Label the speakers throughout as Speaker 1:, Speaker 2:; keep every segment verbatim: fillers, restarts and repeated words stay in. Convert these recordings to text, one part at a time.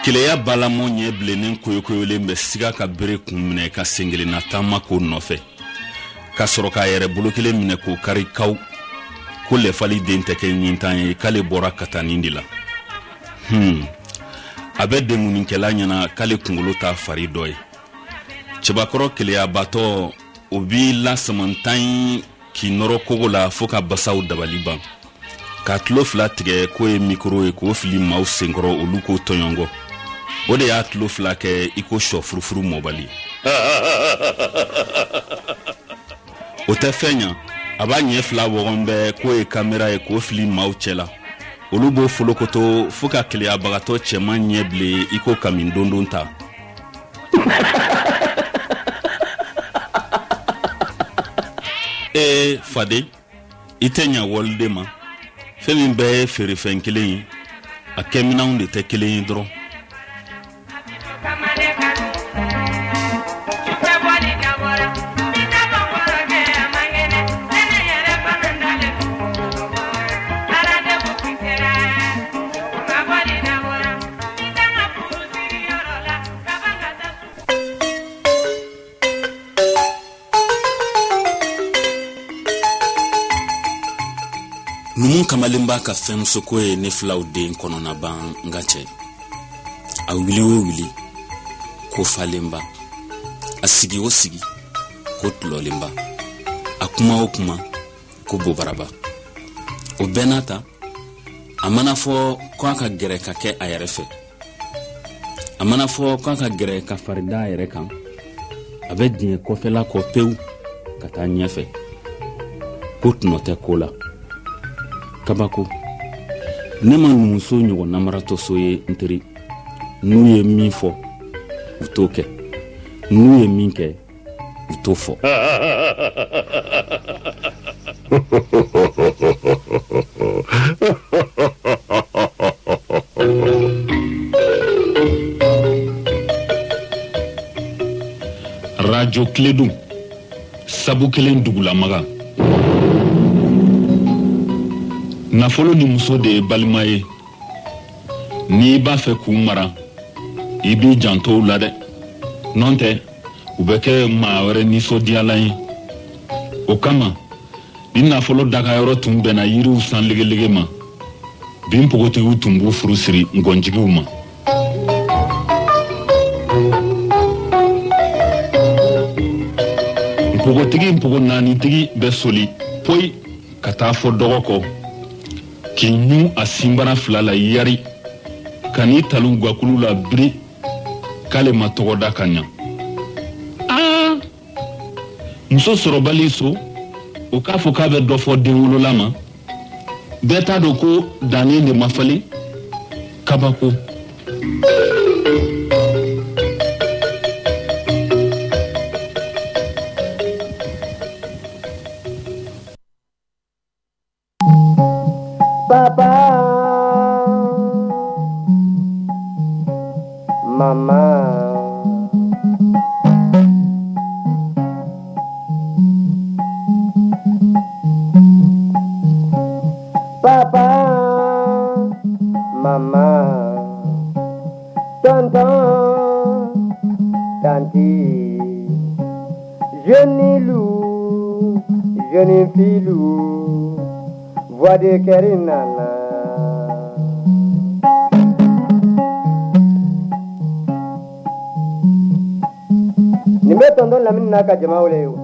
Speaker 1: Keleya balamɔ ɲɛ bilennen koyokoyolen bɛ siga ka bere kun minɛ ka senkelenna taama k'o nɔfɛ, ka sɔrɔ k'a yɛrɛ bolo kelen minɛ k'o kari kaw ko lɛfali den tɛ kɛ ɲintan ye, k'ale bɔra katanin de la. Hmm, a bɛ denkunikɛla ɲɛna k'ale kunkolo t'a fari dɔ ye. Cɛbakɔrɔ keleyabatɔ, o b'i lasamantan ye k'i nɔrɔ kogo la fɔɔ ka basaw dabali ban, k'a tulo fila tigɛ k'o ye mikoro ye k'o fili maaw senkɔrɔ, olu k'o tɔɲɔgɔn. O de y'a tulo fila kɛ i ko sɔ furufuru mɔbali. O tɛ fɛn ɲa, a b'a ɲɛ fila wɔgɔn bɛɛ k'o ye kamera ye k'o fili maaw cɛ la, olu b'o folokoto fɔɔ ka keleyabagatɔ cɛman ɲɛ bilen i ko kami dondon ta. Ee faden, i tɛ ɲa waliden ma. Fɛn min bɛɛ ye feerefɛn kelen ye, a kɛminɛnw de tɛ kelen ye dɔrɔn. Numu kamalen b'a ka fɛnmusoko ye ne filaw den kɔnɔnaban. N ka cɛ, a wuli o wuli ko falenba, a sigi o sigi ko tulɔlenba, a kuma o kuma ko bobaraba. O bɛɛ n'a ta, a mana fɔ ko a ka gɛrɛ ka kɛ a yɛrɛ fɛ, a mana fɔ ko a ka gɛrɛ ka fari da a yɛrɛ kan, a bɛ diɲɛ kɔfɛla kɔ pewu ka taa ɲɛfɛ ko tɔnɔ tɛ ko la. Kabako, ne ma numuso ɲɔgɔn namaratɔso ye. N teri, n'u ye min fɔ u t'o kɛ, n'u ye min kɛ u t'o fɔ. Radio Kiledun, sabu kelen dugulamaga. Nafolo ni muso de ye balima ye. N'i b'a fɛ k'u mara, i b'i janto u la dɛ, n'o tɛ u bɛ kɛ maa wɛrɛ nisɔndiyalan ye. O kama, ni nafolo dagayɔrɔ tun bɛnna yiriw san legelege ma, bi npogotigiw tun b'u furu siri ngɔnjigiw ma. Npogotigi npogo naanitigi bɛ soli poyi ka taa fɔ dɔgɔ kɔ k'i ɲun a sinbara fila la yari ka n'i talu gakulu la biri k'ale ma tɔgɔ da ka ɲa. Aa, muso sɔrɔbali so, o k'a fɔ k'a bɛ dɔ fɔ denwolola ma, bɛɛ t'a dɔn ko dannen de ma falen. Kabako.
Speaker 2: Papa, maman, papa, maman, tonton, tantie, jeune loup, jeune filou, voix de Kerinana. Nin bɛ tonton Lamini n'a ka jama wele o.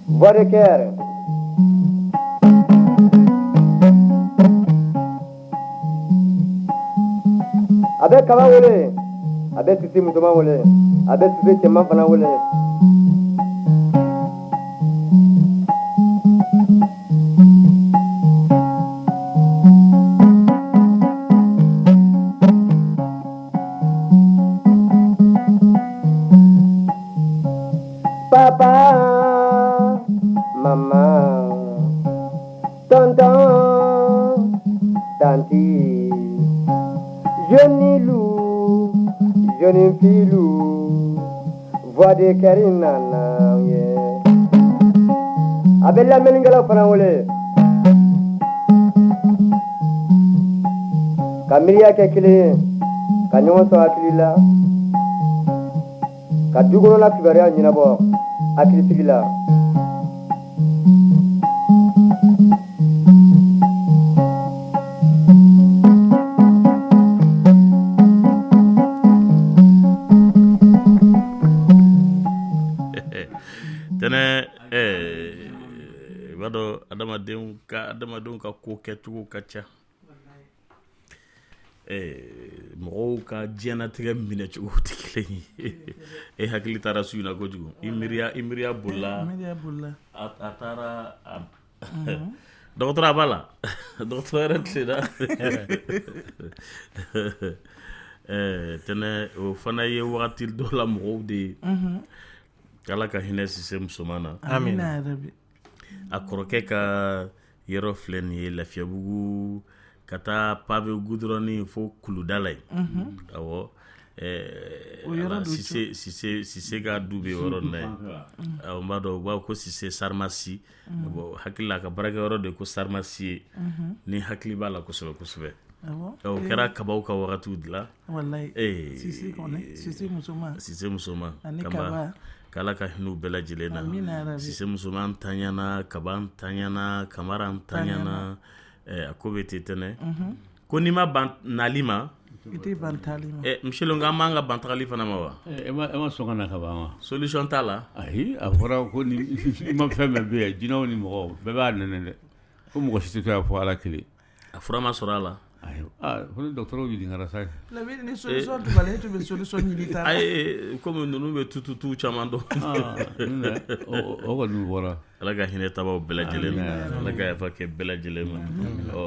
Speaker 2: Voix de cœur. A bɛ kaba wele, a bɛ sisi musoman wele, a bɛ sisi cɛman fana wele. Papa, maman, tonton, tantie, jeune loup, jeune filou, voix de Kerinana, yeah. A bɛ lamɛnnikɛlaw fana wele. Ka miiriya kɛ kelen ye, ka ɲɔgɔn sɔn hakili la, ka du kɔnɔna kibaruya ɲɛnabɔ hakilisigi la.
Speaker 1: Tɛnɛ, i b'a dɔn adamadenw ka adamadenw ka ko kɛcogo ka ca, mɔgɔw ka diɲɛnatigɛ minɛcogo tɛ kelen ye. E hakili taara su in na kojugu, i miiriya i miiriya bolila, a taara dɔgɔtɔrɔ a b'a la, dɔgɔtɔrɔ yɛrɛ tilenna. Tɛnɛ, o fana ye wagati dɔ la mɔgɔw de ye. Ala ka hinɛ Sise musoman na.
Speaker 3: Amina yarabi.
Speaker 1: A kɔrɔkɛ ka yɔrɔ filɛ nin ye Lafiyabugu ka taa pavé goudron fo kuluda la yen. Awɔ, Sise Sise Sise ka du bɛ yɔrɔ in na yen. Awɔ, n b'a dɔn u b'a fɔ ko Sise Sarimasi. Bon, hakili la a ka baarakɛyɔrɔ de ko Sarimasi ye. Ni hakili b'a la kosɛbɛ kosɛbɛ. O kɛra kabaw ka wagatiw de la.
Speaker 3: Walayi. Sise kɔni, Sise musoman.
Speaker 1: Sise musoman.
Speaker 3: Ani Kaba.
Speaker 1: K'Ala ka hinɛ u bɛɛ lajɛlen na.
Speaker 3: Amina yarabi.
Speaker 1: Sise musoman tanyana, Kaba tanyana, Kamara tanyana, a ko bɛ ten tɛnɛ. Ko n'i ma ban nali ma,
Speaker 3: i tɛ ban taali ma.
Speaker 1: Ɛ monsieur le an b'an ka ban tagali fana ma wa?
Speaker 4: E ma e ma sɔn ka na ka ban wa?
Speaker 1: Solution t'a la.
Speaker 4: Ayi, a fɔra ko ni i ma fɛn bɛɛ bɛ yan, jinɛw ni mɔgɔw bɛɛ b'a nɛnɛ dɛ. Ko mɔgɔ si tɛ to yan fo Ala kelen.
Speaker 1: A fura ma sɔrɔ a la.
Speaker 4: Ayi, aa ko ni dɔgɔtɔrɔw ɲininkara sa.
Speaker 3: Lamini, ni solution tun b'a la, e tun bɛ solution ɲini ta la.
Speaker 1: Ayi, komi ninnu bɛ tututu caman dɔn.
Speaker 4: O kɔni bɔra.
Speaker 1: Ala ka hinɛ tabaw bɛɛ lajɛlen na. Ala ka yafa kɛ bɛɛ lajɛlen ma. Ɔ,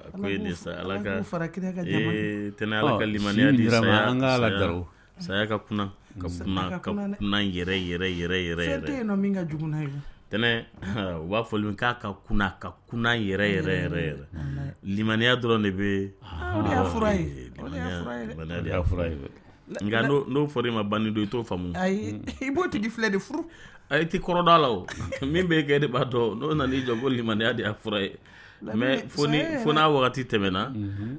Speaker 1: a ko ye nin sa, Ala ka ee tɛnɛ, Ala ka limaniya di saya.
Speaker 4: An ka Ala daro.
Speaker 1: Saya ka kunna, ka kunna, ka kunna yɛrɛ yɛrɛ yɛrɛ yɛrɛ.
Speaker 3: Fɛn tɛ yen nɔ min ka jugu n'a ye.
Speaker 1: Tɛnɛ, u b'a fɔ min k'a ka kunna, ka kunna yɛrɛ yɛrɛ yɛrɛ yɛrɛ. Limaniya dɔrɔn de bɛ.
Speaker 3: O de y'a fura ye. O de y'a fura ye dɛ.
Speaker 1: Limaniya de y'a fura ye. Nka n'o fɔra i ma banni don, i t'o faamu.
Speaker 3: Ayi, i b'o tigi filɛ de furu.
Speaker 1: I tɛ kɔrɔ dɔn a la o. Min bɛ kɛ e de b'a dɔn, n'o nana i jɔ ko limaniya de y'a fura ye. Mais fo ni fo n'a wagati tɛmɛna,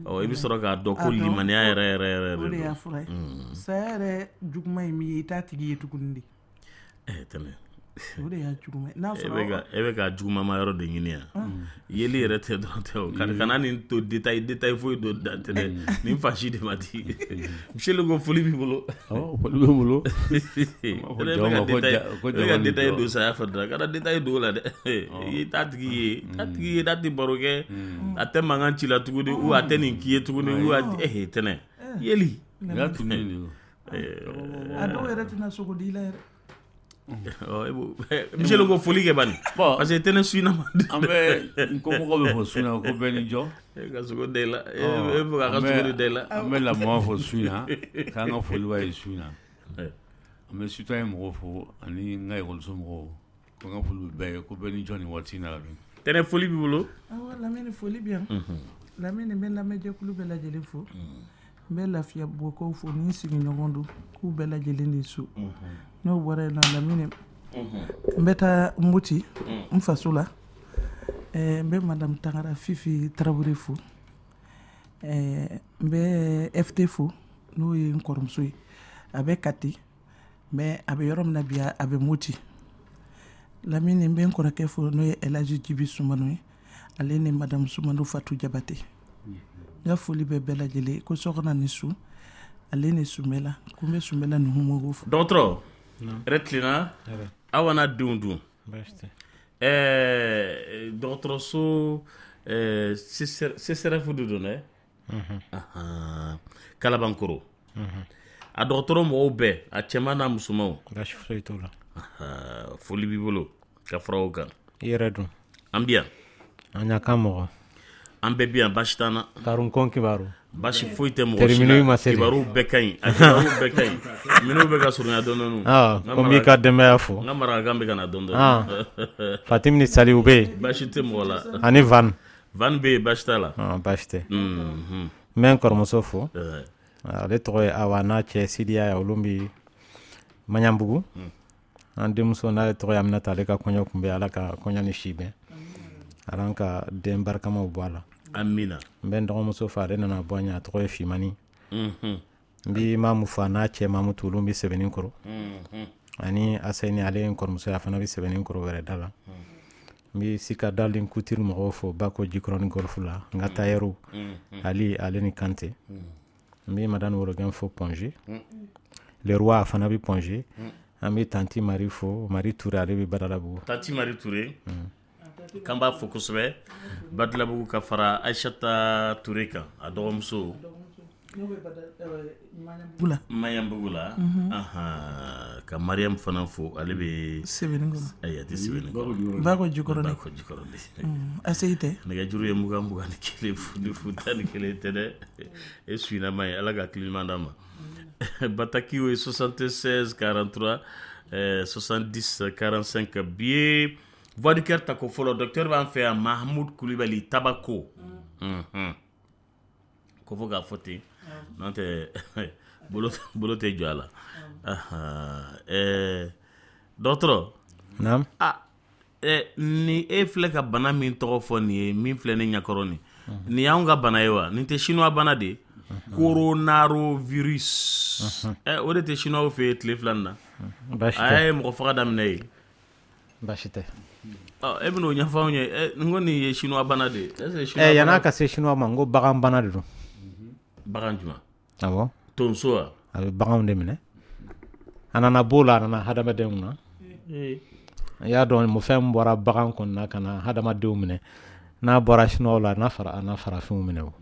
Speaker 1: ɔ i bɛ sɔrɔ k'a dɔn ko limaniya yɛrɛ yɛrɛ yɛrɛ de
Speaker 3: don. O de y'a fura ye. Saya yɛrɛ juguman ye min ye, i t'a tigi ye tuguni de.
Speaker 1: Ɛ tɛnɛ.
Speaker 3: O de y'a juguman ye. N'a sɔrɔ
Speaker 1: e bɛ ka juguman yɔrɔ de ɲini yan. Yeli yɛrɛ tɛ dɔrɔn tɛ o. Kana nin to détail détail foyi don da tɛ dɛ. Nin fa si de ma di. Monsieur le ko foli b'i bolo.
Speaker 4: Awɔ, foli bɛ n bolo.
Speaker 1: E bɛ ka détail don saya fɛ dɔrɔn. Kana détail don o la dɛ. I t'a tigi ye, t'a tigi ye, n'a tɛ baro kɛ, a tɛ mankan ci la tuguni, ou a tɛ nin k'i ye tuguni, ou a eh tɛnɛ. Yeli.
Speaker 4: Y'a tununnen de o.
Speaker 3: A dɔw yɛrɛ tɛna sogo di i la yɛrɛ.
Speaker 1: Monsieur le ko foli kɛ bani. Parce que tɛnɛ su in na.
Speaker 4: An bɛ n kɔmɔgɔw bɛ fɔ su in na ko bɛɛ ni jɔ.
Speaker 1: E ka sogo da i la. E bɛ k'a ka sogo de da i la.
Speaker 4: An bɛ lamɔ fɔ su in na, k'an ka foli b'a ye su in na. An bɛ citoyen mɔgɔw fo ani n ka ekɔliso mɔgɔw, ko n ka foli bɛ bɛɛ ye, ko bɛɛ ni jɔ nin waati in na.
Speaker 1: Tɛnɛ, foli b'i bolo.
Speaker 3: Awɔ, Lamini, foli bɛ yan. Lamini, n bɛ lamɛnjɛkulu bɛɛ lajɛlen fo. N bɛ Lafiyabugukaw fo ni n sigiɲɔgɔn don, k'u bɛɛ lajɛlen de su. N'o bɔra yen nɔ, Lamini, n bɛ taa Moti n faso la. N bɛ madame Tangara Fifi Tarawele fo. N bɛ F T fo, n'o ye n kɔrɔmuso ye. A bɛ Kati, mais a bɛ yɔrɔ min na bi, a bɛ Moti. Lamini, n bɛ n kɔrɔkɛ fo, n'o ye Elaji Jibi Sumano ye. Ale ni madame Sumano Fatu Jabate. N ka foli bɛ bɛɛ lajɛlen ko sɔgɔma ni su, ale ni Sunbɛla, ko n bɛ Sunbɛla nuhumɔgɔw fo.
Speaker 1: Dɔgɔtɔrɔ, hɛrɛ tilenna, aw n'a denw dun. Ɛɛ dɔgɔtɔrɔso C S R F de don dɛ. Kalabankɔrɔ. A dɔgɔtɔrɔ mɔgɔw bɛɛ, a cɛman n'a musomanw.
Speaker 5: Baasi foyi t'o la.
Speaker 1: Foli b'i bolo ka fara o kan.
Speaker 5: I yɛrɛ dun?
Speaker 1: An bɛ yan.
Speaker 5: An ɲa kan mɔgɔ.
Speaker 1: An bɛɛ bi yan, baasi t'an na.
Speaker 5: Karun kibaru.
Speaker 1: Baasi foyi tɛ mɔgɔ si la. Kibaru bɛɛ ka ɲi, a kibaru bɛɛ ka ɲi. Minnu bɛ ka surunya dɔɔnin dɔɔnin.
Speaker 5: Ah, ko n b'i ka denbaya fo.
Speaker 1: N ka marakakan bɛ ka na dɔɔnin dɔɔnin.
Speaker 5: Fatimi ni Saliw bɛ yen.
Speaker 1: Baasi tɛ mɔgɔ la.
Speaker 5: Ani Van.
Speaker 1: Van bɛ yen, baasi t'a la.
Speaker 5: Ah, baasi tɛ. N bɛ n kɔrɔmuso fo. Ale tɔgɔ ye Awa, n'a cɛ Sidiya ye, olu bɛ Maɲanbugu. An denmuso n'ale tɔgɔ ye Aminata, ale ka kɔɲɔ tun bɛ, Ala ka kɔɲɔ ni si bɛn. Ala ka den barikamaw bɔ a la.
Speaker 6: Amina.
Speaker 5: N bɛ n dɔgɔmuso fo, ale nana bɔ an ɲɛ, a tɔgɔ ye Fimani. N bi Mamu fo, a n'a cɛ Mamutu, olu bɛ sɛbɛnni kɔrɔ, ani Aseni, ale ye n kɔrɔmuso ye, a fana bɛ sɛbɛnni kɔrɔ wɛrɛ da la. N bɛ Sika Dalen Couture mɔgɔw fo, Bako Jikɔrɔni Golf la, n ka tailleur Ali, ale ni Kante. N bɛ Madame Worogɛn fo Point G, Le Roi, a fana bɛ Point G. An bɛ Tanti Mari fo, Mari Ture, ale bɛ Badalabugu.
Speaker 6: Tanti Mari Ture, k'an b'a fo kosɛbɛ Badalabugu, ka fara Aïchata Ture kan, a dɔgɔmuso Maɲanbugu la. Ahan, ka Mariam fana fo, ale bɛ
Speaker 3: Sɛbɛnni kɔnɔ.
Speaker 6: Ayi, a tɛ sɛbɛnni kɔnɔ.
Speaker 3: Bako Jikɔrɔni.
Speaker 6: Bako Jikɔrɔni.
Speaker 3: Aseyi tɛ.
Speaker 6: Nɛgɛjuru ye mugan mugan ni kelen fu ni fu tan ni kelen tɛ dɛ, e suinama ye. Ala ka hakili ɲuman d'an ma. Bataki ye soixante-seize quarante-trois euh, soixante-dix quarante-cinq. Bi ye Voix du Cœur tako fɔlɔ. Docteur b'an fɛ yan, Mahamud Kulibali Tabako. Mhm. Ko fo k'a fɔ ten, n'o tɛ bolo bolo tɛ jɔ a la. Ahan, ɛɛ dɔgɔtɔrɔ.
Speaker 5: Naam.
Speaker 6: Ah, ɛ ni e filɛ ka bana min tɔgɔ fɔ nin ye, min filɛ ne ɲɛkɔrɔ nin, nin y'anw ka bana ye wa? Nin tɛ chinois bana de ye, coronavirus? Ɛ o de tɛ chinois fɛ yen tile fila nin na?
Speaker 5: Baasi
Speaker 6: A
Speaker 5: tɛ.
Speaker 6: ye mɔgɔ faga daminɛ yen.
Speaker 5: Baasi tɛ.
Speaker 6: Ɔ, e bɛn'o ɲɛfɔ anw ye. Ɛ, n ko nin ye chinois bana de ye, est ce que chinois
Speaker 5: Ɛ, yan'a
Speaker 6: bana
Speaker 5: ka se chinois ma, n ko bagan bana de don.
Speaker 6: Bagan jumɛn?
Speaker 5: Awɔ.
Speaker 6: Tonso wa?
Speaker 5: A bɛ baganw de minɛ, a nana b'o la, a nana hadamadenw na. I y'a dɔn, mo fɛn min bɔra bagan kɔni na ka na hadamadenw minɛ, n'a bɔra chinois la, a n'a fara a n'a farafinw minɛ. O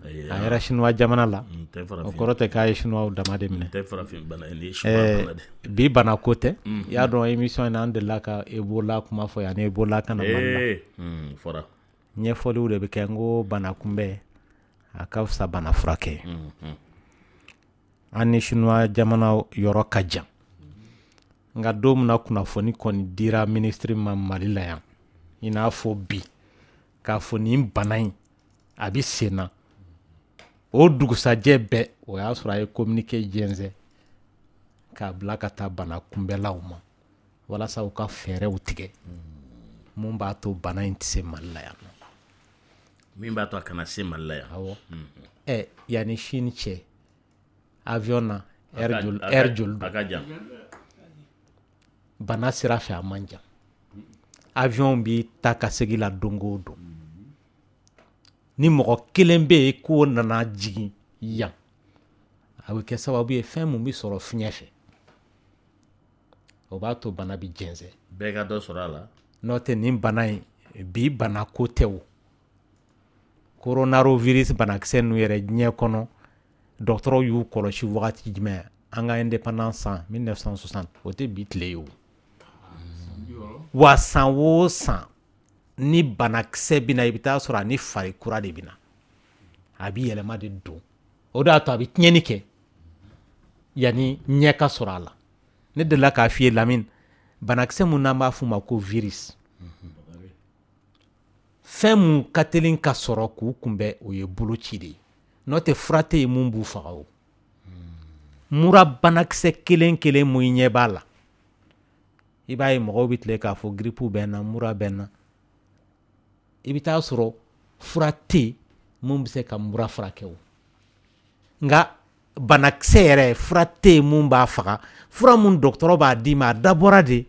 Speaker 6: Ayi,
Speaker 5: a yɛrɛ chinois jamana la,
Speaker 6: nin tɛ
Speaker 5: o
Speaker 6: farafin
Speaker 5: kɔrɔ tɛ k'a ye chinois dama de minɛ.
Speaker 6: Nin tɛ farafin bana ye, nin ye chinois bana de ye.
Speaker 5: Bi bana ko tɛ. I y'a dɔn, émission in na, an delila ka Ebola kuma fɔ yan, ni Ebola kana Mali la.
Speaker 6: Ee, hmm, fɔra.
Speaker 5: Ɲɛfɔliw de bɛ kɛ. N ko bana kunbɛn a ka fisa bana furakɛ. An ni chinois jamana yɔrɔ ka jan, nka don min na kunnafoni kɔni dira minisiri ma Mali la yan, i n'a fɔ bi, k'a fɔ nin bana in a bɛ sen na, o dugusajɛ bɛɛ, o y'a sɔrɔ a ye communiqué jɛnsɛn k'a bila ka taa bana kunbɛlaw ma, walasa u ka fɛɛrɛw tigɛ mun b'a to bana in tɛ se Mali la yan.
Speaker 6: Min b'a to a kana se Mali la yan.
Speaker 5: Awɔ. Ɛ, yanni Chine cɛ, avion na, heure joli
Speaker 6: A ka-
Speaker 5: heure joli
Speaker 6: a
Speaker 5: don?
Speaker 6: ka jan.
Speaker 5: Bana sira fɛ, a man jan. Avion bi taa ka segin la don o don. Ni mɔgɔ kelen bɛ yen k'o nana jigin yan, a bɛ kɛ sababu ye, fɛn mun bɛ sɔrɔ fiɲɛ fɛ, o b'a to bana bɛ jɛnsɛn.
Speaker 6: Bɛɛ ka dɔ sɔrɔ a la.
Speaker 5: N'o tɛ, nin bana in, bi bana ko tɛ. O coronavirus banakisɛ ninnu yɛrɛ, diɲɛ kɔnɔ, dɔgɔtɔrɔw y'u kɔlɔsi wagati jumɛn? An ka indépendance san mille neuf cent soixante, o tɛ bi tile ye. O wa, san o san ni banakisɛ bɛ na, i bɛ taa sɔrɔ a ni fari kura de bɛ na, a bɛ yɛlɛma de don. O de y'a to a bɛ tiɲɛni kɛ yanni ɲɛ ka sɔrɔ a la. Ne delila k'a f'i ye, Lamine, banakisɛ mun n'an b'a f'o ma ko virus, fɛn mun ka teli ka sɔrɔ k'u kunbɛn, o ye boloci de ye. N'o tɛ, fura tɛ yen mun b'u faga. O mura banakisɛ kelen kelen mun i ɲɛ b'a la, i b'a ye mɔgɔw bɛ tile k'a fɔ grippe bɛ n na, mura bɛ n na, i bɛ taa sɔrɔ fura tɛ yen mun bɛ se ka mura furakɛ. O nka banakisɛ yɛrɛ, fura tɛ yen mun b'a faga. Fura mun dɔgɔtɔrɔ b'a d'i ma, a dabɔra de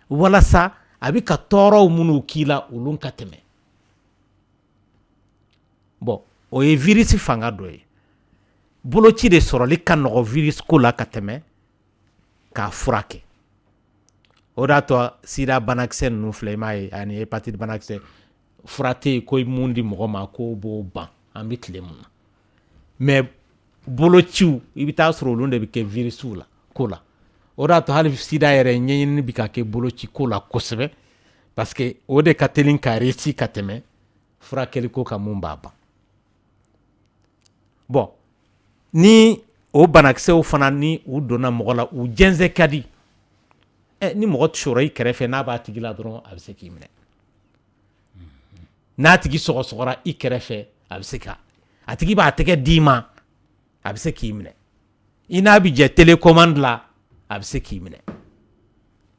Speaker 5: walasa a bɛ ka tɔɔrɔw minnu k'i la, olu ka tɛmɛ. Bɔn, o ye virus fanga dɔ ye. Boloci de sɔrɔli ka nɔgɔ virus ko la ka tɛmɛ k'a furakɛ. O de y'a to sida banakisɛ ninnu filɛ, i m'a ye, ani hépatite banakisɛ, fura tɛ yen ko mun di mɔgɔ ma k'o b'o ban an bɛ tile mun na. Mais bolociw, i bɛ taa sɔrɔ olu de bɛ kɛ virusw la ko la. O de y'a to hali sida yɛrɛ ɲɛɲinini bɛ ka kɛ boloci ko la kosɛbɛ, parce que o de ka teli ka réussi ka tɛmɛ furakɛli ko kan mun b'a ban. Bɔn, ni o banakisɛw fana, ni u donna mɔgɔ la, u jɛnsɛn ka di. Ɛ, ni mɔgɔ sɔrɔ i kɛrɛfɛ, n'a b'a tigi la dɔrɔn, a bɛ se k'i minɛ. N'a tigi sɔgɔsɔgɔra i kɛrɛfɛ, a bɛ se ka, a tigi b'a tɛgɛ d'i ma, a bɛ se k'i minɛ. I n'a bɛ jɛ télécommande la, a bɛ se k'i minɛ.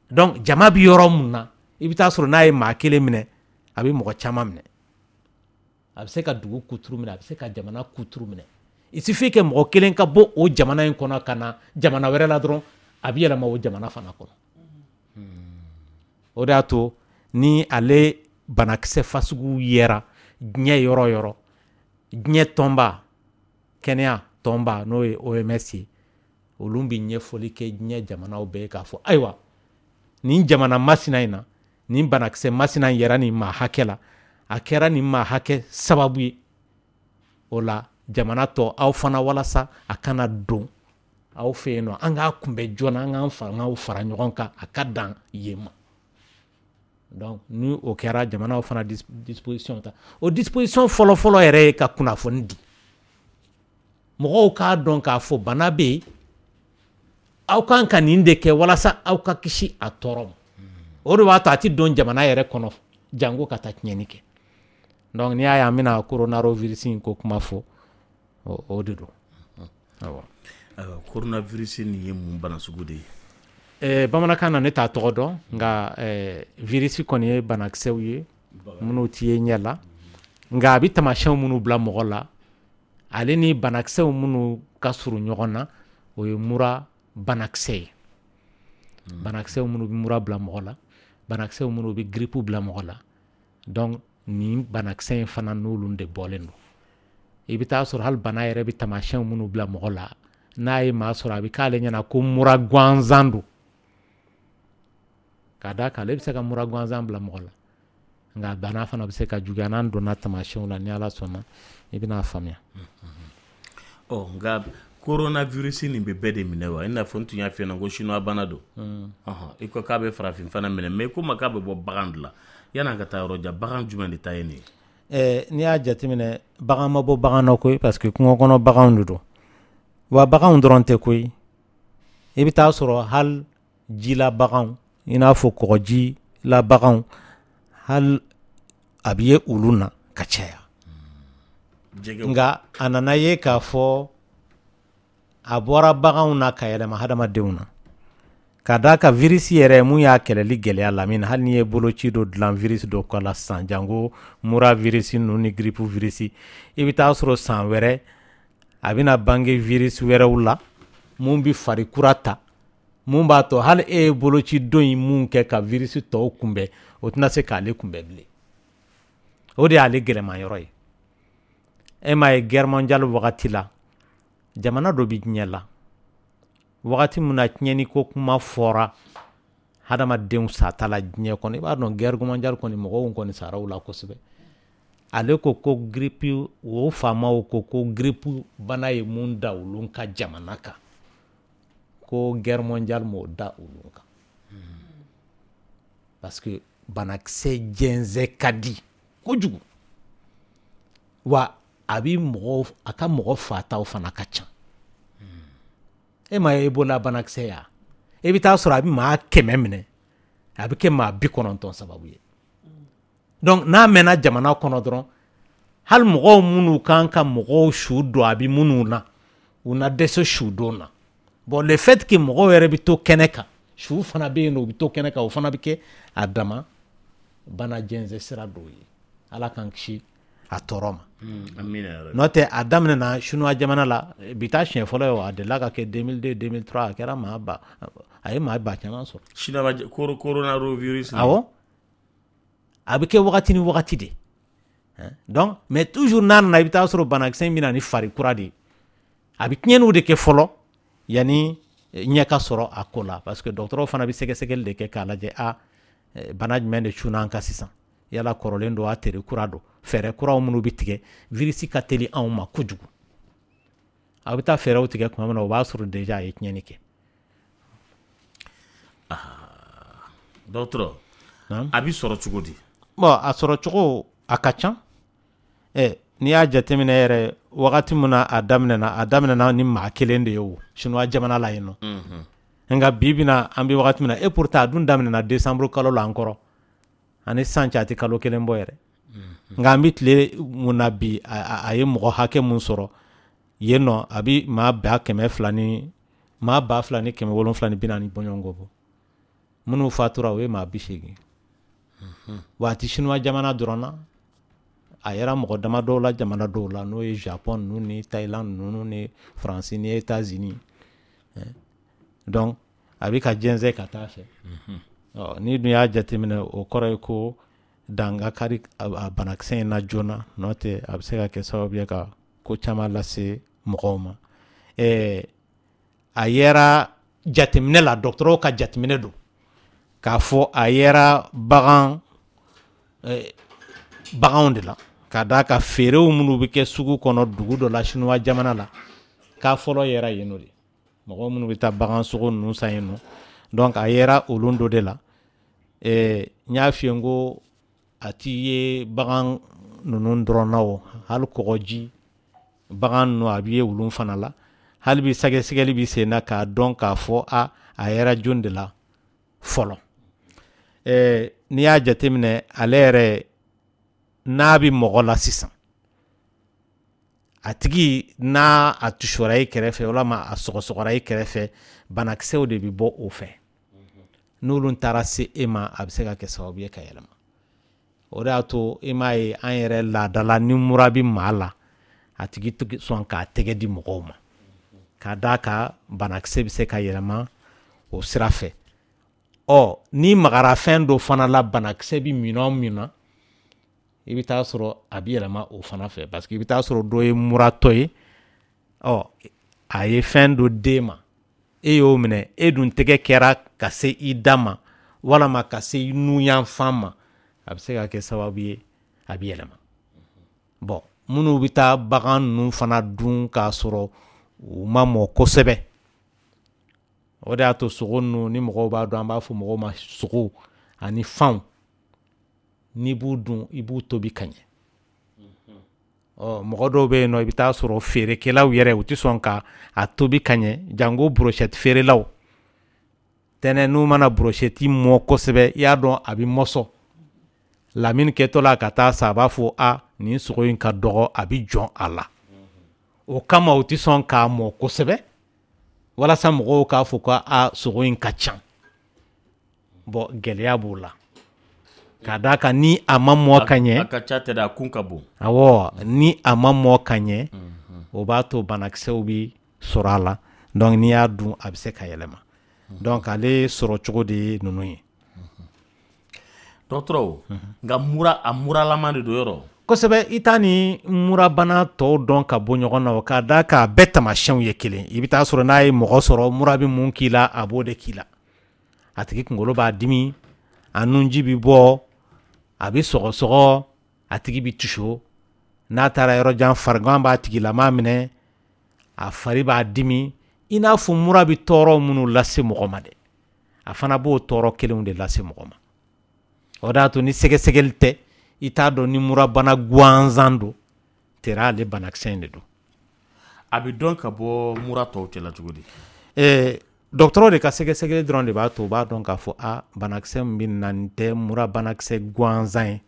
Speaker 5: Donc jama bɛ yɔrɔ mun na, i bɛ taa sɔrɔ n'a ye maa kelen minɛ, a bɛ mɔgɔ caman minɛ. A bɛ se ka dugu kuturu minɛ, a bɛ se ka jamana kuturu minɛ. Il suffit que mɔgɔ kelen ka bɔ o jamana in kɔnɔ ka na jamana wɛrɛ la dɔrɔn, a bɛ yɛlɛma o jamana fana kɔnɔ. O de y'a to ni ale banakisɛ fasugu yera diɲɛ yɔrɔ o yɔrɔ, diɲɛ tɔnba, kɛnɛya tɔnba, n'o ye O M S ye, olu bɛ ɲɛfɔli kɛ diɲɛ jamanaw bɛɛ ye k'a fɔ: ayiwa, nin jamana masina in na, nin banakisɛ masina in yɛrɛ nin maa hakɛ la, a kɛra nin maa hakɛ sababu ye. O la, jamana tɔ aw fana, walasa a kana don aw fɛ yen nɔ, an k'a kunbɛ joona, an k'an fangaw fara ɲɔgɔn kan, a ka dan yen ma. Donc ni o kɛra, jamanaw fana disposition ta. O disposition fɔlɔ-fɔlɔ yɛrɛ ye ka kunnafoni di mɔgɔw k'a dɔn k'a fɔ bana bɛ yen, aw kan ka nin de kɛ walasa aw ka kisi a tɔɔrɔ ma. O de b'a to a tɛ don jamana yɛrɛ kɔnɔ jango ka taa tiɲɛni kɛ. Donc n'i y'a ye an bɛna coronavirus in ko kuma fɔ, o de don, awɔ.
Speaker 6: Ayiwa, coronavirus nin ye mun bana sugu de ye?
Speaker 5: eh, bamanankan na, ne t'a tɔgɔ dɔn, nka eh, virus kɔni ye banakisɛw ye minnu ti ye ɲɛ la, nka a bɛ taamasiyɛnw minnu bila mɔgɔ la, ale ni banakisɛw minnu ka surun ɲɔgɔn na, o ye mura banakisɛ ye. Banakisɛw minnu bɛ mura bila mɔgɔ la, banakisɛw minnu bɛ grippe bila mɔgɔ la. Donc nin banakisɛ in fana, n'olu de bɔlen don. I bɛ taa sɔrɔ hali bana yɛrɛ bɛ taamasiyɛnw minnu bila mɔgɔ la, n'a ye maa sɔrɔ, a bɛ k'ale ɲɛna ko mura gansan don, ka d'a kan ale bɛ se ka mura gansan bila mɔgɔ la, nka bana fana bɛ se ka juguya. N'an donna taamasiyɛnw la, ni Ala sɔnna, i bɛna faamuya.
Speaker 6: Ɔ, nka coronavirus nin bɛ bɛɛ de minɛ wa? I n'a fɔ n tun y'a f'i ɲɛna ko chinois bana don. Ɔhɔn, i ko k'a bɛ farafin fana minɛ, mais i ko ma k'a bɛ bɔ bagan de la. Yan'an ka taa yɔrɔ jan, bagan jumɛn de ta ye nin ye?
Speaker 5: Ɛɛ, n'i y'a jateminɛ, bagan ma bɔ bagan na koyi, parce que kungo kɔnɔ baganw de don. Wa baganw dɔrɔn tɛ koyi, i bɛ taa sɔrɔ hali jila baganw, i n'a fɔ kɔgɔji la baganw, hali a bɛ ye olu na ka caya. Nka a nana ye k'a fɔ a bɔra baganw na ka yɛlɛma hadamadenw na, ka d'a kan virus yɛrɛ mun y'a kɛlɛli gɛlɛya, Lamini, hali n'i ye boloci dɔ dilan virus dɔ kɔ la sisan, jango mura virus ninnu ni grippe virus, i bɛ taa sɔrɔ san wɛrɛ a bɛna bange virus wɛrɛw la mun bɛ fari kura ta, mun b'a to hali e ye boloci don in mun kɛ ka virus tɔw kunbɛn, o tɛna se k'ale kunbɛn bilen. O de y'ale gɛlɛman yɔrɔ ye. E m'a ye, guerre mondiale wagati la, jamana dɔ bɛ diɲɛ la, wagati min na tiɲɛni ko kuma fɔra hadamadenw sata la diɲɛ kɔnɔ, i b'a dɔn guerre mondiale kɔni, mɔgɔw kɔni sara o la kosɛbɛ. Ale ko ko grippe, o faamaw ko ko grippe bana ye mun da olu ka jamana kan, ko guerre mondiale m'o da olu kan, parce que banakisɛ jɛnsɛn ka di kojugu, wa a bi mɔgɔw, a ka mɔgɔ fataw fana ka ca. E ma ye Ebola banakisɛ ya, e bɛ taa sɔrɔ a bɛ maa kɛmɛ minɛ, a bɛ kɛ maa bi kɔnɔntɔn sababu ye. Donc n'a mɛnna jamana kɔnɔ dɔrɔn, hali mɔgɔw minnu kan ka mɔgɔw su don, a bɛ minnu na, u na dɛsɛ su don na. Bon, le fait que mɔgɔw yɛrɛ bɛ to kɛnɛ kan, su fana bɛ yen nɔ, u bɛ to kɛnɛ kan, o fana bɛ kɛ a dama bana jɛnsɛn sira dɔw ye. Ala k'an kisi a tɔɔrɔ ma. N'o tɛ, a daminɛna chinois jamana la, bi taa siɲɛ fɔlɔ ye o. A delila ka kɛ deux mille deux, deux mille trois, a kɛra maa ba, a ye maa ba caman sɔrɔ.
Speaker 6: Chinois coronavirus?
Speaker 5: Awɔ, a bɛ kɛ wagati ni wagati de. Donc mais toujours n'a nana, i bɛ taa sɔrɔ banakisɛ in bɛ na ni fari kura de ye. A bɛ tiɲɛniw de kɛ fɔlɔ yanni ɲɛ ka sɔrɔ a ko la, parce que dɔgɔtɔrɔw fana bɛ sɛgɛsɛgɛli de kɛ k'a lajɛ: a bana jumɛn de cunna an kan sisan? Yala kɔrɔlen don, a tere kura don? Fɛɛrɛ kuraw minnu bɛ tigɛ, virus ka teli anw ma kojugu. A bɛ taa fɛɛrɛw tigɛ tuma min na, o b'a sɔrɔ déjà a ye tiɲɛni kɛ.
Speaker 6: Dɔgɔtɔrɔ, a bɛ sɔrɔ cogo di?
Speaker 5: Bon, a sɔrɔ cogo a ka ca. Ɛ, n'i y'a jateminɛ yɛrɛ, wagati min na a daminɛna, a daminɛna ni maa kelen de ye o chinois jamana la yen nɔ. Nka bi bi na, an bɛ wagati min na, et pourtant a dun daminɛna décembre kalo la an kɔrɔ, ani sisan cɛ, a tɛ kalo kelen bɔ yɛrɛ. Nka an bɛ tile mun na bi, a ye mɔgɔ hakɛ mun sɔrɔ yen nɔ, a bɛ maa ba kɛmɛ fila ni maa ba fila ni kɛmɛ wolonfila ni bi naani bɔɲɔgɔnko bɔ. Minnu fatura, o ye maa bi seegin. Wa a tɛ chinois jamana dɔrɔn na. A yera mɔgɔ dama dɔw la jamana dɔw la, n'o ye Japon ninnu ni Thaïlande ninnu ni Faransi ni États-Unis. Donc a bɛ ka jɛnsɛn ka taa fɛ. Ɔ, n'i dun y'a jateminɛ, o kɔrɔ ye ko dan ka kari a banakisɛ in na joona, n'o tɛ a bɛ se ka kɛ sababu ye ka ko caman lase mɔgɔw ma. Ɛɛ, a yera jateminɛ la, dɔgɔtɔrɔw ka jateminɛ don k'a fɔ a yera bagan baganw de la, ka d'a ka feerew minnu bɛ kɛ sugu kɔnɔ dugu dɔ la Sinuwa jamana la, k'a fɔlɔ yera yen nɔ de, mɔgɔ minnu bɛ taa bagan sogo ninnu san yen nɔ. Donc a yera olu dɔ de la. Ɛɛ, n y'a f'i ye n ko a ti ye bagan ninnu dɔrɔn na, o hali kɔgɔji bagan ninnu, a bɛ ye olu fana la. Hali bi sɛgɛsɛgɛli bɛ sen na k'a dɔn k'a fɔ a a yera jɔn de la fɔlɔ. Ɛɛ, n'i y'a jateminɛ, ale yɛrɛ n'a bɛ mɔgɔ la sisan, a tigi n'a a tusora i kɛrɛfɛ walima a sɔgɔsɔgɔra i kɛrɛfɛ, banakisɛw de bɛ bɔ o fɛ. N'olu taara se e ma, a bɛ se ka kɛ sababu ye ka yɛlɛma. O de y'a to i m'a ye, an yɛrɛ laadala, ni mura bɛ maa la, a tigi tɛ sɔn k'a tɛgɛ di mɔgɔw ma, ka d'a kan banakisɛ bɛ se ka yɛlɛma o sira fɛ. Ɔ, n'i magara fɛn dɔ fana la, banakisɛ bɛ minɛn min na, i bɛ taa sɔrɔ a bɛ yɛlɛma o fana fɛ, parce que i bɛ taa sɔrɔ dɔ ye muratɔ ye, ɔ, a ye fɛn dɔ d'e ma, e y'o minɛ, e dun tɛgɛ kɛra ka se i da ma walama ka se i nuyanfan ma, a bɛ se ka kɛ sababu ye a bɛ yɛlɛma. Bɔn, minnu bɛ taa bagan ninnu fana dun k'a sɔrɔ u ma mɔ kosɛbɛ, o de y'a to sogo ninnu, ni mɔgɔw b'a dɔn, an b'a fɔ mɔgɔw ma, sogo ani fanw, n'i b'u dun, i b'u tobi ka ɲɛ. Ɔ, mɔgɔ dɔw bɛ yen nɔ, i bɛ taa sɔrɔ feerekɛlaw yɛrɛ, u tɛ sɔn ka a tobi ka ɲɛ, jango brochette feerelaw tɛnɛ. N'u mana brochette mɔ kosɛbɛ, i y'a dɔn a bɛ mɔsɔn. Lamini kɛtɔ la ka taa sa, a b'a fɔ: "A, nin sogo in ka dɔgɔ, a bɛ jɔn a la." O kama u tɛ sɔn k'a mɔ kosɛbɛ walasa mɔgɔw k'a fɔ ko a sogo in ka ca. Bɔn, gɛlɛya b'o la, ka d'a kan ni a ma mɔ ka ɲɛ
Speaker 6: A ka ca tɛ dɛ, a kun ka bon.
Speaker 5: Awɔ, ni a ma mɔ ka ɲɛ, o b'a to banakisɛw bi sɔrɔ a la. Donc n'i y'a dun, a bɛ se ka yɛlɛma. Donc ale sɔrɔ cogo de ye ninnu ye.
Speaker 6: Dɔgɔtɔrɔ, nka mura, a muralama de don yɔrɔ?
Speaker 5: Kosɛbɛ. I t'a ni murabana tɔw dɔn ka bɔ ɲɔgɔn na, o ka d'a kan a bɛɛ tamasiyɛnw ye kelen. I bɛ taa sɔrɔ n'a ye mɔgɔ sɔrɔ, mura bɛ mun k'i la, a b'o de k'i la. A tigi kunkolo b'a dimi, a nunji bɛ bɔ, a bɛ sɔgɔsɔgɔ, a tigi bɛ tuso, n'a taara yɔrɔ jan, farigan b'a tigilama minɛ, a fari b'a dimi. I n'a fɔ mura bɛ tɔɔrɔ minnu lase mɔgɔ ma dɛ, a fana b'o tɔɔrɔ kelenw de lase mɔgɔ ma. O de y'a to ni sɛgɛsɛgɛli tɛ, i t'a dɔn ni murabana gansan don tera, ale banakisɛ in de don.
Speaker 6: A bɛ dɔn ka bɔ mura tɔw cɛla cogo di?
Speaker 5: Ɛɛ, dɔgɔtɔrɔ de ka sɛgɛsɛgɛli dɔrɔn de b'a to u b'a dɔn k'a fɔ a banakisɛ min bɛ na nin tɛ mura banakisɛ gansan ye,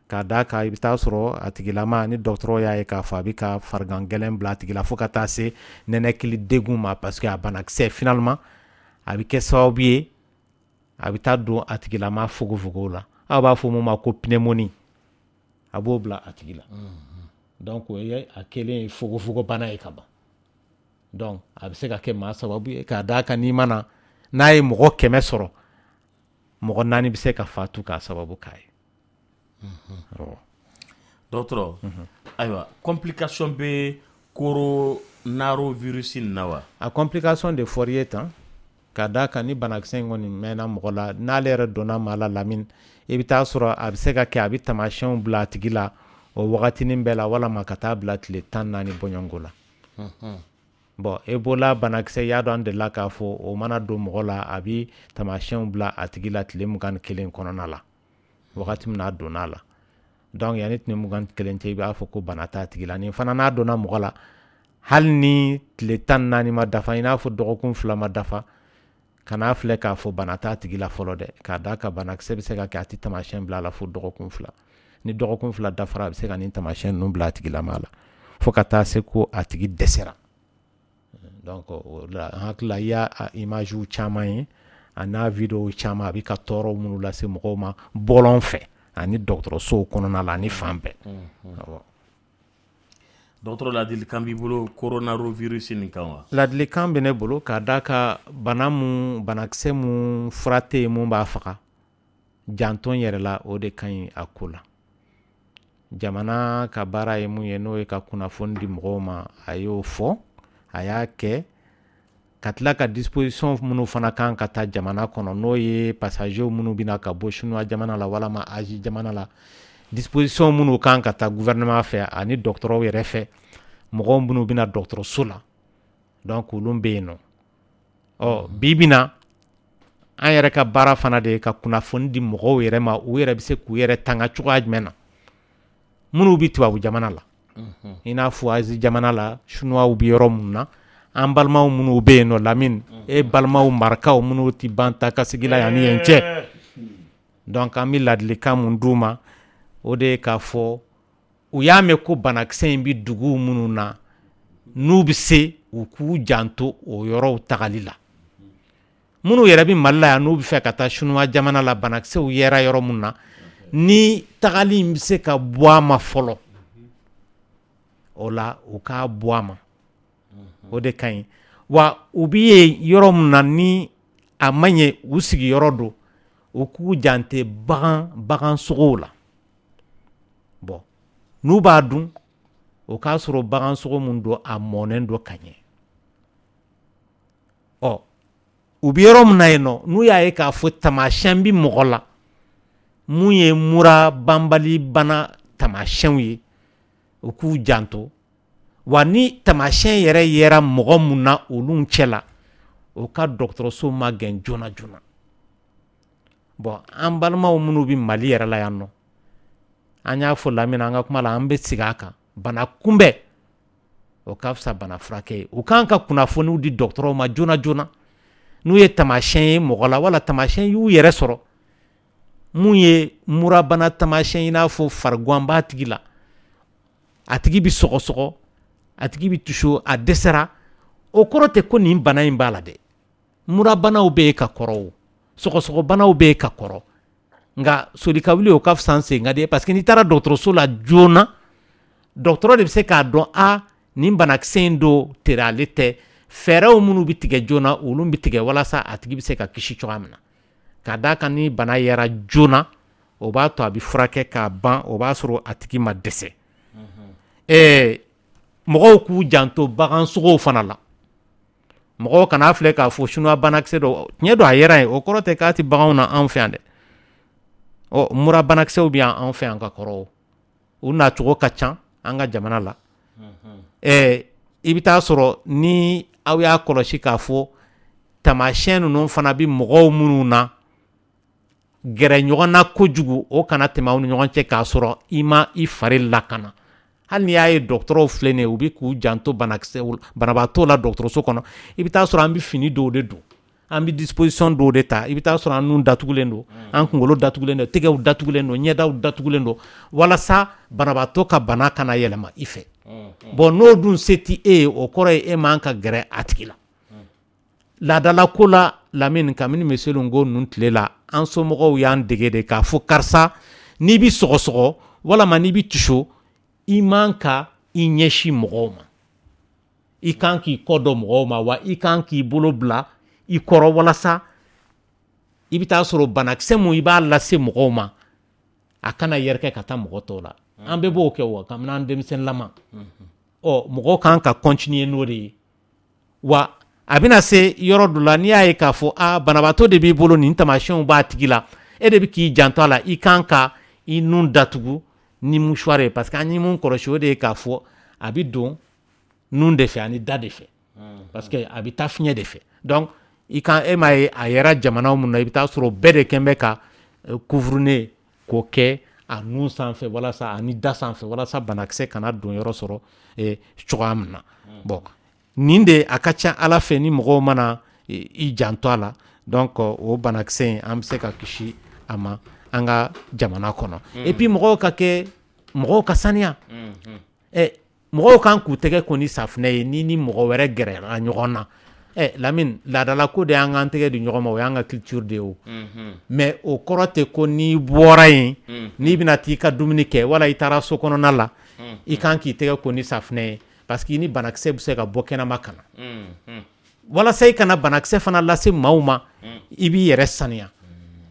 Speaker 5: ka d'a kan i bɛ taa sɔrɔ a tigilama, ni dɔgɔtɔrɔ y'a ye k'a fɔ a bɛ ka farigan gɛlɛn bila a tigi la fo ka taa se nɛnɛkili degun ma, parce que a banakisɛ finalement a bɛ kɛ sababu ye a bɛ taa don a tigilama fogofogo la, aw b'a fɔ mun ma ko pneumonie, a b'o bila a tigi la. Donc o ye a kɛlen ye fogofogo bana ye ka ban. Donc a bɛ se ka kɛ maa sababu ye, k'a d'a kan n'i ma na n'a ye mɔgɔ kɛmɛ sɔrɔ, mɔgɔ naani bɛ se ka fatu k'a sababu k'a ye.
Speaker 6: Dɔgɔtɔrɔ, ayiwa, complication bɛ coronavirus in na wa?
Speaker 5: A complication de fɔr'i ye tan, ka d'a kan ni banakisɛ in kɔni mɛnna mɔgɔ la, n'ale yɛrɛ donna maa la, Lamini, i bɛ taa sɔrɔ a bɛ se ka kɛ a bɛ taamasiyɛnw bila a tigi la o wagatinin bɛɛ la, walama ka taa bila tile tan naani bɔɲɔgɔnko la. Bɔn, Ebola banakisɛ, y'a dɔn an delila k'a fɔ, o mana don mɔgɔ la, a bɛ taamasiyɛnw bila a tigi la tile mugan ni kelen kɔnɔna la, wagati min n'a donna a la. Donc yanni tile mugan ni kelen cɛ, i b'a fɔ ko bana t'a tigi la. Nin fana, n'a donna mɔgɔ la, hali ni tile tan ni naani ma dafa, i n'a fɔ dɔgɔkun fila ma dafa, kan'a filɛ k'a fɔ bana t'a tigi la fɔlɔ dɛ, k'a d'a kan banakisɛ bɛ se ka kɛ a tɛ taamasiyɛn bila a la fo dɔgɔkun fila. Ni dɔgɔkun fila dafara, a bɛ se ka nin taamasiyɛn ninnu bila a tigilama la fo ka taa se ko a tigi dɛsɛra. Donc o la, n hakili la, i y'a image caman ye a n'a vidéo caman, a bɛ ka tɔɔrɔ minnu lase mɔgɔw ma bɔlɔn fɛ. Ani dɔgɔtɔrɔsow kɔnɔna la, ani fan bɛɛ.
Speaker 6: Dɔgɔtɔrɔ, ladilikan b'i bolo coronavirus nin kan wa?
Speaker 5: Ladilikan bɛ ne bolo k'a da ka bana mun, banakisɛ mun fura tɛ yen mun b'a faga, janto yɛrɛ la, o de ka ɲi a ko la. Jamana ka baara ye mun ye, n'o ye ka kunnafoni di mɔgɔw ma, a y'o fɔ, a y'a kɛ ka tila ka disposition minnu fana kan ka ta jamana kɔnɔ, n'o ye passagers minnu bɛna ka bɔ Chinois jamana la walama Asie jamana la, disposition minnu kan ka ta gouvernement fɛ ani dɔgɔtɔrɔw yɛrɛ fɛ, mɔgɔw minnu bɛna dɔgɔtɔrɔso la, donc olu bɛ yen nɔ. Ɔ bi bi na, an yɛrɛ ka baara fana de ye ka kunnafoni di mɔgɔw yɛrɛ ma, u yɛrɛ bɛ se k'u yɛrɛ tanga cogoya jumɛn na, minnu bɛ tubabu jamana la, i n'a fɔ Asie jamana la, Chinois bɛ yɔrɔ minnu na, an balimaw minnu bɛ yen nɔ, Lamini, e balimaw marakaw minnu tɛ ban ta ka sigi la yan ni yen cɛ. Donc an bɛ ladilikan mun d'u ma, o de ye k'a fɔ u y'a mɛn ko banakisɛ in bɛ dugu minnu na, n'u bɛ se, u k'u janto o yɔrɔw tagali la. Minnu yɛrɛ bɛ Mali la yan, n'u bɛ fɛ ka taa Chinois jamana la, banakisɛw yera yɔrɔ min na, ni tagali in bɛ se ka bɔ a ma fɔlɔ, o la u k'a bɔ a ma, o de ka ɲi. Wa u bɛ yen yɔrɔ min na, ni a ma ɲɛ u sigiyɔrɔ don, u k'u jante bagan bagan sogow la. Bon, n'u b'a dun, o k'a sɔrɔ bagan sogo mun don, a mɔnen don ka ɲɛ. Ɔ u bɛ yɔrɔ min na yen nɔ, n'u y'a ye k'a fɔ taamasiyɛn bɛ mɔgɔ la mun ye mura banbali bana taamasiyɛnw ye, u k'u janto. Wa ni taamasiyɛn yɛrɛ yera mɔgɔ mun na olu cɛ la, o ka dɔgɔtɔrɔso magɛn joona joona. Bon, an balimaw minnu bɛ Mali yɛrɛ la yan nɔ, an y'a fɔ Lamini an ka kuma la, an bɛ segin a kan, bana kunbɛn, o ka fisa bana furakɛ ye. U kan ka kunnafoniw di dɔgɔtɔrɔw ma joona joona n'u ye taamasiyɛn ye mɔgɔ la, wala taamasiyɛn y'u yɛrɛ sɔrɔ mun ye murabana taamasiyɛn, i n'a fɔ fariguan b'a tigi la, a tigi bɛ sɔgɔsɔgɔ, a tigi bɛ tuso, a dɛsɛra, o kɔrɔ tɛ ko nin bana in b'a la dɛ. Murabanaw bɛ yen ka kɔrɔ, o sɔgɔsɔgɔbanaw bɛ yen ka kɔrɔ, nka soli ka wuli, o ka fisa sen ka di, parce que n'i taara dɔgɔtɔrɔso la joona, dɔgɔtɔrɔ de bɛ se k'a dɔn a nin banakisɛ in don tere ale tɛ. Fɛɛrɛw minnu bɛ tigɛ joona, olu bɛ tigɛ walasa a tigi bɛ se ka kisi cogoya min na. Ka d'a kan ni bana yera joona, o b'a to a bɛ furakɛ k'a ban, o b'a sɔrɔ a tigi ma dɛsɛ. Ɛɛ mɔgɔw k'u janto bagan sogow fana la. Mɔgɔw kana filɛ k'a fɔ chinois banakisɛ dɔ tiɲɛ don, a yera yen, o kɔrɔ tɛ k'a tɛ baganw na anw fɛ yan dɛ. Ɔ mura banakisɛw bɛ yan anw fɛ yan ka kɔrɔ, u nacogo ka ca an ka jamana la. Ɛɛ i bɛ taa sɔrɔ ni aw y'a kɔlɔsi k'a fɔ taamasiyɛn ninnu fana bɛ mɔgɔw minnu na, gɛrɛ ɲɔgɔn na kojugu, o kana tɛmɛ aw ni ɲɔgɔn cɛ k'a sɔrɔ i ma i fari lakana. Hali n'i y'a ye dɔgɔtɔrɔw filɛ nin ye, u bɛ k'u janto banakisɛ banabaatɔ la dɔgɔtɔrɔso kɔnɔ, i bɛ taa sɔrɔ an bɛ fini dɔw de don, an bɛ disposition dɔw de ta. I bɛ taa sɔrɔ an nun datugulen don, an kunkolo datugulen don, tɛgɛw datugulen don, ɲɛdaw datugulen don, walasa banabaatɔ ka bana kana yɛlɛma i fɛ. Bon, n'o dun se tɛ e ye, o kɔrɔ ye e man ka gɛrɛ a tigi la. Laadala ko la, Lamini, kabini Monsieur Ngo ninnu tile la, an somɔgɔw y'an dege de k'a fɔ karisa, n'i bɛ sɔgɔsɔgɔ walama n'i bɛ tiso, i man ka i ɲɛsin mɔgɔw ma, i kan k'i kɔ dɔn mɔgɔw ma, wa i kan k'i bolo bila i kɔrɔ, walasa i bɛ taa sɔrɔ banakisɛ mun i b'a lase mɔgɔw ma, a kana yɛrɛkɛ ka taa mɔgɔ tɔw la. An bɛɛ b'o kɛ wa kabini an denmisɛnninlama. Ɔ mɔgɔw kan ka continuer n'o de ye. Wa a bɛna se yɔrɔ dɔ la, n'i y'a ye k'a fɔ a banabaatɔ de b'i bolo, nin taamasiyɛnw b'a tigi la, e de bɛ k'i janto a la, i kan ka i nun datugu ni mouchoir ye, parce que an ye mun kɔlɔsi, o de ye k'a fɔ a bɛ don nun de fɛ ani da de fɛ, parce que a bɛ taa fiɲɛ de fɛ. Donc i kan, e m'a ye a yɛrɛ jamana mun na, i bɛ taa sɔrɔ bɛɛ de kɛn bɛ ka couvre-nez k'o kɛ a nun sanfɛ walasa ani da sanfɛ, walasa banakisɛ kana don yɔrɔ sɔrɔ cogoya min na. Bon, nin de a ka ca Ala fɛ, ni mɔgɔw mana i janto a la, donc o banakisɛ in, an bɛ se ka kisi a ma an ka jamana kɔnɔ. Et puis mɔgɔw ka kɛ, mɔgɔw ka saniya. Ɛ mɔgɔw kan k'u tɛgɛ ko ni safunɛ ye ni ni mɔgɔ wɛrɛ gɛrɛla ɲɔgɔn na. Ɛ Lamine, laadalako de y'an k'an tɛgɛ di ɲɔgɔn ma, o y'an ka culture de ye o. Mais o kɔrɔ tɛ ko n'i bɔra yen, n'i bɛna t'i ka dumuni kɛ wala i taara so kɔnɔna la, i kan k'i tɛgɛ ko ni safunɛ ye, parce que i ni banakisɛ bɛ se ka bɔ kɛnɛma ka na. Walasa i kana banakisɛ fana lase maaw ma, i b'i yɛrɛ saniya.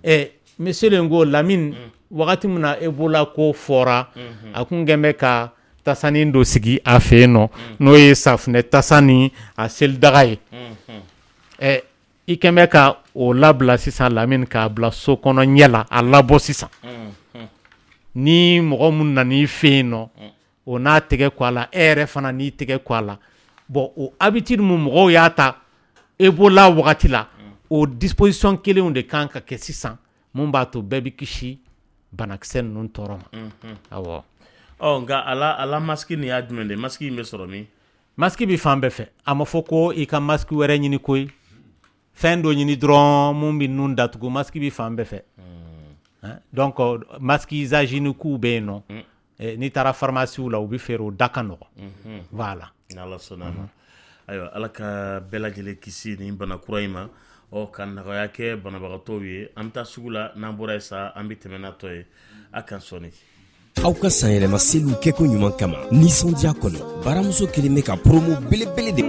Speaker 5: Ɛ monsieur le ko Lamine, wagati min na Ebola ko fɔra, a kun kɛn bɛ ka tasanin dɔ sigi a fɛ yen nɔ, n'o ye safunɛ tasa ni a selidaga ye. Ɛ i kɛn bɛ ka o labila sisan Lamine, k'a bila so kɔnɔ ɲɛ la, a labɔ sisan. Ni mɔgɔ mun nan'i fɛ yen nɔ, o n'a tɛgɛ ko a la, e yɛrɛ fana n'i tɛgɛ ko a la. Bon, o habitude mun mɔgɔw y'a ta Ebola wagati la, o disposition kelenw de kan ka kɛ sisan, mun b'a to bɛɛ bɛ kisi banakisɛ ninnu tɔɔrɔ ma. Awɔ.
Speaker 6: Ɔ nka a la a la masque nin y'a jumɛn de ye? Masque in bɛ sɔrɔ min?
Speaker 5: Masque bɛ fan bɛɛ fɛ. A ma fɔ ko i ka masque wɛrɛ ɲini koyi, fɛn dɔ ɲini dɔrɔn mun bɛ nun datugu. Masque bɛ fan bɛɛ fɛ. Donc masque usage unique bɛ yen nɔ, n'i taara pharmacie la, u bɛ feere, o da ka nɔgɔn. Voilà.
Speaker 6: N'Ala sɔnna a ma. Ayiwa, Ala ka bɛɛ lajɛlen kisi nin bana kura in ma, ɔ ka nɔgɔya kɛ banabagatɔw ye. An bɛ taa sugu la, n'an bɔra yen sa, an bɛ tɛmɛ n'a tɔ ye. A kan sɔnni.
Speaker 7: Aw ka sanyɛlɛma seliw kɛko ɲuman kama nisɔndiya kɔnɔ, baramuso kelen bɛ ka promo belebele de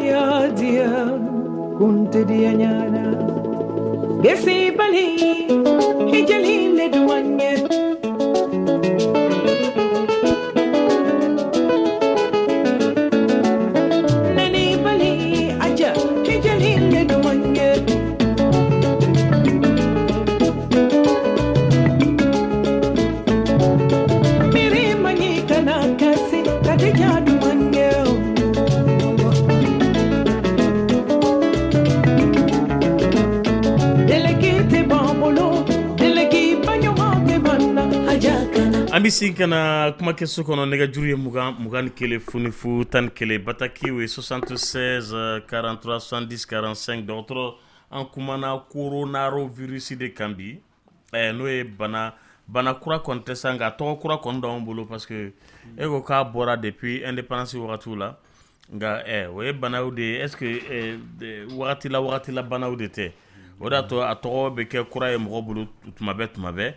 Speaker 6: An bɛ segin ka na kumakɛso kɔnɔ. Nɛgɛjuru ye mugan mugan ni kelen fu fu tan ni kelen, bataki ye soixante-seize quarante-trois soixante-dix quarante-cinq. Dɔgɔtɔrɔ, an kumana coronavirus de kan bi, n'o ye bana bana kura kɔni tɛ sa, nka tɔgɔ kura kɔni d'anw bolo, parce que e ko k'a bɔra depuis indépendance wagatiw la. Nka o ye banaw de ye, est ce que wagati la wagati la banaw de tɛ? O de y'a to a tɔgɔ bɛ kɛ kura ye mɔgɔ bolo tuma bɛɛ tuma bɛɛ.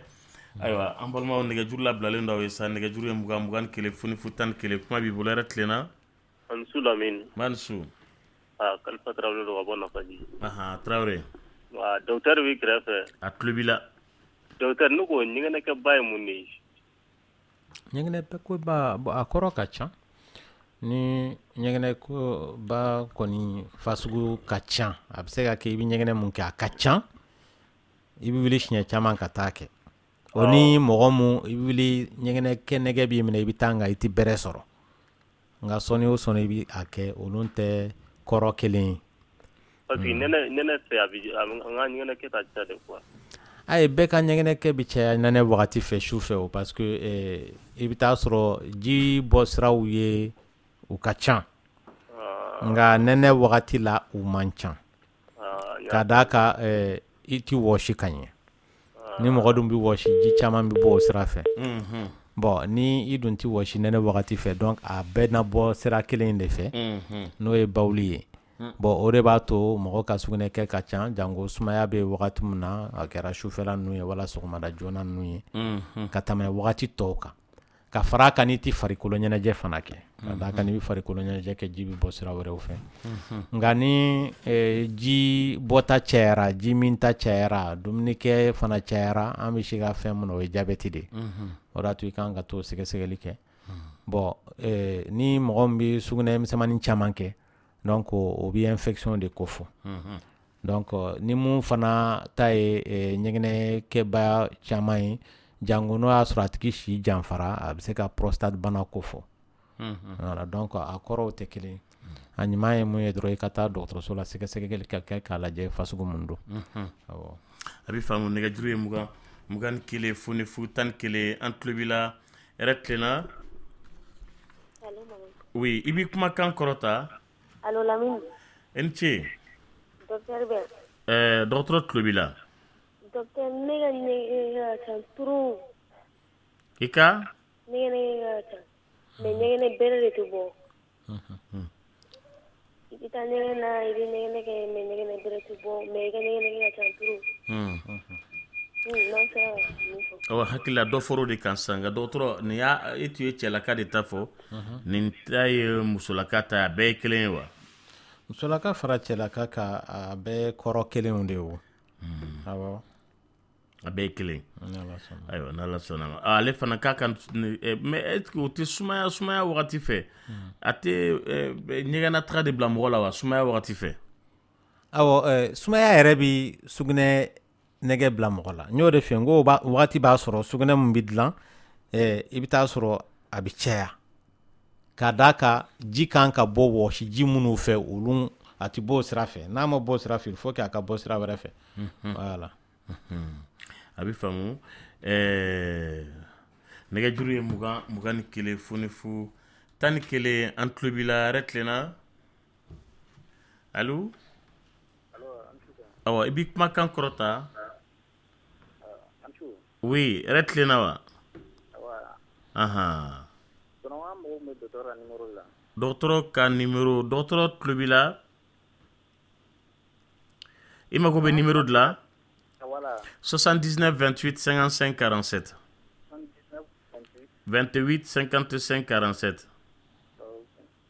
Speaker 6: Ayiwa, an balimaw, nɛgɛjuru labilalen dɔw ye sa. Nɛgɛjuru ye mugan mugan ni kelen fu fu tan ni kelen. Kuma b'i bolo, yɛrɛ tilenna.
Speaker 8: Ani su Lamini.
Speaker 6: Ma ni su.
Speaker 8: Aa, Kalifa Tarawele don ka bɔ Nafaji.
Speaker 6: Ahan, Tarawele.
Speaker 8: Wa docteur b'i kɛrɛfɛ.
Speaker 6: A tulo b'i la.
Speaker 8: Docteur, ne ko ɲɛgɛnɛkɛba ye mun de ye?
Speaker 5: Ɲɛgɛnɛba, a kɔrɔ ka ca. Ni ɲɛgɛnɛba kɔni fasugu ka ca, a bɛ se ka kɛ i bɛ ɲɛgɛnɛ mun kɛ a ka ca, i bɛ wuli siɲɛ caman ka taa kɛ. O ni mɔgɔ mun i bɛ wuli ɲɛgɛnɛ kɛ nɛgɛ b'i minɛ, i bɛ taa, nka i tɛ bɛrɛ sɔrɔ, nka sɔɔni o sɔɔni i bɛ a kɛ, olu tɛ kɔrɔ kelen ye.
Speaker 8: Parce que nɛnɛ nɛnɛ fɛ, a bɛ an ka ɲɛgɛnɛ kɛ ka ca de quoi.
Speaker 5: Ayi, bɛɛ ka ɲɛgɛnɛ kɛ bɛ caya nɛnɛ wagati fɛ, su fɛ o, parce que i bɛ taa sɔrɔ ji bɔ siraw ye u ka ca, nka nɛnɛ wagati la u man ca, ka d'a kan i tɛ wɔsi ka ɲɛ. Ni mɔgɔ dun bɛ wɔsi, ji caman bɛ bɔ o sira fɛ. Bon, ni i dun tɛ wɔsi nɛnɛ wagati fɛ, donc a bɛɛ na bɔ sira kelen in de fɛ, n'o ye bawuli ye. Bon, o de b'a to mɔgɔ ka sugunɛ kɛ ka ca, janko sumaya bɛ wagati min na, a kɛra sufɛla ninnu ye wala sɔgɔmada joona ninnu ye, ka tɛmɛ wagati tɔw kan. Ka fara a kan, n'i tɛ farikolo ɲɛnajɛ fana kɛ, ka d'a kan n'i bɛ farikolo ɲɛnajɛ kɛ, ji bɛ bɔ sira wɛrɛw fɛ. Nka ni ji bɔta cayara, ji minta cayara, dumunikɛ fana cayara, an bɛ se ka fɛn min na, o ye jabɛti de ye. O de y'a to i kan ka t'o sɛgɛsɛgɛli kɛ. Bon, ni mɔgɔ min bɛ sugunɛ misɛnmanin caman kɛ, donc o bɛ infection de ko fɔ. Donc ni mun fana ta ye ɲɛgɛnɛkɛba caman ye, jango n'o y'a sɔrɔ a tigi si janfara, a bɛ se ka prostate bana ko fɔ. Voilà, donc a kɔrɔw tɛ kelen. A ɲuman ye mun ye dɔrɔn, i ka taa dɔgɔtɔrɔso la, sɛgɛsɛgɛli ka kɛ k'a lajɛ fasugu mun don. Awɔ.
Speaker 6: A bɛ faamu. Nɛgɛjuru ye mugan mugan ni kelen fu ni fu tan ni kelen. An tulo b'i la, hɛrɛ tilenna. Oui, i b'i kumakan kɔrɔta.
Speaker 9: Allo Lamini.
Speaker 6: I ni ce.
Speaker 9: Docteur bɛ?
Speaker 6: Ɛɛ dɔgɔtɔrɔ tulo b'i la.
Speaker 9: Docteur, ne ka ɲɛgɛnɛ ka ca trop.
Speaker 6: I ka?
Speaker 9: Ɲɛgɛnɛ ka ca, mais ɲɛgɛnɛ bɛrɛ de tɛ bɔ. I bɛ taa ɲɛgɛn na, i bɛ ɲɛgɛnɛ kɛ, mais tɛ bɔ, mais i ka ɲɛgɛnɛ kɛ ka ca trop.
Speaker 6: Hmm.
Speaker 9: Hmm, n'an sera ka mun fɔ?
Speaker 6: Awɔ, hakili la dɔ fɔr'o de kan sisan. Nka dɔgɔtɔrɔ, nin y'a e tun ye cɛlaka de ta fɔ, nin ta ye musolaka ta ye, a bɛɛ ye kelen ye wa?
Speaker 5: Musolaka fara cɛlaka kan, a bɛɛ kɔrɔ kelenw de ye o, awɔ.
Speaker 6: A bɛɛ ye kelen.
Speaker 5: N'Ala sɔnna.
Speaker 6: Ayiwa, n'Ala sɔnna ma. Ah, ale fana k'a ka, mais est ce que o tɛ sumaya sumaya wagati fɛ, a tɛ ɲɛgɛnna taga de bila mɔgɔ la wa, sumaya wagati fɛ?
Speaker 5: Awɔ, eh, sumaya yɛrɛ bi sugunɛ nɛgɛ bila mɔgɔ la. N y'o de f'i ye, n ko wagati b'a sɔrɔ sugunɛ min bɛ dilan, eh, i bɛ taa sɔrɔ a bɛ caya ka d'a kan ji kan ka bɔ wɔsi ji minnu fɛ, olu a tɛ bɔ o sira fɛ. N'a ma bɔ o sira fɛ, il faut que a ka bɔ sira wɛrɛ fɛ, voilà.
Speaker 6: A bɛ faamu. ɛɛ nɛgɛjuru ye mugan mugan ni kelen fu ni fu tan ni kelen. An tulo b'i la. Yɛrɛ tilenna. Allo, awɔ, i b'i kumakan kɔrɔta. Oui, yɛrɛ tilenna wa? Ahan, dɔgɔtɔrɔ ka numéro, dɔgɔtɔrɔ tulo b'i la. I mago bɛ numéro de la? soixante-dix-neuf vingt-huit cinquante-cinq quarante-sept, vingt-huit cinquante-cinq quarante-sept.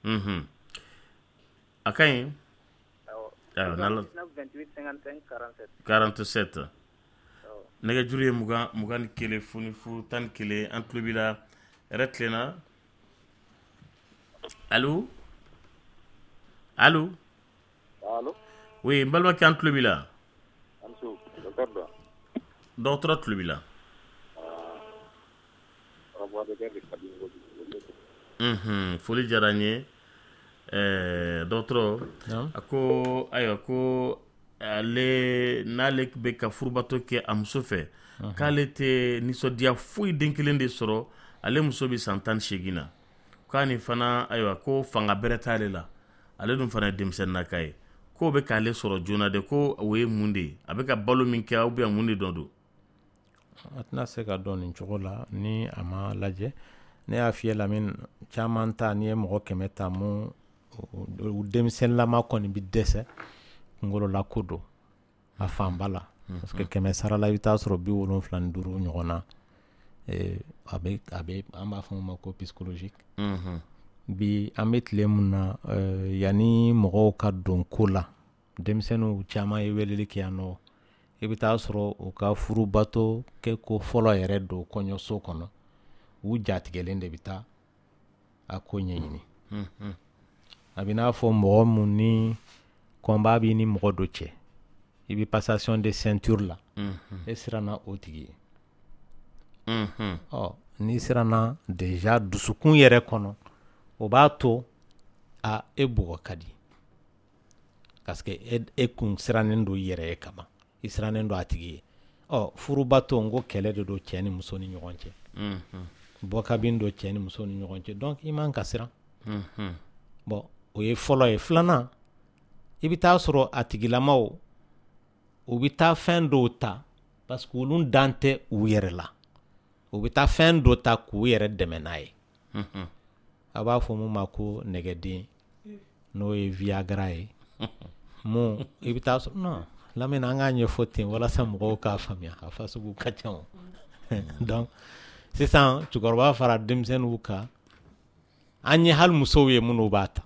Speaker 6: Mhm. A ka ɲi. Ayiwa, n'Ala, quarante-sept. Nɛgɛjuru ye mugan mugan ni kelen fu ni fu tan ni kelen. An tulo b'i la. Yɛrɛ tilenna. Allo, allo. Oui, n balimakɛ, an tulo b'i la. Dɔgɔtɔrɔ tulo b'i la. Mhm, foli diyara n ye. ɛɛ dɔgɔtɔrɔ a ko ayiwa, ko ale n'ale bɛ ka furubato kɛ a muso fɛ, k'ale tɛ nisɔndiya foyi den kelen de sɔrɔ. Ale muso bɛ san tan ni seegin na, k'a ni fana, ayiwa, ko fanga bɛrɛ t'ale la, ale dun fana ye denmisɛnninnaka ye, k'o bɛ k'ale sɔrɔ joona de, ko o ye mun de ye? A bɛ ka balo min kɛ ou bien mun de dɔ don?
Speaker 5: A tɛna se ka dɔn nin cogo la ni a ma lajɛ. Ne y'a f'i ye, Lamine, caman ta, n'i ye mɔgɔ kɛmɛ ta, mun u denmisɛnninlama kɔni bɛ dɛsɛ, kunkolola ko don a fanba la, parce que kɛmɛ sara la, i bɛ taa sɔrɔ bi wolonfila ni duuru ɲɔgɔn na, a bɛ a bɛ an b'a fɔ o ma ko psychologique. Bi an bɛ tile mun na, yanni mɔgɔw ka don ko la, denmisɛnninw caman ye weleli kɛ yan nɔ, i bɛ taa sɔrɔ u ka furubato kɛ ko fɔlɔ yɛrɛ don kɔɲɔso kɔnɔ, u jatigɛlen de bɛ taa a ko ɲɛɲini. A bɛ n'a fɔ mɔgɔ mun ni combat b'i ni mɔgɔ dɔ cɛ, i bɛ passation de ceinture la, e siranna o tigi ye. Ɔ, n'i siranna déjà dusukun yɛrɛ kɔnɔ, o b'a to a e bugɔ ka di, parce que e, e kun sirannen don i yɛrɛ ye kaban, i sirannen don a tigi ye. Ɔ, furubato, n ko kɛlɛ de don cɛ ni muso ni ɲɔgɔn cɛ, bɔkabin don cɛ ni muso ni ɲɔgɔn cɛ, donc i man ka siran. Bon, o ye fɔlɔ ye. Filanan, i bɛ taa sɔrɔ a tigilamaw, u bɛ taa fɛn dɔw ta parce que olu dan tɛ u yɛrɛ la, u bɛ taa fɛn dɔ ta k'u yɛrɛ dɛmɛ n'a ye. A b'a fɔ mun ma ko nɛgɛden, n'o ye Viagra ye. Mun i bɛ taa sɔrɔ, non, Lamine, an k'a ɲɛfɔ ten walasa mɔgɔw k'a faamuya, a fasugu ka ca o. Donc sisan, cɛkɔrɔba fara denmisɛnninw kan, an ye hali musow ye minnu b'a ta,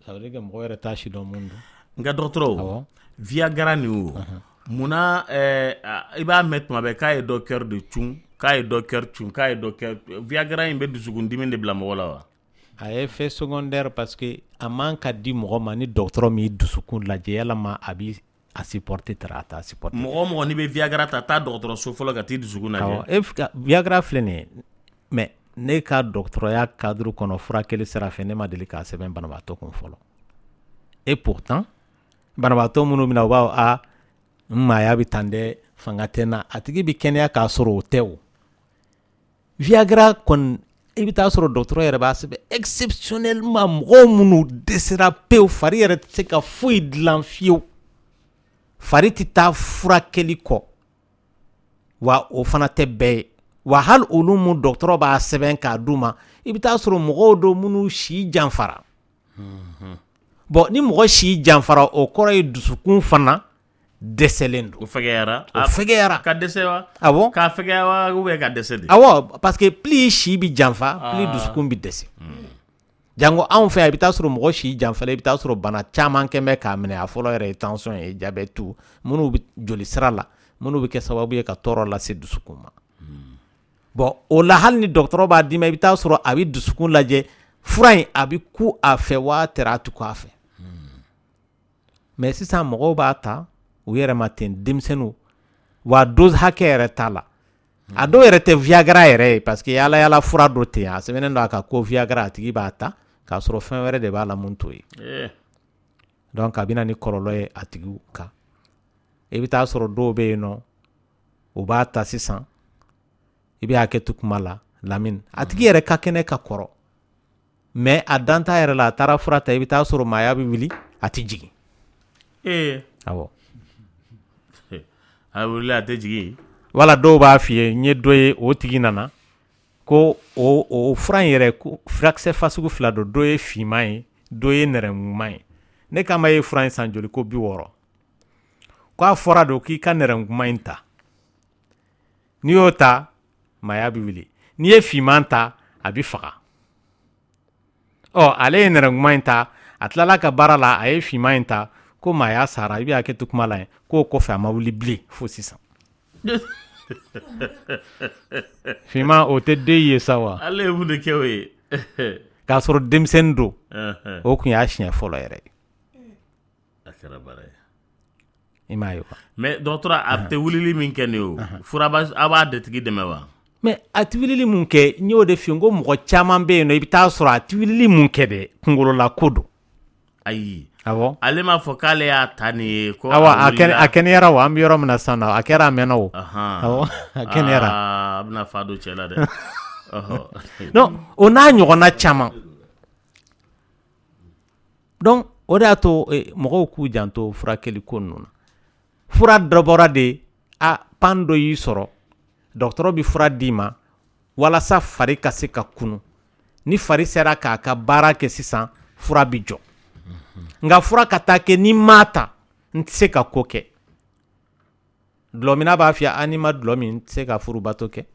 Speaker 5: ça veut dire que mɔgɔ yɛrɛ t'a si dɔn mun don.
Speaker 6: Nka dɔgɔtɔrɔ, Viagra nin, o munna i b'a mɛn tuma bɛɛ k'a ye dɔ cœur de cun, k'a ye dɔ cœur cun, k'a ye dɔ cœur? Viagra in bɛ dusukundimi de bila mɔgɔ la wa?
Speaker 5: A ye effet secondaire, parce que a man ka di mɔgɔ ma ni dɔgɔtɔrɔ m'i dusukun lajɛ yalama a b'i a supporter tara a t'a supporter.
Speaker 6: Mɔgɔ o mɔgɔ n'i bɛ Viagra ta, taa dɔgɔtɔrɔso fɔlɔ ka t'i dusukun lajɛ.
Speaker 5: Awɔ, e Viagra filɛ nin ye, mais ne ka dɔgɔtɔrɔya cadre kɔnɔ, furakɛli sira fɛ, ne ma deli k'a sɛbɛn banabaatɔ kun fɔlɔ. Et pourtant banabaatɔ minnu bɛna, u b'a fɔ: a n maaya bɛ tan dɛ, fanga tɛ n na. A tigi bɛ kɛnɛya k'a sɔrɔ o tɛ. O Viagra kɔni, i bɛ taa sɔrɔ dɔgɔtɔrɔ yɛrɛ b'a sɛbɛn exceptionnellement mɔgɔw minnu dɛsɛra pewu, fari yɛrɛ tɛ se ka foyi dilan fiyewu, fari tɛ taa furakɛli kɔ, wa o fana tɛ bɛɛ ye. Wa hali olu mun dɔgɔtɔrɔ b'a sɛbɛn k'a d'u ma, i bɛ taa sɔrɔ mɔgɔw don minnu si janfara. Bon, ni mɔgɔ si janfara, o kɔrɔ ye dusukun fana dɛsɛlen don.
Speaker 6: O fɛgɛyara.
Speaker 5: O fɛgɛyara.
Speaker 6: Ka dɛsɛ wa?
Speaker 5: Awɔ.
Speaker 6: K'a fɛgɛya wa ou bien ka dɛsɛ de?
Speaker 5: Awɔ, parce que plus si bɛ janfa, plus
Speaker 6: Ah.
Speaker 5: dusukun bɛ dɛsɛ. Jango anw fɛ yan, i bɛ taa sɔrɔ mɔgɔ si janfala, i bɛ taa sɔrɔ bana caman kɛn bɛ k'a minɛ. A fɔlɔ yɛrɛ ye tension ye, diabète, minnu bɛ joli sira la, minnu bɛ kɛ sababu ye ka tɔɔrɔ lase dusukun ma. Bon, o la, hali ni dɔgɔtɔrɔ b'a d'i ma, i bɛ taa sɔrɔ a bɛ dusukun lajɛ, fura in a bɛ ku a fɛ waa tɛrɛ a tɛ ku a fɛ. Mais sisan mɔgɔw b'a ta u yɛrɛ ma ten, denmisɛnninw wa, dose hakɛ yɛrɛ t'a la. A dɔw yɛrɛ tɛ Viagra yɛrɛ ye, parce que yaala yaala fura dɔ ten, a sɛbɛnnen don a kan ko Viagra, a tigi b'a ta k'a sɔrɔ fɛn wɛrɛ de b'a la mun t'o ye.
Speaker 6: Eh.
Speaker 5: Donc a bɛ na ni kɔlɔlɔ ye a tigiw kan. I bɛ taa sɔrɔ dɔw bɛ yen nɔ, u b'a ta sisan, i bɛ hakɛ to kuma la, Lamini, a tigi yɛrɛ ka kɛnɛ ka kɔrɔ, mais a dan t'a yɛrɛ la, a taara fura ta, i bɛ taa sɔrɔ maaya bɛ wuli, a tɛ jigin.
Speaker 6: Ee.
Speaker 5: Awɔ.
Speaker 6: A wulila, a tɛ jigin.
Speaker 5: Wala dɔw b'a f'i ye, n ye dɔ ye, o tigi nana ko o o fura in yɛrɛ, ko furakisɛ fasugu fila don, dɔ ye finman ye, dɔ ye nɛrɛmuguman ye. Ne k'a ma, ye fura in san joli? Ko bi wɔɔrɔ. K'a fɔra don k'i ka nɛrɛmuguman in ta, n'i y'o ta, maaya bɛ wuli, n'i ye finman ta, a bɛ faga. Ɔ, ale ye nɛrɛmuguman in ta, a tilala ka baara la, a ye finman in ta, ko maaya sara. I bɛ hakɛ to kuma la yen, k'o kɔfɛ a ma wuli bilen fo sisan. Finman o tɛ den ye sa wa?
Speaker 6: Ale ye mun de kɛ o ye?
Speaker 5: K'a sɔrɔ denmisɛnnin don.
Speaker 6: Ɛhɛn.
Speaker 5: O tun y'a siɲɛ fɔlɔ yɛrɛ ye.
Speaker 6: A kɛra baara ye.
Speaker 5: I m'a ye wa?
Speaker 6: Mais dɔgɔtɔrɔ, a tɛ wulili min kɛ nin ye, o fura b'a, a b'a de tigi dɛmɛ wa?
Speaker 5: Mais a tɛ wulili mun kɛ, n y'o de f'i ye, n ko mɔgɔ caman bɛ yen nɔ, i bɛ taa sɔrɔ a tɛ wulili mun kɛ dɛ, kunkololako don.
Speaker 6: Ayi.
Speaker 5: Awɔ.
Speaker 6: Ale m'a fɔ k'ale y'a ta nin ye ko
Speaker 5: Awɔ, a
Speaker 6: wulila.
Speaker 5: kɛnɛ, a kɛnɛyara o. An bɛ yɔrɔ min na sisan nɔ, a kɛra, a mɛnna o.
Speaker 6: Ahan.
Speaker 5: Awɔ, a kɛnɛyara.
Speaker 6: Aa, a bɛna fa don cɛ la dɛ. Ɔhɔ.
Speaker 5: Non, o n'a ɲɔgɔnna caman. Donc o de y'a to eh, mɔgɔw k'u janto furakɛli ko ninnu na. Fura dɔ bɔra de, a pan dɔ y'i sɔrɔ, dɔgɔtɔrɔ bɛ fura d'i ma walasa fari ka se ka kunu. Ni fari sera k'a ka baara kɛ sisan, fura bɛ jɔ. Nka fura ka taa kɛ ni m'a ta, n tɛ se ka ko kɛ. Dulɔminna b'a f'i ye, a n'i ma dulɔ min, n tɛ se ka furubato kɛ.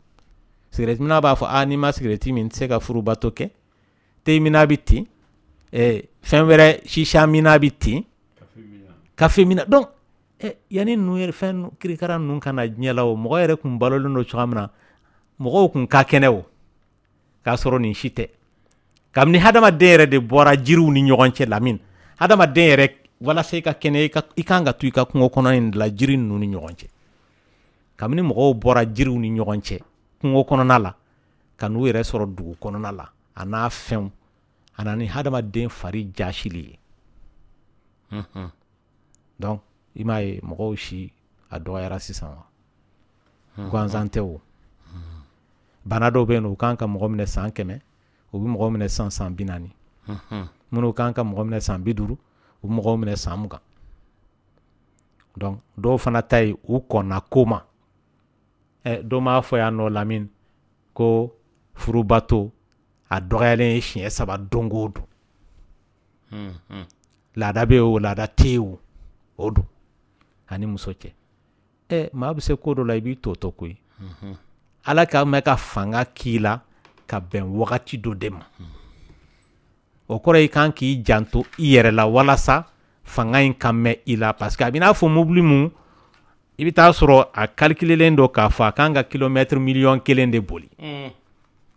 Speaker 5: Sigɛrɛtiminna b'a fɔ, a n'i ma sigɛrɛti min, n tɛ se ka furubato kɛ. Teminna bɛ ten, eh, fɛn wɛrɛ, sisa minna bɛ ten, kafe minna. Donc eh, yanni ninnu yɛrɛ, fɛn ninnu- kirikara ninnu ka na diɲɛ la, o mɔgɔ yɛrɛ kun balolen don cogoya min na, mɔgɔw kun ka kɛnɛ o, k'a sɔrɔ nin si tɛ. Kabini hadamaden yɛrɛ de bɔra jiriw ni ɲɔgɔn cɛ, Lamini, hadamaden yɛrɛ, walasa i ka kɛnɛ, i ka i kan ka to i ka kungo kɔnɔ in de la, jiri ninnu ni ɲɔgɔn cɛ. Kabini mɔgɔw bɔra jiriw ni ɲɔgɔn cɛ kungo kɔnɔna la ka n'u yɛrɛ sɔrɔ dugu kɔnɔna la, a n'a fɛnw, a na ni hadamaden fari jasili ye.
Speaker 6: Mhm.
Speaker 5: Donc i m'a ye, mɔgɔw si a dɔgɔyara sisan wa? Gansan tɛ o. Bana dɔw bɛ yen nɔ, u kan ka mɔgɔ minɛ san kɛmɛ, u bɛ mɔgɔ minɛ san san bi naani.
Speaker 6: Mhm.
Speaker 5: Minnu kan ka mɔgɔ minɛ san bi duuru, u bɛ mɔgɔw minɛ san mugan. Donc dɔw fana ta ye, u kɔnna ko ma. Ɛ, dɔ m'a fɔ yan nɔ, Lamini, ko furubato a dɔgɔyalen ye siɲɛ saba don o don.
Speaker 6: Mhm.
Speaker 5: Laada bɛ yen o, laada tɛ yen o, o don ani muso cɛ. Ɛ, maa bɛ se ko dɔ la, i b'i to to koyi.
Speaker 6: Mhm.
Speaker 5: Ala ka mɛn ka fanga k'i la ka bɛn wagati dɔ de ma, o kɔrɔ i kan k'i janto i yɛrɛ la walasa fanga in ka mɛn i la, parce que a bɛ n'a fɔ mobili mun, i bɛ taa sɔrɔ a calculelen don k'a fɔ a kan ka kilomètre miliyɔn kelen de boli,
Speaker 6: Mm.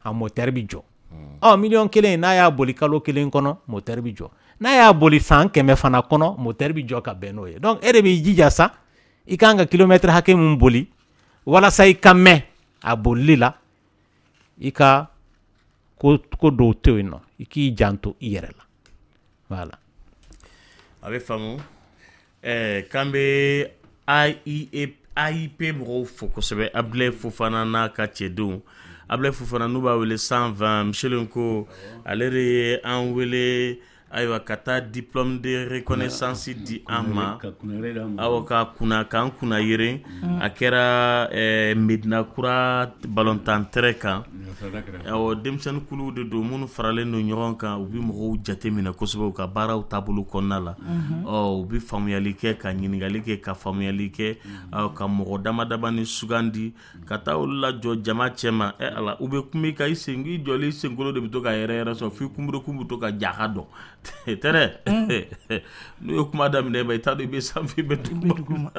Speaker 5: a moteur bɛ jɔ. Ɔ, miliyɔn kelen, n'a y'a boli kalo kelen kɔnɔ, moteur bɛ jɔ. N'a y'a boli san kɛmɛ fana kɔnɔ, moteur bɛ jɔ ka bɛn n'o ye. Donc e de b'i jija sa, i kan ka kilomètre hakɛ mun boli walasa i ka mɛn a bolili la, i ka ko ko dɔw to yen nɔ, i k'i janto i yɛrɛ la. Voilà.
Speaker 6: A bɛ faamu. Ɛɛ, k'an bɛ A I E A I P mɔgɔw fo kosɛbɛ, Abulaye Fofana n'a ka cɛdenw. Abulaye Fofana n'u b'a wele cent vingt, Michel ko ale de ye an wele. Ayiwa, ka taa diplôme de reconnaissance di an ma, awɔ, ka kunna k'an kunna yeren. A kɛra Medina Kura balontan terrain kan. Awɔ, denmisɛnnin kuluw de don minnu faralen don ɲɔgɔn kan. U bɛ mɔgɔw jate minɛ kosɛbɛ u ka baaraw taabolo kɔnɔna la. Ɔ, u bɛ faamuyali kɛ, ka ɲininkali kɛ, ka faamuyali kɛ, ka mɔgɔ dama damani sugandi ka taa olu lajɔ jama cɛma. Ɛ Ala, u bɛ kuma i kan, i sen i jɔlen, i senkolo de bɛ to ka yɛrɛ yɛrɛ sɔrɔ f'i kunberekun bɛ to ka ja ka dɔn tɛnɛ. N'u ye kuma daminɛ, i t'a dɔn i bɛ sanfɛ, i bɛ duguma.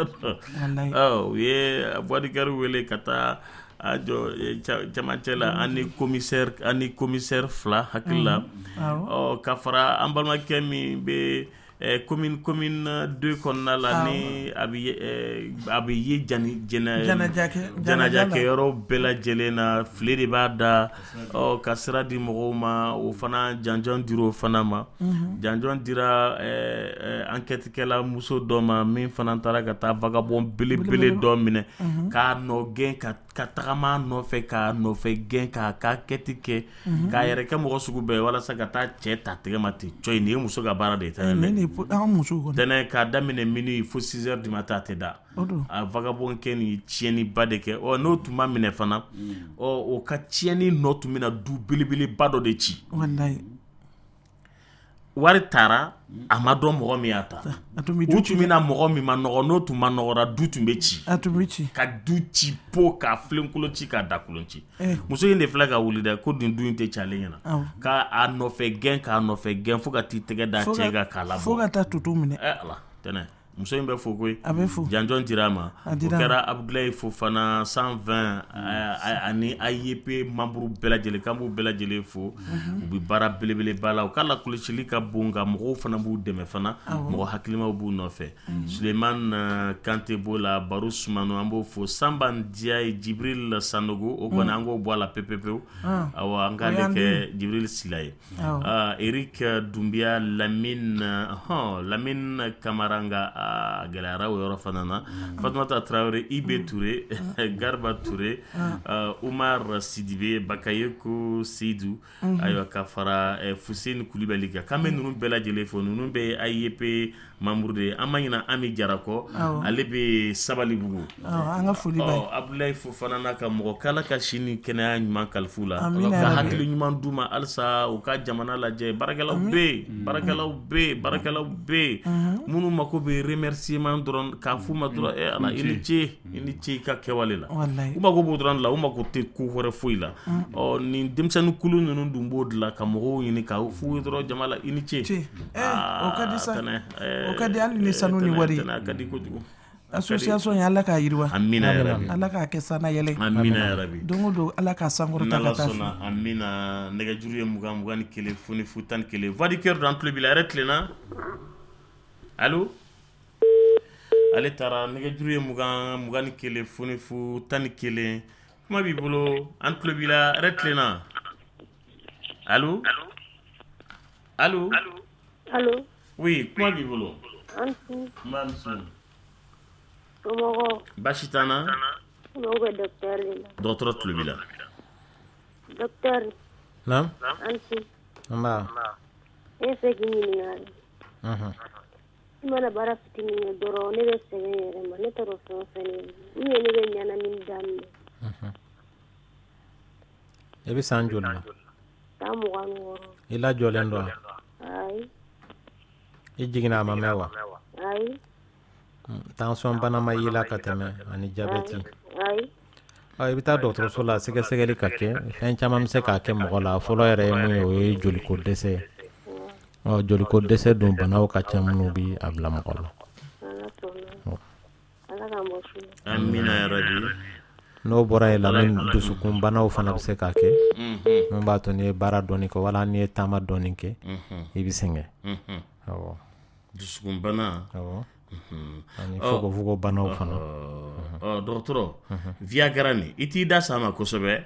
Speaker 6: U ye voix du cœur wele ka taa a jɔ cɛmancɛ la, ani commissaire ani commissaire fila hakili la, ɔ, ka fara an balimakɛ min bɛ commune commune deux kɔnɔna la, ni a bɛ a bɛ ye jɛnɛjakɛyɔrɔ bɛɛ lajɛlen na, file de b'a da, ɔ, ka sira di mɔgɔw ma. O fana janjɔn dira o fana ma. Janjɔn dira enquête kɛla muso dɔ ma, min fana taara ka taa vagabond belebele dɔ minɛ k'a nɔ gɛn, ka ka tagama nɔfɛ, k'a nɔfɛ gɛn, k'a ka enquête kɛ, k'a yɛrɛ kɛ mɔgɔ sugu bɛɛ walasa ka taa cɛ ta tɛgɛ ma ten. Cɔ, nin ye muso ka baara de ye. Tɛnɛ tɛnɛ k'a daminɛ minuit fo six heures du matin, a tɛ da. A vagabond kɛ nin tiɲɛniba de kɛ. Ɔ, n'o tun ma minɛ fana, ɔ, o ka tiɲɛni nɔ tun bɛna du belebeleba dɔ de ci. Wari taara, a ma dɔn mɔgɔ min y'a ta. U tun bɛna mɔgɔ min ma nɔgɔ, n'o tun ma nɔgɔra, du tun bɛ ci, ka du ci po, k'a filenkolon ci, k'a dakolon ci. Muso in de filɛ ka wuli dɛ, ko nin du in tɛ ci ale ɲɛna, k'a nɔfɛ gɛn, k'a nɔfɛ gɛn fo ka t'i tɛgɛ da cɛ kan k'a labɔ,
Speaker 3: fo ka taa tutu minɛ.
Speaker 6: Ɛ Ala, tɛnɛ muso in bɛ fo koyi.
Speaker 3: A bɛ fo.
Speaker 6: Janjɔn dira a ma. O kɛra Abudulayi Fofana cent vingt ani A I E P membre bɛɛ lajɛlen, k'an b'u bɛɛ lajɛlen fo. U bɛ baara belebeleba la, u ka lakɔlɔsili ka bon, nka mɔgɔw fana b'u dɛmɛ fana, mɔgɔ hakilimaw b'u nɔfɛ. Sulemani Kante b'o la, Baro Sumano, an b'o fo, Sanba Ndiaye, Jibril Sanogo, o kɔni an k'o bɔ a la pewu pewu. Awɔ, an k'ale kɛ Jibril Sila ye. Eric Dunbiya, Lamine hɔn Lamine Kamara, nka a gɛlɛyara o yɔrɔ fana na. Fatumata Tarawele, Ibe Ture, Garba Ture, Umar Sidibe, Bakayoko Seydou, ayiwa, ka fara Fuseni Kulibali kan. K'an bɛ ninnu bɛɛ lajɛlen fo. Ninnu bɛɛ ye A I E P membre de ye. An ma ɲinɛ Ami Jara kɔ, ale bɛ Sabalibugu.
Speaker 3: An ka foli b'a ye.
Speaker 6: Abudulayi Fofana n'a ka mɔgɔ, k'Ala ka si ni kɛnɛya ɲuman kalifa u la, ka hakili ɲuman d'u ma halisa u ka jamana lajɛ. Baarakɛlaw bɛ yen, baarakɛlaw bɛ yen, baarakɛlaw bɛ yen minnu mako bɛ remerciement dɔrɔn, k'a f'u ma dɔrɔn: e Ala, i ni ce, i ni ce i ka kɛwale la. U mako b'o dɔrɔn de la, u mako tɛ ko wɛrɛ foyi la. Ɔ, nin denmisɛnnin kulu ninnu dun b'o de la, ka mɔgɔw ɲini ka f'u ye dɔrɔn jama la: i ni ce.
Speaker 3: O ka di sa, o ka di hali ni sanu ni wari.
Speaker 6: A ka di kojugu.
Speaker 3: Association in, Ala k'a yiriwa.
Speaker 6: Amina yarabi.
Speaker 3: Ala k'a kɛ sanna yɛlɛ.
Speaker 6: Amina yarabi.
Speaker 3: Don o don, Ala k'a sankɔrɔta ka
Speaker 6: N'Ala
Speaker 3: taa
Speaker 6: sɔnna, amina. Nɛgɛjuru ye mugan mugan ni kelen fu fu tan ni kelen. Voix du cœur don, an tulo b'i la. Hɛrɛ tilenna? Allo, ale taara. Nɛgɛjuru ye mugan mugan ni kelen fu fu tan ni kelen. Kuma b'i bolo, an tulo b'i la. Hɛrɛ tilenna? Allo, allo?
Speaker 9: Allo?
Speaker 6: Oui, kuma b'i bolo.
Speaker 9: An su.
Speaker 6: N b'a muso.
Speaker 9: Somɔgɔw?
Speaker 6: Baasi t'an na.
Speaker 9: N bɛ docteur de la.
Speaker 6: Dɔgɔtɔrɔ tulo b'i la.
Speaker 9: Docteur.
Speaker 5: Naam.
Speaker 9: An su.
Speaker 5: Nba.
Speaker 9: Ne fɛ k'i ɲininka de.
Speaker 5: Mhm.
Speaker 9: I mana baara fitinin kɛ dɔrɔn, ne bɛ sɛgɛn yɛrɛ ma, ne t'a dɔn fɛn o fɛn ne ou bien ne bɛ ɲɛnamini daminɛ.
Speaker 5: I bɛ san joli la?
Speaker 9: San mugan ni wɔɔrɔ.
Speaker 5: I lajɔlen don wa?
Speaker 9: Ayi.
Speaker 5: I jiginna a ma mɛn wa?
Speaker 9: Ayi.
Speaker 5: Tension bana ma y'i la ka tɛmɛ ani jabɛti?
Speaker 9: Ayi.
Speaker 5: Ɔ, i bɛ taa dɔgɔtɔrɔso la, sɛgɛsɛgɛli ka kɛ. Fɛn caman bɛ se k'a kɛ mɔgɔ la. Fɔlɔ yɛrɛ ye mun ye, o ye joliko dɛsɛ ye. Ɔ, joliko dɛsɛ dun, banaw ka ca minnu bɛ a bila mɔgɔ la.
Speaker 9: Ala sɔnna, Ala k'an bɔ su la.
Speaker 6: Amina yarabi.
Speaker 5: N'o bɔra yen, lamini, dusukun banaw fana bɛ se k'a kɛ mun b'a to n'i ye baara dɔɔni kɛ wala n'i ye taama dɔɔni kɛ, i bɛ sɛgɛn. Awɔ.
Speaker 6: Dusukunbana.
Speaker 5: Awɔ, ani fogofogo banaw fana.
Speaker 6: Ɔ, dɔgɔtɔrɔ, Viagra nin, i t'i da s'a ma kosɛbɛ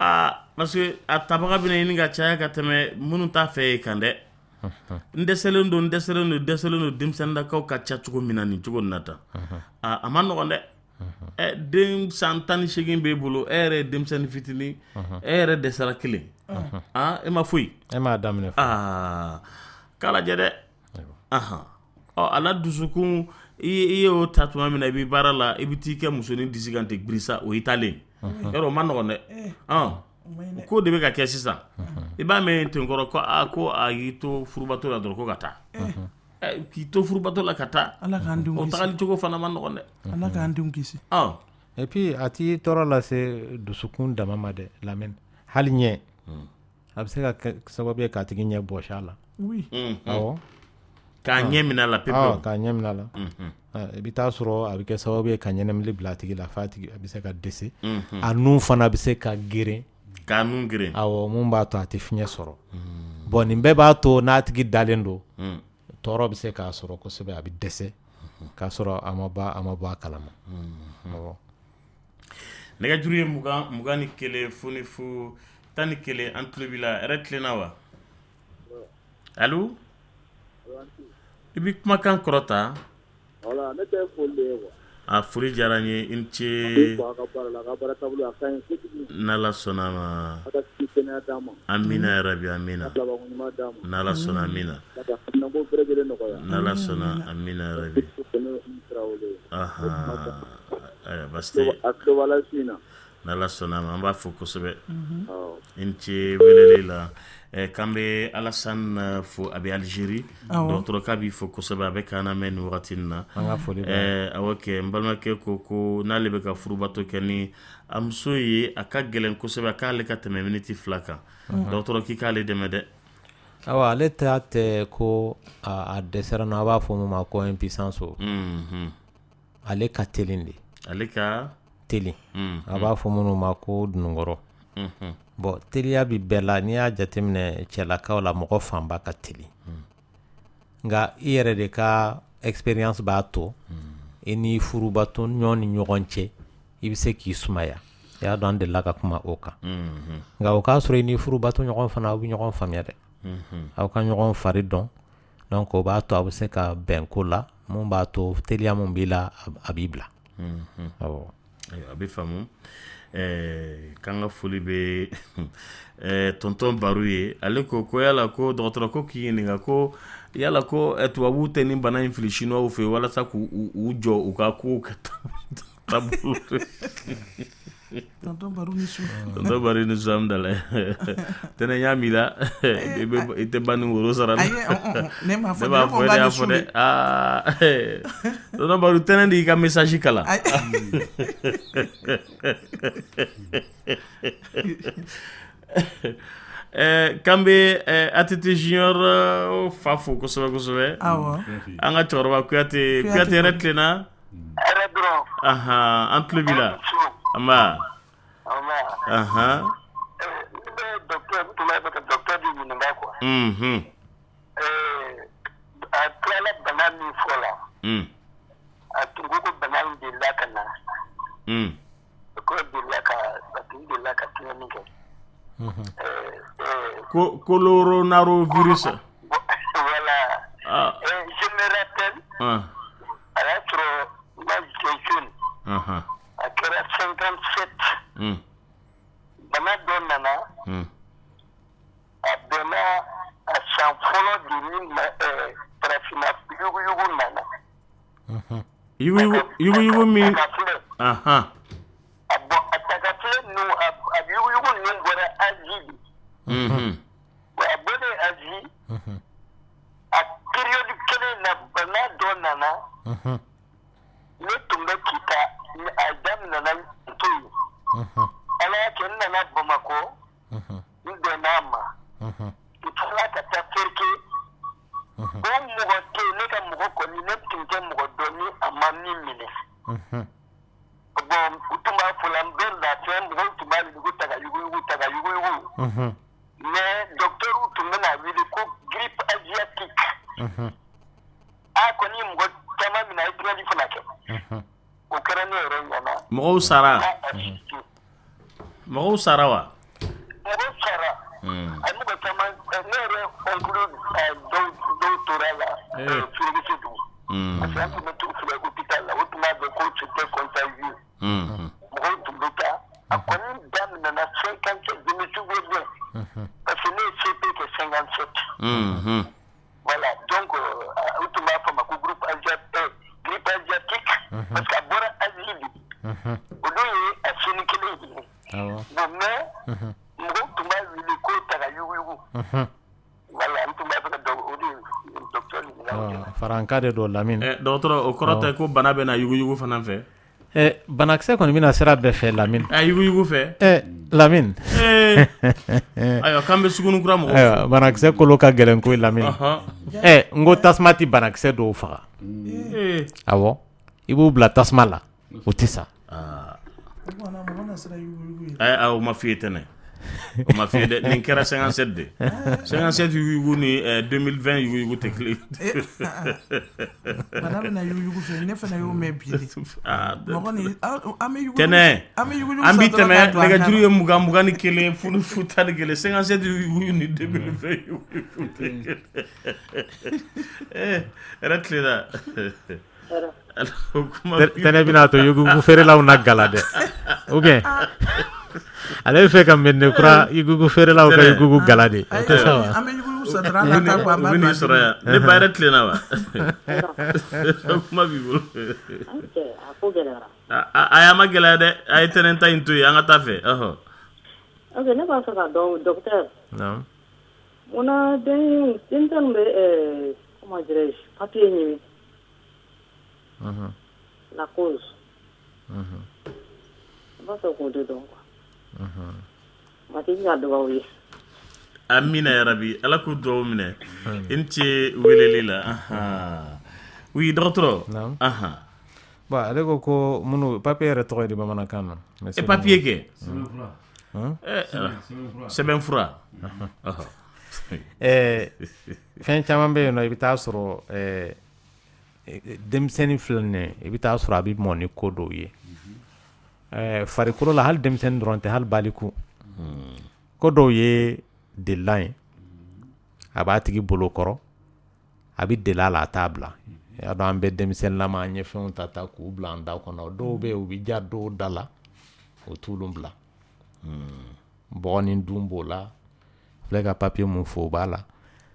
Speaker 6: aa, parce que a tabaga bɛna ɲini ka caya ka tɛmɛ minnu t'a fɛ yen kan dɛ. N dɛsɛlen don, n dɛsɛlen don, dɛsɛlen don. Denmisɛnninnakaw ka ca cogo min na nin cogo nin na tan, aa, a ma nɔgɔn dɛ. Ɛ, den san tan ni seegin b'e bolo, e yɛrɛ ye denmisɛnnin fitinin, e yɛrɛ dɛsɛra kelen, aa, e ma foyi.
Speaker 5: E m'a daminɛ.
Speaker 6: Aa. K'a lajɛ dɛ. Ahan, ɔ, a la dusukun, i i y'o ta tuma min na, i bɛ baara la, i bɛ t'i kɛ musonin disi kan ten birisa, o y'i taalen yɔrɔ, o ma nɔgɔn dɛ. Ɔn, ko de bɛ ka kɛ sisan, i b'a mɛn ten kɔrɔ ko aa, ko a y'i to furubato la dɔrɔn ko ka taa. Ɛ, k'i to furubato la ka taa.
Speaker 3: Ala k'an denw
Speaker 6: o
Speaker 3: kisi.
Speaker 6: Tagali cogo fana ma nɔgɔn dɛ.
Speaker 3: Ala k'an denw kisi.
Speaker 6: Ɔn.
Speaker 5: Et puis a t'i tɔɔrɔ lase dusukun dama ma dɛ, Lamine, hali ɲɛ, a bɛ se ka kɛ sababu ye k'a tigi ɲɛ bɔsi a la.
Speaker 3: Oui.
Speaker 5: Awɔ.
Speaker 6: K'a ɲɛ minɛ a la pewu.
Speaker 5: Awɔ, k'a ɲɛ minɛ a la. I bɛ taa sɔrɔ a bɛ kɛ sababu ye ka ɲɛnamini bila a tigi la f'a tigi a bɛ se ka dɛsɛ. A nun fana bɛ se ka geren.
Speaker 6: K'a nun geren.
Speaker 5: Awɔ, mun b'a to a tɛ fiɲɛ sɔrɔ. Bon, nin bɛɛ b'a to n'a tigi dalen don, tɔɔrɔ bɛ se k'a sɔrɔ kosɛbɛ, a bɛ dɛsɛ k'a sɔrɔ a ma bɔ a ma bɔ a kalama. Awɔ.
Speaker 6: Nɛgɛjuru ye mugan mugan ni kelen fu ni fu tan ni kelen. An tulo b'i la. Hɛrɛ tilenna wa? Allo, i bɛ kumakan kɔrɔta.
Speaker 10: Voilà, ne tɛ foli de ye quoi.
Speaker 6: A foli diyara n ye, i ni
Speaker 10: An b'i
Speaker 6: ce.
Speaker 10: fo a ka baara la, a ka baara taabolo a ka ɲi kojugu.
Speaker 6: N'Ala sɔnna a ma.
Speaker 10: A ka si kɛnɛya d'an ma.
Speaker 6: Amina yarabi, amina.
Speaker 10: Ka labanko ɲuman d'an ma.
Speaker 6: N'Ala sɔnna, amina.
Speaker 10: Ala ka haminanko bɛɛ lajɛlen nɔgɔya.
Speaker 6: N'Ala sɔnna, amina yarabi.
Speaker 10: Ne ye Tarawele ye.
Speaker 6: Ahan, ayiwa, baasi tɛ.
Speaker 10: A tulo b'a la su in na.
Speaker 6: N'Ala sɔnna a ma, an b'a fo kosɛbɛ.
Speaker 10: Awɔ.
Speaker 6: I ni ce weleli la. Ɛ, k'an bɛ Alassane fo, a bɛ Algérie.
Speaker 3: Awɔ.
Speaker 6: Dɔgɔtɔrɔ k'a b'i fo kosɛbɛ, a bɛ k'an lamɛn nin wagati in na.
Speaker 5: An ka foli b'a ye.
Speaker 6: Ɛ, awɔ kɛ, n balimakɛ ko ko n'ale bɛ ka furubato kɛ ni a muso ye, a ka gɛlɛn kosɛbɛ, a k'ale ka tɛmɛ miniti fila kan. Dɔgɔtɔrɔ k'i k'ale dɛmɛ dɛ.
Speaker 5: Awa, ale ta tɛ ko a a dɛsɛra nɔ, a b'a fɔ mun ma ko impuissance o.
Speaker 6: Mhm.
Speaker 5: Ale ka teli de.
Speaker 6: Ale ka
Speaker 5: teli.
Speaker 6: Mhm.
Speaker 5: A b'a fɔ minnu ma ko dununkɔrɔ.
Speaker 6: Mhm.
Speaker 5: Bon, teliya bi bɛɛ la. N'i y'a jateminɛ cɛlakaw la, mɔgɔ fanba ka teli. Nka i yɛrɛ de ka expérience b'a to i ni furubato ɲɔgɔn ni ɲɔgɔn cɛ, i bɛ se k'i sumaya. I y'a dɔn, an delila ka kuma o kan.
Speaker 6: Mhm.
Speaker 5: Nka o k'a sɔrɔ i ni furubato ɲɔgɔn fana, aw bɛ ɲɔgɔn faamuya dɛ.
Speaker 6: Mhm.
Speaker 5: Aw ka ɲɔgɔn fari dɔn. Donc o b'a to aw bɛ se ka bɛn ko la, mun b'a to teliya mun b'i la, a b'i bila.
Speaker 6: Mhm.
Speaker 5: Awɔ.
Speaker 6: Ayiwa, a bɛ faamu. Ɛɛ, k'an ka foli bɛ ɛɛ tonton Baru ye. Ale ko ko yala ko dɔgɔtɔrɔ ko k'i ɲininka ko yala ko ɛ, tubabuw tɛ nin bana in fili chinois fɛ walasa k'u u u jɔ u ka kow kɛ taabolo.
Speaker 3: Tonton Baru ni su.
Speaker 6: Tonton Baru ni su, amudala tɛnɛ y'a min la, i bɛ i tɛ ba ni woro sara la.
Speaker 3: Ayi, ne m'a fɔ.
Speaker 6: Ne b'a
Speaker 3: ne ko
Speaker 6: fɔ, ne
Speaker 3: ba
Speaker 6: y'a
Speaker 3: ni
Speaker 6: fɔ
Speaker 3: su
Speaker 6: dɛ
Speaker 3: de.
Speaker 6: Aa, tonton Baru, tɛnɛ de y'i ka message kalan.
Speaker 3: Ayi.
Speaker 6: Ɛɛ, k'an bɛ ɛɛ A T T Junior euh, fa fo kosɛbɛ kosɛbɛ.
Speaker 3: Awɔ.
Speaker 6: An ka cɛkɔrɔba Kuyate.
Speaker 3: Kuyate.
Speaker 6: Kuyate, yɛrɛ tilenna.
Speaker 11: Hɛrɛ dɔrɔn.
Speaker 6: Ahan, an tulo b'i la. Nba.
Speaker 11: Nba.
Speaker 6: Ahan.
Speaker 11: Ne bɛ docteur, n tun b'a fɛ ka docteur de ɲininka quoi.
Speaker 6: Mhm.
Speaker 11: Ɛɛ, a tilala bana min fɔ la,
Speaker 6: Mm.
Speaker 11: a tun ko ko bana in delila ka na.
Speaker 6: Mm.
Speaker 11: Ko delila ka, a tun delila ka tiɲɛni kɛ. Ɛɛ ɛɛ
Speaker 6: Ko coronavirus.
Speaker 11: Voilà.
Speaker 6: Ah.
Speaker 11: Euh, je me rappelle,
Speaker 6: Ah.
Speaker 11: a y'a sɔrɔ moi j'étais jeune.
Speaker 6: Ahan.
Speaker 11: A kɛra cinquante-sept.
Speaker 6: Mm.
Speaker 11: Bana dɔ nana.
Speaker 6: Mm.
Speaker 11: A bɛnna a san fɔlɔ de ni ma ɛɛ farafinna yuguyugu nana.
Speaker 6: Yugu yugu yugu min.
Speaker 11: Tagafilɛ.
Speaker 6: Ahan.
Speaker 11: A bɔn, a tagafilɛ ninnu, a a yuguyugu ninnu bɔra Asie de.
Speaker 6: Mhm.
Speaker 11: Wa a bɔlen Asie, a période kelen na bana dɔ nana. Ne tun bɛ Kita, a daminɛna n to yen. Ala y'a kɛ n nana Bamakɔ, n bɛnna a ma. N tilala ka taa Ferke. O mɔgɔ tɛ yen, ne ka mɔgɔ kɔni, ne tun tɛ mɔgɔ dɔn ni a ma min minɛ. Bon, u tun b'a fɔ la, n bɛ lafiya, mɔgɔw tun b'a wele ko taga yuguyugu, taga yuguyugu. Mais docteur tun bɛna wele ko grippe asiatique. A kɔni ye mɔgɔ caman minɛ, a ye tiɲɛni fana kɛ. O kɛra ne yɛrɛ ɲɛna.
Speaker 6: Mɔgɔw sara.
Speaker 11: N y'a assisté.
Speaker 6: Mɔgɔw sara wa?
Speaker 11: Mɔgɔw sara.
Speaker 6: Mm.
Speaker 11: A ye mɔgɔ caman, ne yɛrɛ oncle dɔw dɔw tora la
Speaker 6: Eh.
Speaker 11: Fereke dugu.
Speaker 6: Mm.
Speaker 11: Parce que an tun bɛ t'u filɛ hôpital la, o tun b'a dɔn ko c'était contagieux.
Speaker 6: Mhm.
Speaker 11: Mɔgɔw tun bɛ taa. A kɔni daminɛna cinquante-sept, je me souviens bien. Parce que ne ye C P kɛ cinquante-sept.
Speaker 6: Mhm.
Speaker 11: Voilà. Parce que a bɔra Asie de. O dun ye a sini kelen ye. Bon, mais mɔgɔw tun b'a wele ko taga yuguyugu. Voilà, n tun b'a fɛ ka o de docteur ɲininka o de la.
Speaker 5: Faranka de don, Lamine.
Speaker 6: Dɔgɔtɔrɔ, o kɔrɔ tɛ ko bana bɛ na yuguyugu fana fɛ?
Speaker 5: Ɛ, banakisɛ kɔni bɛna sira bɛɛ fɛ, Lamine.
Speaker 6: A yuguyugu fɛ.
Speaker 5: Ɛ, Lamine.
Speaker 6: Ayiwa, k'an bɛ sugunikura mɔgɔw.
Speaker 5: Ayiwa, banakisɛ kolo ka gɛlɛn koyi, Lamine. Ɛ, n ko tasuma tɛ banakisɛ dɔw faga. Awɔ, i b'u bila tasuma la, u tɛ sa.
Speaker 6: Ayi, o ma f'i ye tɛnɛ, o ma f'i ye dɛ. Nin kɛra cinquante-sept de, cinquante-sept yuguyugu ni deux mille vingt yuguyugu tɛ kelen.
Speaker 3: Bana bɛna yuguyugu fɛ, ne fana y'o mɛn bi de. Mɔgɔ ni an bɛ yugu
Speaker 6: Tɛnɛ
Speaker 3: an bɛ yuguyugu
Speaker 6: an bi
Speaker 3: san dɔrɔn
Speaker 6: tɛmɛ
Speaker 3: k'a don an kan
Speaker 6: nɛgɛjuru
Speaker 3: na.
Speaker 6: ye mugan mugan ni kelen fu fu tan ni kelen. cinquante-sept yuguyugu ni deux mille vingt yuguyugu tɛ kelen. Eh, hɛrɛ tilenna.
Speaker 5: Tɛnɛ bɛna to yuguyugu feerelaw na gala dɛ, ou bien ale bɛ fɛ ka Mɛdinɛ kura yuguyugu feerelaw ka yuguyugu gala de, o tɛ sa wa?
Speaker 3: An bɛ yuguyugu san dɔrɔn, an ka taa bɔ, an
Speaker 6: U
Speaker 3: b'a
Speaker 6: bɛ
Speaker 3: don
Speaker 6: n'i
Speaker 3: an
Speaker 6: sɔrɔ yan. Ne ba, hɛrɛ tilenna wa? Kuma b'i bolo.
Speaker 12: A ko gɛlɛyara.
Speaker 6: A a ma gɛlɛya dɛ, a ye tɛnɛn ta in to yen, an ka taa fɛ ɔhɔ.
Speaker 12: Ok, ne b'a fɛ ka dɔn, docteur.
Speaker 5: Naamu.
Speaker 12: Munna den denmisɛnnin bɛ ɛɛ comment dirais-je, papier ɲini? La cause. N b'a fɛ k'o de dɔn quoi. Matigi ka dugawu ye.
Speaker 6: Amina yarabi, Ala k'u dugawu minɛ. I ni ce weleli la. Ahan, oui, dɔgɔtɔrɔ.
Speaker 5: Naamu.
Speaker 6: Ahan.
Speaker 5: Bon, ale ko ko minnu papier yɛrɛ tɔgɔ ye di bamanankan na?
Speaker 6: E, papier kɛ.
Speaker 5: Hmm?
Speaker 6: Sɛbɛn fura.
Speaker 5: Ɛɛ, fɛn caman bɛ yen nɔ, i bɛ taa sɔrɔ ɛɛ denmisɛnnin filɛ nin ye, i bɛ taa sɔrɔ a bɛ mɔ ni ko dɔw ye ɛɛ farikolo la. Hali denmisɛnnin dɔrɔn tɛ, hali baliku, ko dɔw ye delilan ye, a b'a tigi bolo kɔrɔ, a bɛ deli a la, a t'a bila. I y'a dɔn, an bɛ denmisɛnninlama, an ye fɛnw ta ta k'u bila an da kɔnɔ. Dɔw bɛ yen, u bɛ ja dɔw da la, o t'olu bila. Bɔgɔnin dun b'o la, filɛ ka papier mun fɔ, o b'a la.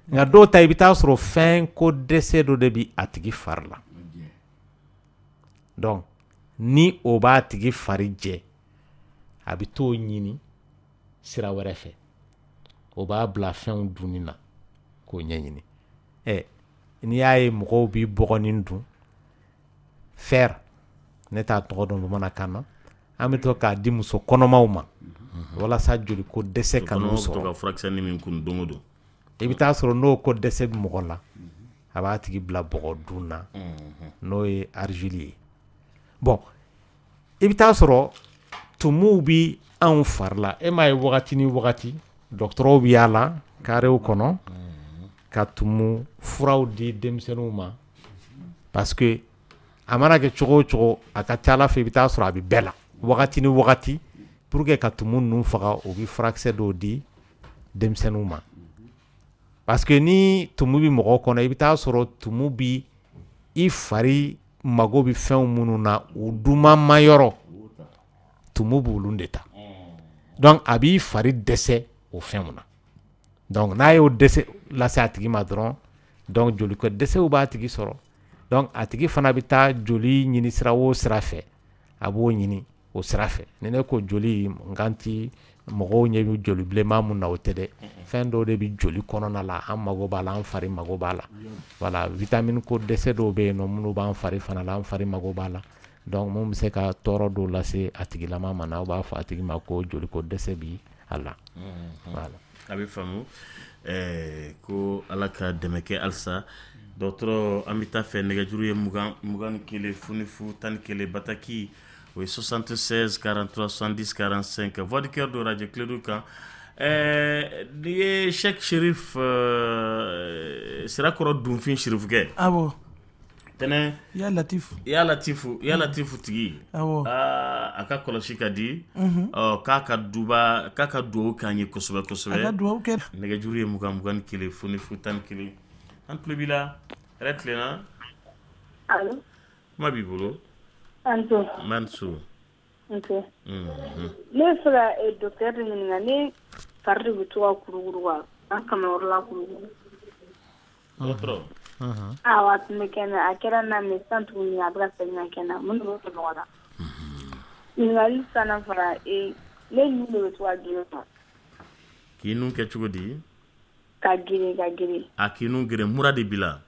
Speaker 5: Nka dɔw ta, i bɛ taa sɔrɔ fɛn ko dɛsɛ dɔ de bɛ a tigi fari la. Donc ni o b'a tigi fari jɛ, a bɛ t'o ɲini sira wɛrɛ fɛ, o b'a bila fɛnw dunni na k'o ɲɛɲini. Ɛ, n'i y'a ye mɔgɔw bɛ bɔgɔnin dun, fer, ne t'a tɔgɔ dɔn bamanankan na, an bɛ to k'a di muso kɔnɔmaw ma walasa joliko dɛsɛ ka n'u
Speaker 6: Kɔnɔmaw bɛ to
Speaker 5: sɔrɔ.
Speaker 6: ka furakisɛnin min kun don o don.
Speaker 5: I bɛ taa sɔrɔ n'o ko dɛsɛ bɛ mɔgɔ la, a b'a tigi bila bɔgɔ dun na, n'o ye argile ye. Bon, i bɛ taa sɔrɔ tumuw bi anw fari la. E m'a ye, wagati ni wagati, dɔgɔtɔrɔw bɛ yaala karew kɔnɔ ka tumu furaw di denmisɛnninw ma, parce que a mana kɛ cogo o cogo, a ka ca Ala fɛ, i bɛ taa sɔrɔ a bɛ bɛɛ la wagati ni wagati. Pour que ka tumu ninnu faga, u bɛ furakisɛ dɔw di denmisɛnninw ma, parce que ni tumu bɛ mɔgɔ kɔnɔ, i bɛ taa sɔrɔ tumu bi i fari mago bɛ fɛnw minnu na, u duman yɔrɔ, tumu b'olu de ta. Donc a b'i fari dɛsɛ o fɛnw na. Donc n'a y'o dɛsɛ lase a tigi ma dɔrɔn, donc joliko dɛsɛw b'a tigi sɔrɔ. Donc a tigi fana bɛ taa joli ɲini sira o sira fɛ, a b'o ɲini o sira fɛ. Ni ne ko joli, n kan ti mɔgɔw ɲɛ bɛ joli bilenman mun na, o tɛ dɛ. Fɛn dɔw de bɛ joli kɔnɔna la, an mago b'a la, an fari mago b'a la. Voilà, vitamine ko dɛsɛ dɔw bɛ yen nɔ minnu b'an fari fana la, an fari mago b'a la. Donc mun bɛ se ka tɔɔrɔ dɔw lase a tigilama ma, n'aw b'a fɔ a tigi ma ko joliko dɛsɛ bi a la. Voilà.
Speaker 6: A bɛ faamu. ɛɛ ko Ala ka dɛmɛ kɛ halisa. Dɔgɔtɔrɔ, an bɛ taa fɛ. Nɛgɛjuru ye mugan mugan ni kelen fu ni fu tan ni kelen. Bataki, o ye soixante-seize quarante-trois soixante-dix quarante-cinq. Voix du cœur do radio Kledu kan. Ɛɛ n'i ye Cheikh Cherif ɛɛ Sirakɔrɔ Dunfin Cherifukɛ.
Speaker 3: Awɔ.
Speaker 6: Tɛnɛ.
Speaker 3: Ya Latifu.
Speaker 6: Ya Latifu, Ya Latifu tigi.
Speaker 3: Awɔ.
Speaker 6: Aa, a ka kɔlɔsi ka di.
Speaker 3: Unhun.
Speaker 6: Ɔ, k'a ka duba, k'a ka dugawu k'an ye kosɛbɛ kosɛbɛ.
Speaker 3: A ka dugawu kɛ.
Speaker 6: Nɛgɛjuru ye mugan mugan ni kelen fu ni fu tan ni kelen. An tulo b'i la. Hɛrɛ tilenna.
Speaker 13: Allo.
Speaker 6: Kuma b'i bolo.
Speaker 13: Anto.
Speaker 6: Mansu.
Speaker 13: Ok.
Speaker 6: Mhm.
Speaker 13: Ne bɛ fɛ ka eh, docteur de ɲininka. Ne fari de bɛ to ka kurukuru quoi, an kamayɔrɔ la kurukuru.
Speaker 6: Dɔgɔtɔrɔ.
Speaker 13: Awɔ, a tun bɛ kɛ n na, a kɛra n na, mais sisan tuguni a bɛ ka segin ka kɛ n na. Mun de b'o kɛ mɔgɔ la? Ɲininkali filanan fana, ee ne nun de bɛ to ka geren quoi.
Speaker 6: K'i nun kɛ cogo di?
Speaker 13: Ka geren, ka geren.
Speaker 6: A k'i nun geren, mura de b'i la?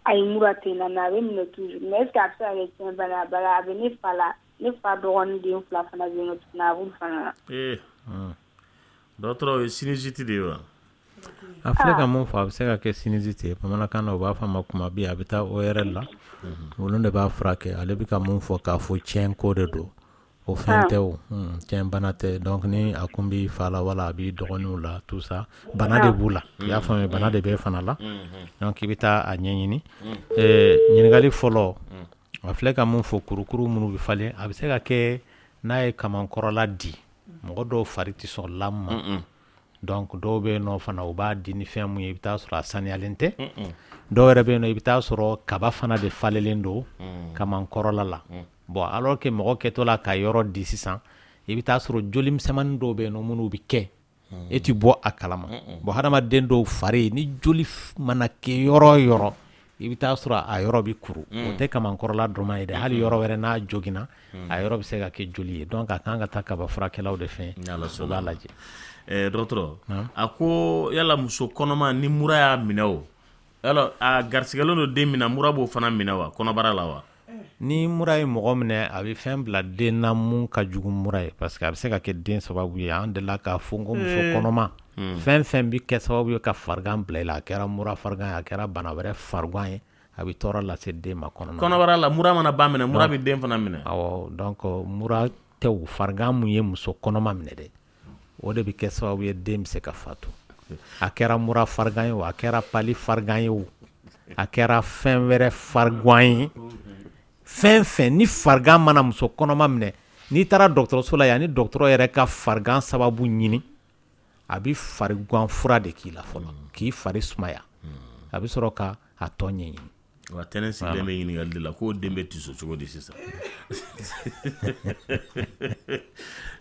Speaker 13: Ayi, mura tɛ n na, mais a bɛ minɛ toujours. Mais est ce que a bɛ se ka kɛ tiɲɛ bana ye? Bari a bɛ ne fa la, ne fa dɔgɔnin den fila fana bɛ yen nɔ tuguni, a b'olu fana na.
Speaker 6: Ee, dɔgɔtɔrɔ, o ye sinusite de ye wa?
Speaker 5: A filɛ ka mun fɔ, a bɛ se ka kɛ sinusite ye. Bamanankan na, u b'a fɔ a ma kumabi. A bɛ taa O R L la, olu de b'a furakɛ. Ale bɛ ka mun fɔ k'a fɔ tiɲɛ ko de don, o fɛn tɛ, o tiɲɛ bana tɛ. Donc ni a kun b'i fa la wala a b'i dɔgɔninw la, tout ça, bana de b'u la, i y'a faamuya, bana de b'e fana la. Donc i bɛ taa a ɲɛɲini. Ɲininkali fɔlɔ, a filɛ ka mun fɔ, kurukuru minnu bɛ falen, a bɛ se ka kɛ n'a ye kamankɔrɔla di. Mɔgɔ dɔw fari tɛ sɔn lame ma. Donc dɔw bɛ yen nɔ fana, u b'a di ni fɛn mun ye, i bɛ taa sɔrɔ a saniyalen tɛ. Dɔw yɛrɛ bɛ yen nɔ, i bɛ taa sɔrɔ kaba fana de falelen don kamankɔrɔla la. Bon, alors que mɔgɔ kɛtɔ la ka yɔrɔ di sisan, i bɛ taa sɔrɔ joli misɛnmanin dɔw bɛ yen nɔ minnu bɛ kɛ, e ti bɔ a kalama. Bon, hadamaden dɔw fari, ni joli mana kɛ yɔrɔ o yɔrɔ, i bɛ taa sɔrɔ a yɔrɔ bɛ kuru. O tɛ kamankɔrɔla dɔrɔn ye dɛ, hali yɔrɔ wɛrɛ n'a joginna, a yɔrɔ bɛ se ka kɛ joli ye. Donc a kan ka taa kaba furakɛlaw de fɛ, u b'a lajɛ.
Speaker 6: Ɛɛ dɔgɔtɔrɔ, a ko yala muso kɔnɔma ni mura y'a minɛ, o yala a garisigɛlen don den min na, mura b'o fana minɛ wa, kɔnɔbara la wa?
Speaker 5: Ni mura ye mɔgɔ minɛ, a bɛ fɛn bila den na mun ka jugu mura ye, parce que a bɛ se ka kɛ den sababu ye. An delila k'a fɔ ko muso kɔnɔma, fɛn fɛn bɛ kɛ sababu ye ka farigan bila i la, a kɛra mura farigan ye, a kɛra bana wɛrɛ farigan ye, a bɛ tɔɔrɔ lase den ma kɔnɔna
Speaker 6: kɔnɔbara la. Mura mana ba minɛ, mura bɛ den fana minɛ?
Speaker 5: Awɔ. Donc mura tɛ o, farigan mun ye muso kɔnɔma minɛ dɛ, o de bɛ kɛ sababu ye den bɛ se ka fatu. A kɛra mura farigan ye o, a kɛra palu farigan ye o, a kɛra fɛn wɛrɛ farigan ye, fɛn fɛn ni farigan mana muso kɔnɔma minɛ, n'i taara dɔgɔtɔrɔso la yan, ni dɔgɔtɔrɔ yɛrɛ ka farigan sababu ɲini, a bɛ farigan fura de k'i la fɔlɔ, k'i fari sumaya, a bɛ sɔrɔ ka a tɔ ɲɛɲini.
Speaker 6: Wa tɛnɛ sigilen bɛ ɲininkali de la k'o den bɛ tiso cogo di sisan?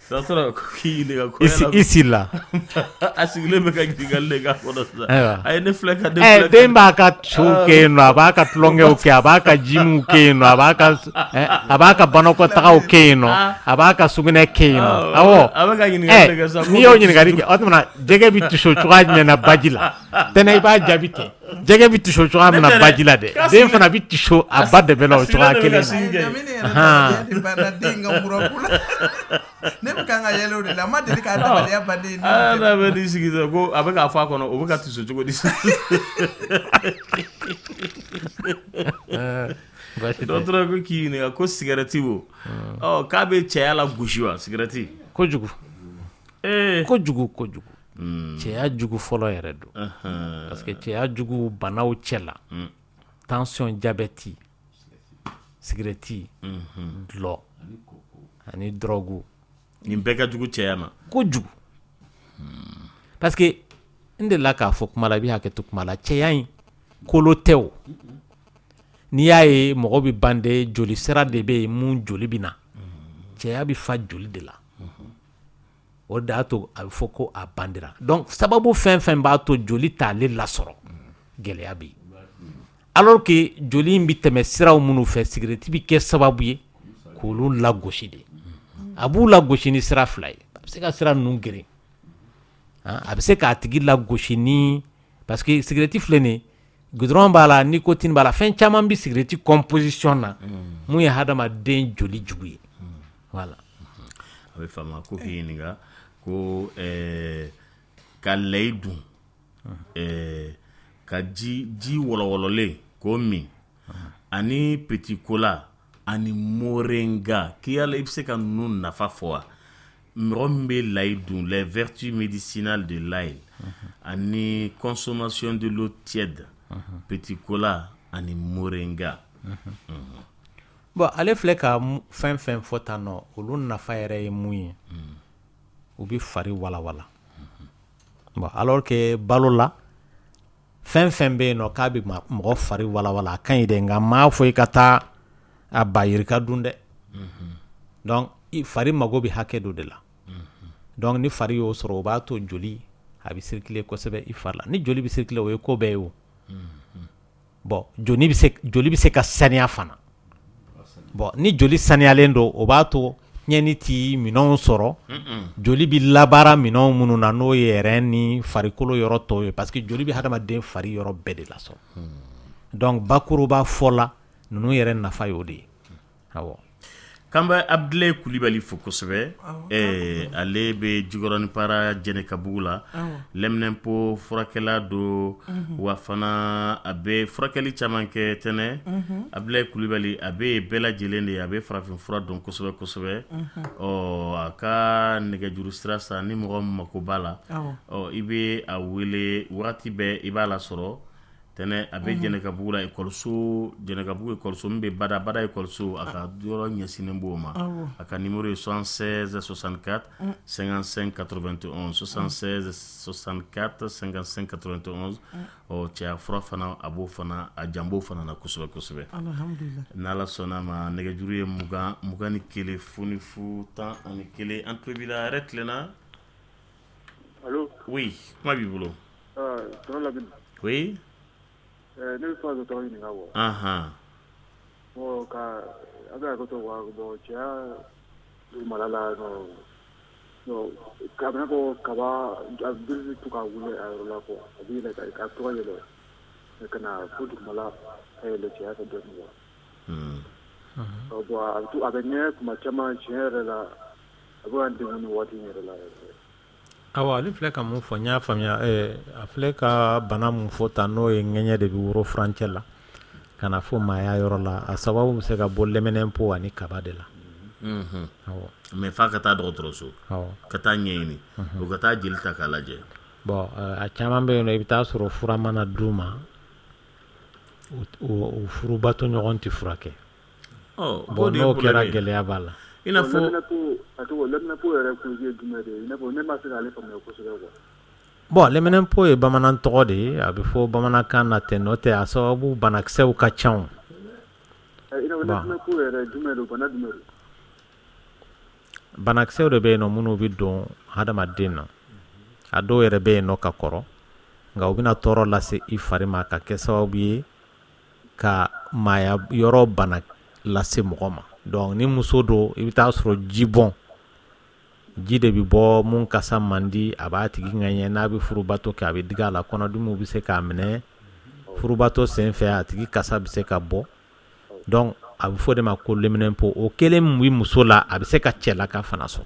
Speaker 6: Dɔgɔtɔrɔ, k'i ɲininka ko yala
Speaker 5: i sirila.
Speaker 6: A sigilen bɛ ka ɲininkali de k'a kɔnɔ sisan. A ye ne filɛ ka ne
Speaker 5: filɛ. Den b'a ka sow kɛ yen nɔ, a b'a ka tulonkɛw kɛ, a b'a ka jiminw kɛ yen nɔ, a b'a ka a b'a ka banakɔtagaw kɛ yen nɔ, a b'a ka sugunɛ kɛ yen nɔ. Awɔ.
Speaker 6: A bɛ ka ɲininkali de kɛ sisan.
Speaker 5: N'i y'o ɲininkali kɛ, o tuma jɛgɛ bɛ tiso cogoya jumɛn na baji la? Tɛnɛ, i b'a jaabi ten. Jɛgɛ bɛ tiso cogoya min na baji la dɛ, den fana bɛ tiso a ba dɛbɛ la o cogoya kelen
Speaker 3: na. Ne bɛ kan ka yɛlɛ o de la, n ma deli k'a dabaliya ban ne ye.
Speaker 6: Aa, n'a bɛ n'i sigi sisan ko a bɛ k'a fɔ a kɔnɔ, o bɛ ka tiso cogo di sisan? Dɔgɔtɔrɔ ko k'i ɲininka ko sigɛrɛti wo, ɔ k'a bɛ cɛya la gosi wa, sigɛrɛti?
Speaker 5: Kojugu. Ee kojugu kojugu. Cɛya jugu fɔlɔ yɛrɛ don, parce que cɛya jugu banaw cɛ la, tension, diabète, sigɛrɛti, dɔlɔ ani drogue,
Speaker 6: nin bɛɛ ka jugu cɛya ma
Speaker 5: kojugu. Parce que n delila k'a fɔ kuma la, i bɛ hakɛ to kuma la, cɛya in kolo tɛ o. N'i y'a ye mɔgɔ bɛ bande, joli sira de bɛ yen mun joli bɛ na, cɛya bɛ fa joli de la. O de y'a to a bɛ fɔ ko a bandera. Donc sababu fɛn fɛn b'a to joli t'ale lasɔrɔ, gɛlɛya bɛ yen. Alors que joli in bɛ tɛmɛ siraw minnu fɛ, sigɛrɛti bɛ kɛ sababu ye k'olu lagosi de. A b'u lagosi ni sira fila ye. A bɛ se ka sira ninnu geren, a bɛ se k'a tigi lagosi ni, parce que sigɛrɛti filɛ nin ye, goudron b'a la, nicotine b'a la, fɛn caman bɛ sigɛrɛti composition na mun ye hadamaden joli jugu ye. Voilà.
Speaker 6: A bɛ faamu. Ko k'i ɲininka ko ɛɛ ka layi dun, ɛɛ ka ji ji wɔlɔwɔlɔlen k'o min, ani petit cola ani moringa, k'i yala i bɛ se ka ninnu nafa fɔ wa? Mɔgɔ min bɛ layi dun, les vertus médicinales de l'ail, ani consommation de l'eau tiède, petit cola ani moringa.
Speaker 5: Bon, ale filɛ ka fɛn fɛn fɔ tan nɔ, olu nafa yɛrɛ ye mun ye, u bɛ fari walawala. Bon, alors que balo la, fɛn fɛn bɛ yen nɔ k'a bɛ mɔgɔ fari walawala, a ka ɲi dɛ, nka n m'a fɔ i ka taa a ba yirika dun dɛ. Donc i fari mago bɛ hakɛ dɔ de la. Donc ni fari y'o sɔrɔ, o b'a to joli a bɛ circuler kosɛbɛ i fari la. Ni joli bɛ circuler, o ye ko bɛɛ ye o. Bon, joli bɛ se joli bɛ se ka saniya fana. Bon, ni joli saniyalen don, o b'a to tiɲɛni ti minɛnw sɔrɔ. Joli bɛ labaara minɛnw minnu na, n'o ye rein ni farikolo yɔrɔ tɔw ye, parce que joli bɛ hadamaden fari yɔrɔ bɛɛ de lasɔrɔ. Donc bakuruba fɔ la, ninnu yɛrɛ nafa y'o de ye, awɔ.
Speaker 6: K'an bɛ Abudulayi Kulibali fo kosɛbɛ. Ɛɛ ale bɛ Jikɔrɔni Para Jɛnɛkabugu la, lɛminɛnpo furakɛla don, wa fana a bɛ furakɛli caman kɛ tɛnɛ. Abudulayi Kulibali, a bɛ bɛɛ lajɛlen de ye, a bɛ farafin fura dɔn kosɛbɛ kosɛbɛ. Ɔ a ka nɛgɛjuru sira san, ni mɔgɔ min mako b'a la, ɔ i bɛ a wele waati bɛɛ, i b'a lasɔrɔ tɛnɛ. A bɛ Jɛnɛkabugu la, ekɔliso, Jɛnɛkabugu ekɔliso min bɛ Bada Bada ekɔliso, a ka yɔrɔ ɲɛsinnen b'o ma. A ka numéro ye soixante-seize soixante-quatre cinquante-cinq quatre-vingt-onze, soixante-seize soixante-quatre cinquante-cinq quatre-vingt-onze. Ɔ cɛya fura fana, a b'o fana, a jan b'o fana na kosɛbɛ kosɛbɛ. N'Ala sɔnna a ma, nɛgɛjuru ye mugan mugan ni kelen fu ni fu tan ani kelen. An tulo b'i la, hɛrɛ tilenna.
Speaker 10: Allo?
Speaker 6: Oui, kuma b'i bolo.
Speaker 10: Tonton Lamini.
Speaker 6: Oui.
Speaker 10: Ne bɛ fɛ ka dɔgɔtɔrɔ ɲininka quoi.
Speaker 6: Anhan.
Speaker 10: Bon, ka a bɛ hakɛ to quoi, bon, cɛya dugumala la nɔ, bon, a bɛ i n'a fɔ kaba, a bɛ to ka wuli a yɔrɔ la quoi, a bɛ yɛlɛ ka to ka yɛlɛ ka na fo dugumala ka yɛlɛ cɛya fɛ dɔɔnin quoi. Bon, a bɛ to a bɛ ŋɛɲɛ tuma caman, tiɲɛ yɛrɛ la, a bɛ ka n degun nin waati in yɛrɛ la yɛrɛ.
Speaker 5: Awa, ale filɛ ka mun fɔ, n y'a faamuya. A filɛ ka bana mun fɔ tan, n'o ye ŋɛɲɛ de bɛ woro furancɛ la ka na fo maaya yɔrɔ la, a sababu bɛ se ka bɔ lɛminɛnpo ani kaba de la. Awɔ.
Speaker 6: Mais f'a ka taa dɔgɔtɔrɔso, ka taa ɲɛɲini, o ka taa jeli ta k'a lajɛ.
Speaker 5: Bon, a caman bɛ yen nɔ, i bɛ taa sɔrɔ fura mana d'u ma, o furubato ɲɔgɔn tɛ furakɛ. Bon, n'o kɛra, gɛlɛya b'a la.
Speaker 6: I n'a fɔ
Speaker 10: a tɔgɔ lɛminɛnpo yɛrɛ cause ye jumɛn de ye? I n'a fɔ ne ma se k'ale faamuya kosɛbɛ quoi.
Speaker 5: Bon, lɛminɛnpo ye bamanan tɔgɔ de ye, a bɛ fɔ bamanankan na ten, n'o tɛ a sababu banakisɛw ka ca o.
Speaker 10: I n'a fɔ lɛminɛnpo yɛrɛ jumɛn don, bana jumɛn don?
Speaker 5: Banakisɛw de bɛ yen nɔ minnu bɛ don hadamaden na. A dɔw yɛrɛ bɛ yen nɔ ka kɔrɔ, nka u bɛna tɔɔrɔ lase i fari ma ka kɛ sababu ye ka maaya yɔrɔ bana lase mɔgɔ ma. Donc ni muso don, i bɛ taa sɔrɔ ji bɔn, ji de bɛ bɔ mun kasa man di, a b'a tigi ŋɛɲɛ. N'a bɛ furubato kɛ, a bɛ digi a la, kɔnɔdimiw bɛ se k'a minɛ furubato sen fɛ, a tigi kasa bɛ se ka bɔ. Donc a bɛ fɔ de ma ko lɛminɛnpo. O kelen min bɛ muso la, a bɛ se ka cɛlaka fana sɔrɔ,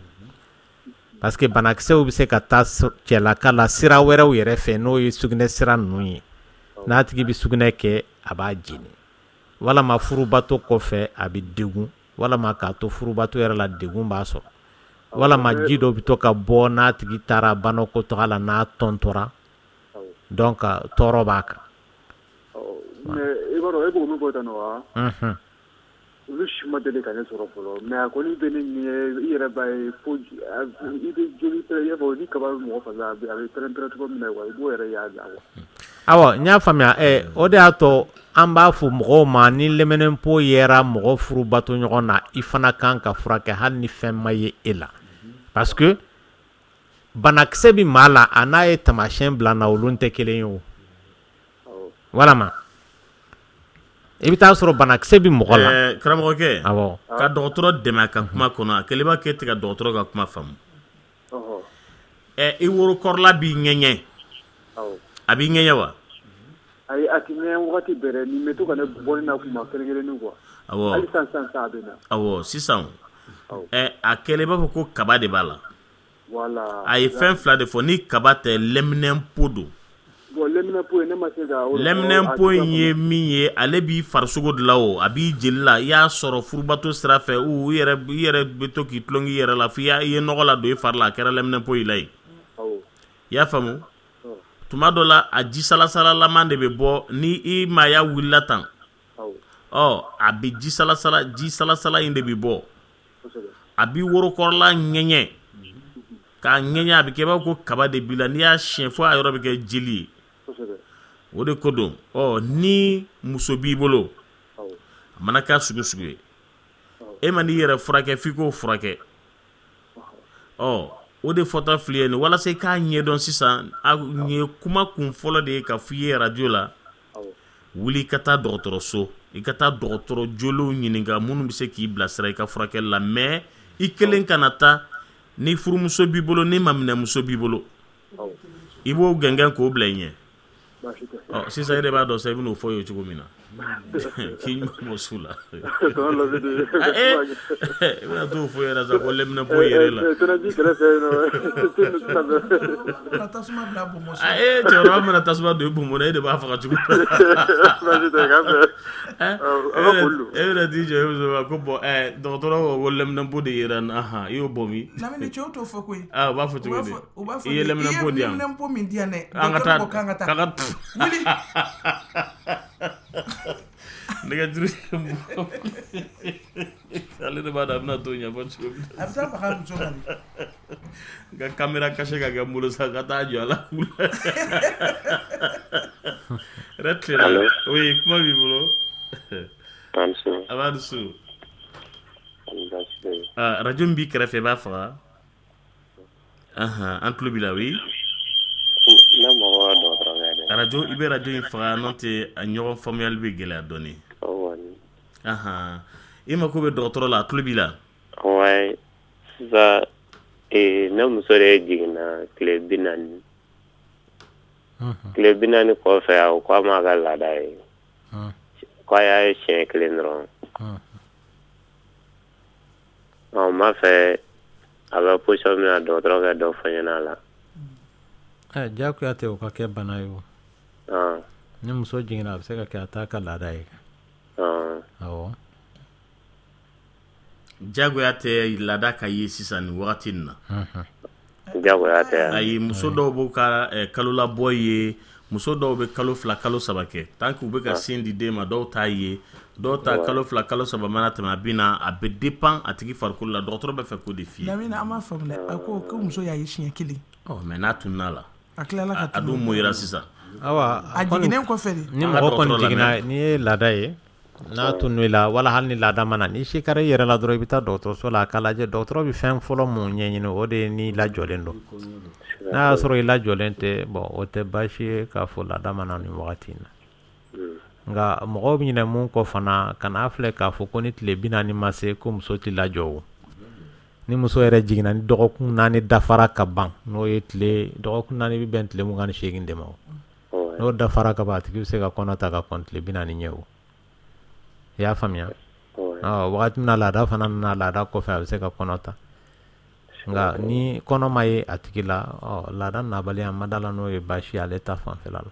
Speaker 5: parce que banakisɛw bɛ se ka taa cɛlaka la sira wɛrɛw yɛrɛ fɛ, n'o ye sugunɛ sira ninnu ye. N'a tigi bɛ sugunɛ kɛ, a b'a jeni, walama furubato kɔfɛ a bɛ degun, walama k'a to furubato yɛrɛ la, degun b'a sɔrɔ, walama ji dɔ bɛ to ka bɔ n'a tigi taara banakɔtaga la, n'a tɔntɔra, donc tɔɔrɔ b'a kan.
Speaker 10: Mais i b'a dɔn, e b'o min fɔ tan nɔ wa, olu si ma deli ka ne sɔrɔ fɔlɔ, mais a kɔni bɛ ne ɲɛ, i yɛrɛ b'a ye fo i bɛ joli pɛrɛn, i b'a fɔ ni kaba bɛ mɔgɔ fari la, a bɛ pɛrɛn pɛrɛn cogo min na quoi, i b'o yɛrɛ y'a la quoi.
Speaker 5: Awɔ, n y'a faamuya. Ɛ o de y'a to an b'a fɔ mɔgɔw ma, ni lɛminɛnpo yera mɔgɔ furubato ɲɔgɔn na, i fana kan ka furakɛ hali ni fɛn ma ye e la, parce que banakisɛ bɛ maa la, a n'a ye taamasiyɛn bila na, olu tɛ kelen ye o. Walama i bɛ taa sɔrɔ banakisɛ bɛ mɔgɔ la.
Speaker 6: Karamɔgɔkɛ.
Speaker 5: Awɔ.
Speaker 6: Ka dɔgɔtɔrɔ dɛmɛ a ka kuma kɔnɔ, a kɛlen b'a k'e tɛ ka dɔgɔtɔrɔ ka kuma faamu. Ɛ i worokɔrɔla b'i ŋɛɲɛ, a b'i ŋɛɲɛ wa?
Speaker 10: Ayi, a tɛ ŋɛɲɛ wagati bɛɛ dɛ, nin bɛ to ka ne bɔ ne na kuma kelen kelennin quoi.
Speaker 6: Awɔ.
Speaker 10: Hali sisan sisan a bɛ na.
Speaker 6: Awɔ, sisan ɛ a kɛlen i b'a fɔ ko kaba de b'a la.
Speaker 10: Voilà.
Speaker 6: A ye fɛn fila de fɔ, ni kaba tɛ, lɛminɛnpo don.
Speaker 10: Bon, lɛminɛnpo ne ma se ka.
Speaker 6: Lɛminɛnpo in ye min ye, ale b'i farisogo de la o, a b'i jeli la, i y'a sɔrɔ furubato sira fɛ, u i yɛrɛ i yɛrɛ bɛ to k'i tulon k'i yɛrɛ la f'i i ye nɔgɔ la don i fari la, a kɛra lɛminɛnpo i la yen. I y'a faamu? Tuma dɔ la, a ji salasalalaman de bɛ bɔ ni i maaya wulila tan. Ɔ a bɛ ji salasala, ji salasala in de bɛ bɔ. A b'i worokɔrɔla ŋɛɲɛ, k'a ŋɛɲɛ, a bɛ kɛ i b'a fɔ ko kaba de b'i la, n'i y'a siɲɛ fo a yɔrɔ bɛ kɛ jeli ye. O de ko don. Ɔ ni muso b'i bolo, a mana kɛ sugu sugu ye, e ma n'i yɛrɛ furakɛ, f'i k'o furakɛ. Ɔ o de fɔta fili ye nin, walasa i k'a ɲɛdɔn sisan, nin ye kuma kun fɔlɔ de ye ka f'i ye radio la. Wuli i ka taa dɔgɔtɔrɔso, i ka taa dɔgɔtɔrɔ jolenw ɲininka minnu bɛ se k'i bilasira i ka furakɛli la. Mais i kelen kana taa. Ni furumuso b'i bolo, ni maminɛmuso b'i bolo, i b'o gɛngɛn k'o bila i ɲɛ. Ɔ, sisan e de b'a dɔn sa, i bɛn'o fɔ ye cogo min na k'i ɲuman bɔ su la, i bɛna t'o fɔ yɛrɛ sa ko lɛminɛnpo yɛrɛ la. Ee, cɛkɔrɔba mana tasuma don i bonbon na, e de b'a faga cogo. E bɛna t'i jɔ e muso ma ko bɔn, dɔgɔtɔrɔ ko ko lɛminɛnpo de yera n na. I y'o bɔ min?
Speaker 3: Lamini, cɛw t'o fɔ koyi.
Speaker 6: Ah, u b'a fɔ cogo di?
Speaker 3: I
Speaker 6: ye lɛminɛnpo di yan,
Speaker 3: i ye lɛminɛnpo min di yan dɛ,
Speaker 6: an ka taa
Speaker 3: dɔgɔtɔrɔ ko k'an ka taa.
Speaker 6: K'an ka
Speaker 3: Wuli.
Speaker 6: Nɛgɛjuru, ale de b'a dɔn a bɛna t'o ɲɛfɔ cogo min.
Speaker 3: A bɛ taa faga muso kan de.
Speaker 6: N ka caméra cachée ka kɛ n bolo sa, ka taa jɔ a la. Yɛrɛ tilenna. Oui, kuma b'i bolo. A b'a dusu. Radio min b'i kɛrɛfɛ, i b'a faga. An tulo b'i la. Oui, radio, i bɛ radio in faga, n'o tɛ a ɲɔgɔn faamuyali bɛ gɛlɛya dɔɔnin. I mako bɛ dɔgɔtɔrɔ la, a tulo b'i la.
Speaker 8: Ouais, sisan ne muso de jiginna tile bi naani. Tile bi naani kɔfɛ, a ko k'a m'a ka laada ye, k'a y'a ye siɲɛ kelen dɔrɔn. Ɔ, n b'a fɛ a bɛ position min na, dɔgɔtɔrɔ ka dɔ fɔ n ɲɛna a la.
Speaker 5: Ɛ, diyagoya tɛ o ka kɛ bana ye o. Ni muso jiginna, a bɛ se ka kɛ a t'a ka laada ye. Awɔ.
Speaker 6: Diyagoya tɛ laada ka ye sisan nin wagati in na.
Speaker 8: Diyagoya tɛ.
Speaker 6: Ayi, muso dɔw b'u ka kalolabɔ ye, muso dɔw bɛ kalo fila, kalo saba kɛ tant que u bɛ ka sin di den ma, dɔw t'a ye, dɔw ta kalo fila, kalo saba mana tɛmɛ, a bɛ na, a bɛ dépend a tigi farikolo la. Dɔgɔtɔrɔ bɛ fɛ k'o de f'i ye.
Speaker 3: Lamini, an b'a faamu dɛ, a ko ko muso y'a ye siɲɛ kelen.
Speaker 6: Ɔ, mais n'a tununa la.
Speaker 3: A tilala ka
Speaker 6: a dun moyira sisan.
Speaker 5: Awa,
Speaker 3: a jiginnen kɔfɛ de.
Speaker 5: Ni mɔgɔ kɔni jiginna, n'i ye laada ye, n'a tunun i la, wala hali ni laada ma na, n'i sikara i yɛrɛ la dɔrɔn, i bɛ taa dɔgɔtɔrɔso la a k'a lajɛ. Dɔgɔtɔrɔ bɛ fɛn fɔlɔ mun ɲɛɲini, o de ye n'i lajɔlen don. N'a y'a sɔrɔ i lajɔlen tɛ, bon, o tɛ baasi ye k'a fɔ laada ma na nin wagati in na. Nka mɔgɔw bɛ ɲinɛ mun kɔ fana, kan'a filɛ k'a fɔ ko ni tile bi naani ma se ko muso tɛ lajɔ o. Ni muso yɛrɛ jiginna, ni dɔgɔkun naani dafara ka ban, n'o ye tile dɔgɔkun naani bɛ bɛn tile mugan ni seegin de ma o. N'o dafara ka ban, a tigi bɛ se ka kɔnɔ ta ka kɔn tile bi naani ɲɛ o. I y'a faamuya? Ɔ, wagati min na laada fana nana, laada kɔfɛ a bɛ se ka kɔnɔ ta. Nka ni kɔnɔ ma ye a tigi la, ɔ, laada nabaliya ma da la, n'o ye baasi ye ale ta fanfɛla la.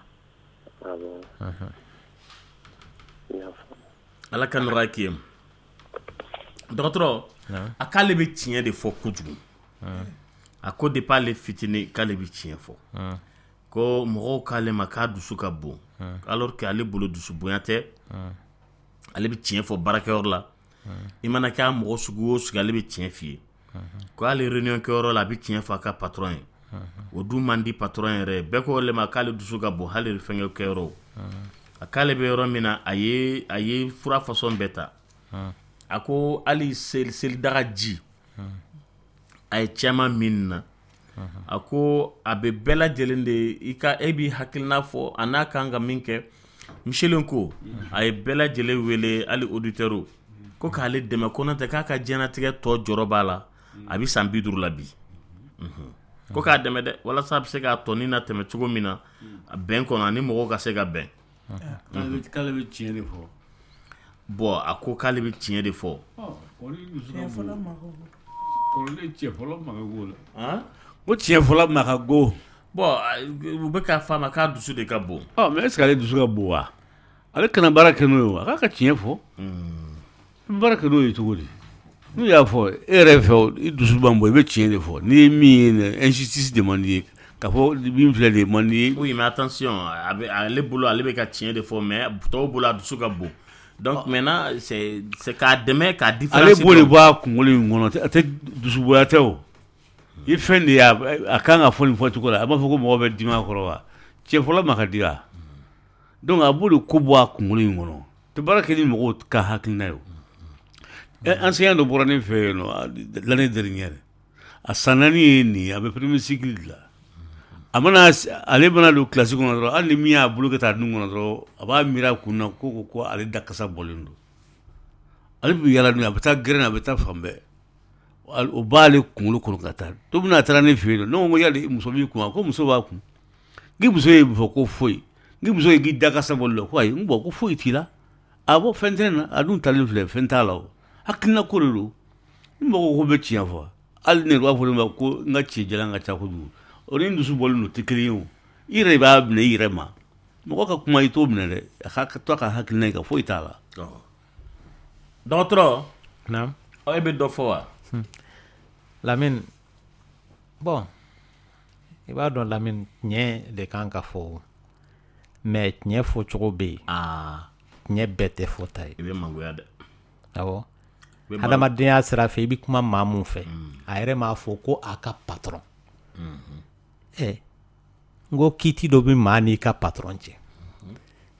Speaker 6: Ala ka nɔgɔya k'i ye. Dɔgɔtɔrɔ, a k'ale bɛ tiɲɛ de fɔ kojugu. A ko depuis ale fitinin k'ale bɛ tiɲɛ fɔ. Ko mɔgɔw k'ale ma k'a dusu ka bon, alors que ale bolo dusu bonya tɛ. Ale bɛ tiɲɛ fɔ baarakɛyɔrɔ la. I mana kɛ a mɔgɔ sugu o sugu, ale bɛ tiɲɛ f'i ye. Ko hali réunion kɛyɔrɔ la, a bɛ tiɲɛ fɔ a ka patron ye. O dun man di patron yɛrɛ ye. Bɛɛ ko ale ma k'ale dusu ka bon hali fɛnkɛ kɛyɔrɔ. A k'ale bɛ yɔrɔ min na, a ye a ye fura façon bɛɛ ta. A ko hali seli selidaga ji, a ye caman min na. A ko a bɛ bɛɛ lajɛlen de, i ka e b'i hakilina fɔ a n'a kan ka min kɛ. Michel ko a ye bɛɛ lajɛlen wele, hali auditeur, ko k'ale dɛmɛ, ko n'o tɛ k'a ka diɲɛlatigɛ tɔ jɔrɔ b'a la, a bɛ san bi duuru la bi. Ko k'a dɛmɛ dɛ, walasa a bɛ se k'a tɔnin na tɛmɛ cogo min na bɛn kɔnɔ, ani mɔgɔw ka se ka bɛn.
Speaker 4: K'ale bɛ tiɲɛ de fɔ.
Speaker 6: Bon, a ko k'ale bɛ tiɲɛ de fɔ.
Speaker 4: Kɔrɔlen cɛ fɔlɔ ma ka go la. Ko tiɲɛ fɔlɔ ma ka go.
Speaker 6: Bon, u bɛ k'a fɔ a ma k'a dusu de ka bon.
Speaker 4: Ɔ, mais est ce que ale dusu ka bon wa? Ale kana baara kɛ n'o ye wa? A k'a ka tiɲɛ fɔ. I bɛ baara kɛ n'o ye cogo di? N'u y'a fɔ e yɛrɛ fɛ, i dusu b'an bɔ, i bɛ tiɲɛ de fɔ. N'i ye min ye, injustice de man di ye. K'a fɔ min filɛ de man di ye.
Speaker 6: Oui, mais attention, a bɛ ale bolo, ale bɛ ka tiɲɛ de fɔ, mais tɔw bolo a dusu ka bon. Donc maintenant, c'est c'est k'a dɛmɛ k'a différence.
Speaker 4: Ale b'o de bɔ a kunkolo in kɔnɔ, a tɛ dusubonya tɛ o. I fɛn de ye, a kan ka fɔ nin fɔcogo la, a b'a fɔ ko mɔgɔ bɛ dimi a kɔrɔ wa? Cɛ fɔlɔ ma ka di wa? Donc a b'o de ko bɔ a kunkolo in kɔnɔ. Tɛ baara kɛ ni mɔgɔw ka hakilina ye o. Enseignant dɔ bɔra ne fɛ yen nɔ l'année dernière, a san naani ye nin ye, a bɛ premier cycle de la. A mana ale mana don kilasi kɔnɔ dɔrɔn, hali ni min y'a bolo kɛ taa nun kɔnɔ dɔrɔn, a b'a miiri a kun na ko ko ko ale da kasa bɔlen don. Ale bɛ yala n'o ye, a bɛ taa gɛrɛn na, a bɛ taa fan bɛɛ, o b'ale kunkolo kɔnɔ ka taa. Don min na a taara ne fɛ yen nɔ, ne ko ko yali muso b'i kun wa? Ko muso b'a kun. N k'i muso ye mun fɔ? Ko foyi. N k'i muso ye k'i da kasa bɔlen don? Ko ayi. N ko ko foyi t'i la. A bɔ fɛn tɛ ne na, a dun talen filɛ, fɛn t'a la. O hakilina ko de don. Ni mɔgɔ ko bɛ tiɲɛ fɔ, hali ne b'a fɔ ne ma ko n ka ci jalan ka ca kojugu, o ni n dusu bɔlen don tɛ kelen ye. O i yɛrɛ b'a minɛ i yɛrɛ ma. Mɔgɔ ka kuma, i t'o minɛ dɛ, a ka to a ka hakilina ye kan, foyi t'a la.
Speaker 6: Dɔgɔtɔrɔ.
Speaker 5: Naam.
Speaker 6: Ɔ, e bɛ dɔ fɔ wa?
Speaker 5: Lamine, bon, i b'a dɔn Lamine, tiɲɛ de kan ka fɔ, mais tiɲɛ fɔcogo bɛ yen. Tiɲɛ bɛɛ tɛ fɔta ye.
Speaker 6: I bɛ mangoya dɛ.
Speaker 5: Awɔ, hadamadenya sira fɛ, i bɛ kuma maa mun fɛ, a yɛrɛ m'a fɔ ko a ka patron. Ɛ, n ko kiiti dɔ bɛ maa n'i ka patron cɛ,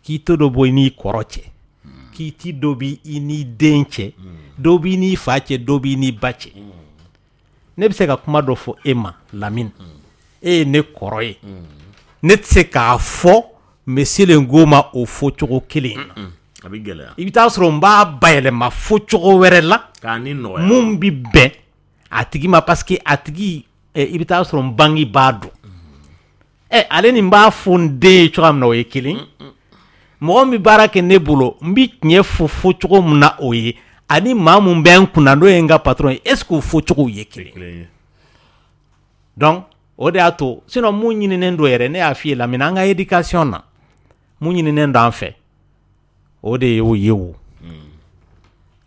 Speaker 5: kiiti dɔ bɔ i n'i kɔrɔ cɛ, kiiti dɔ bɛ i n'i den cɛ, dɔ b'i n'i fa cɛ, dɔ b'i n'i ba cɛ. Ne bɛ se ka kuma dɔ fɔ e ma Lamine, e ye ne kɔrɔ ye, ne tɛ se k'a fɔ monsieur le Ngo ma o fɔcogo kelen in na.
Speaker 6: A bɛ gɛlɛya.
Speaker 5: I bɛ taa sɔrɔ n b'a bayɛlɛma fɔcogo wɛrɛ la
Speaker 6: k'a ni nɔgɔya,
Speaker 5: mun bɛ bɛn a tigi ma, parce que a tigi, i bɛ taa sɔrɔ n bangebaa don. Ɛ, ale ni n b'a fɔ n den ye cogoya min na, o ye kelen. Mɔgɔ min bɛ baara kɛ ne bolo, n bɛ tiɲɛ fɔ fɔcogo min na, o ye ani maa mun bɛ n kunna, n'o ye n ka patron ye, est ce que o fɔcogow ye kelen
Speaker 6: ye?
Speaker 5: Donc o de y'a to, sinon mun ɲininen don yɛrɛ, ne y'a f'i ye Lamine, an ka éducation na, mun ɲininen don an fɛ, o de y'o ye. O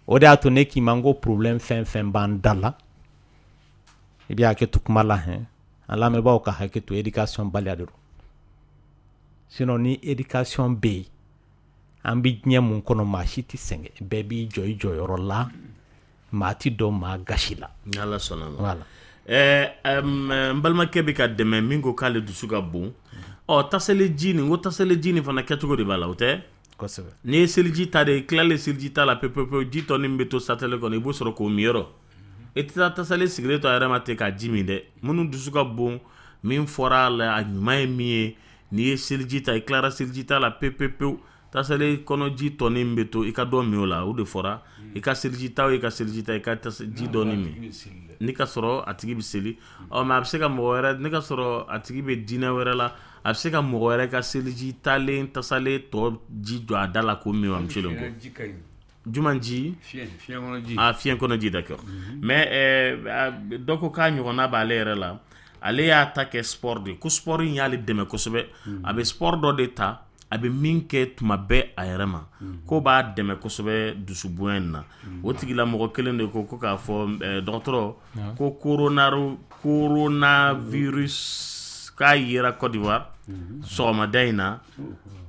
Speaker 5: o de y'a to ne k'i ma n ko problème fɛn fɛn b'an da la, i bɛ hakɛ to kuma la hɛn, an lamɛnbaaw ka hakɛ to, éducation baliya de don. Sinon ni éducation bɛ yen, an bɛ diɲɛ mun kɔnɔ, maa si tɛ sɛgɛn, bɛɛ b'i jɔ i jɔyɔrɔ la, maa ti dɔn maa gasi la.
Speaker 6: Ni Ala sɔnna ma.
Speaker 5: Voilà.
Speaker 6: Ɛɛ, n balimakɛ bɛ ka dɛmɛ min ko k'ale dusu ka bon. Ɔ, tasale ji nin, ko tasale ji nin fana kɛcogo de b'a la, o tɛ?
Speaker 5: Kosɛbɛ.
Speaker 6: N'i ye seliji ta de, i tilalen seliji ta la pewu pewu pewu, ji tɔ min bɛ to satɛlɛ kɔnɔ, i b'o sɔrɔ k'o min yɔrɔ. I tɛ taa tasale sigilen to a yɛrɛ ma ten k'a ji min dɛ. Minnu dusu ka bon, min fɔra a la, a ɲuman ye min ye, n'i ye seliji ta, i tilara seliji ta la pewu pewu pewu, tasale kɔnɔ ji tɔnin bɛ to, i ka dɔ min o la. O de fɔra, i ka seliji ta o, i ka seliji ta, i ka ji dɔɔni min ni ka sɔrɔ a tigi bɛ seli. Ɔ, mais a bɛ se ka mɔgɔ wɛrɛ, ne ka sɔrɔ a tigi bɛ diinɛ wɛrɛ la, a bɛ se ka mɔgɔ wɛrɛ ka seliji talen tasale tɔ ji jɔ a da la k'o min wa, monsieur le Ngo? Juma ji? Ah, fiɲɛ kɔnɔ ji, d'accord. Mais dɔ ko k'a ɲɔgɔnna b'ale yɛrɛ la, ale y'a ta kɛ sport de ye, ko sport in y'ale dɛmɛ kosɛbɛ. A bɛ sport dɔ de ta, a bɛ min kɛ tuma bɛɛ a yɛrɛ ma, ko b'a dɛmɛ kosɛbɛ dusubonya in na. O tigilamɔgɔ kelen de ko ko k'a fɔ dɔgɔtɔrɔ ko coronavirus k'a yera Côte d'Ivoire sɔgɔmada in na,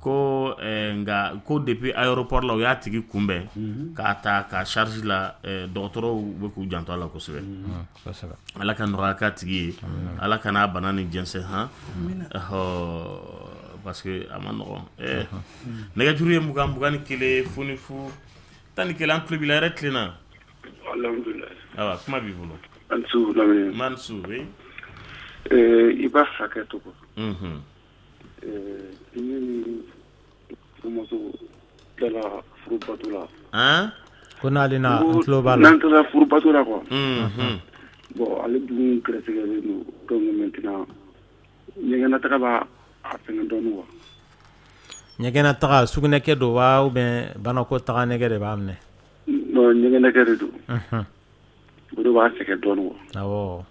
Speaker 6: ko nka ko depuis aéroport la, u y'a tigi kunbɛn k'a ta ka charge la, dɔgɔtɔrɔw bɛ k'u janto a la kosɛbɛ. Ala ka nɔgɔya k'a tigi ye, Ala ka n'a bana ni jɛnsɛn han, parce que a ma nɔgɔn. Ɛɛ, nɛgɛjuru ye mugan mugan ni kelen fu ni fu tan ni kelen. An tulo b'i la, hɛrɛ tilenna.
Speaker 14: Alhamdulilayi.
Speaker 6: Ayiwa, kuma b'i bolo.
Speaker 14: An su Lamini.
Speaker 6: Man su, oui.
Speaker 14: I b'a hakɛ to quoi.
Speaker 6: Unhun.
Speaker 14: Ne ni furumuso tilala furubato la.
Speaker 6: Han?
Speaker 5: Ko n'ale na, n tulo b'a la.
Speaker 14: N'an tilala furubato la quoi.
Speaker 6: Unhun.
Speaker 14: Bon, ale dun gɛrɛsɛgɛlen don, donc maintenant ɲɛgɛnataga b'a a fɛngɛ dɔɔnin quoi.
Speaker 5: Ɲɛgɛnataga, sugunɛkɛ don wa, ou bien banakɔtaga nɛgɛ de b'a minɛ?
Speaker 14: Non, ɲɛgɛnɛkɛ de don.
Speaker 5: Unhun.
Speaker 14: O de b'a sɛgɛn dɔɔnin quoi.
Speaker 5: Awɔ.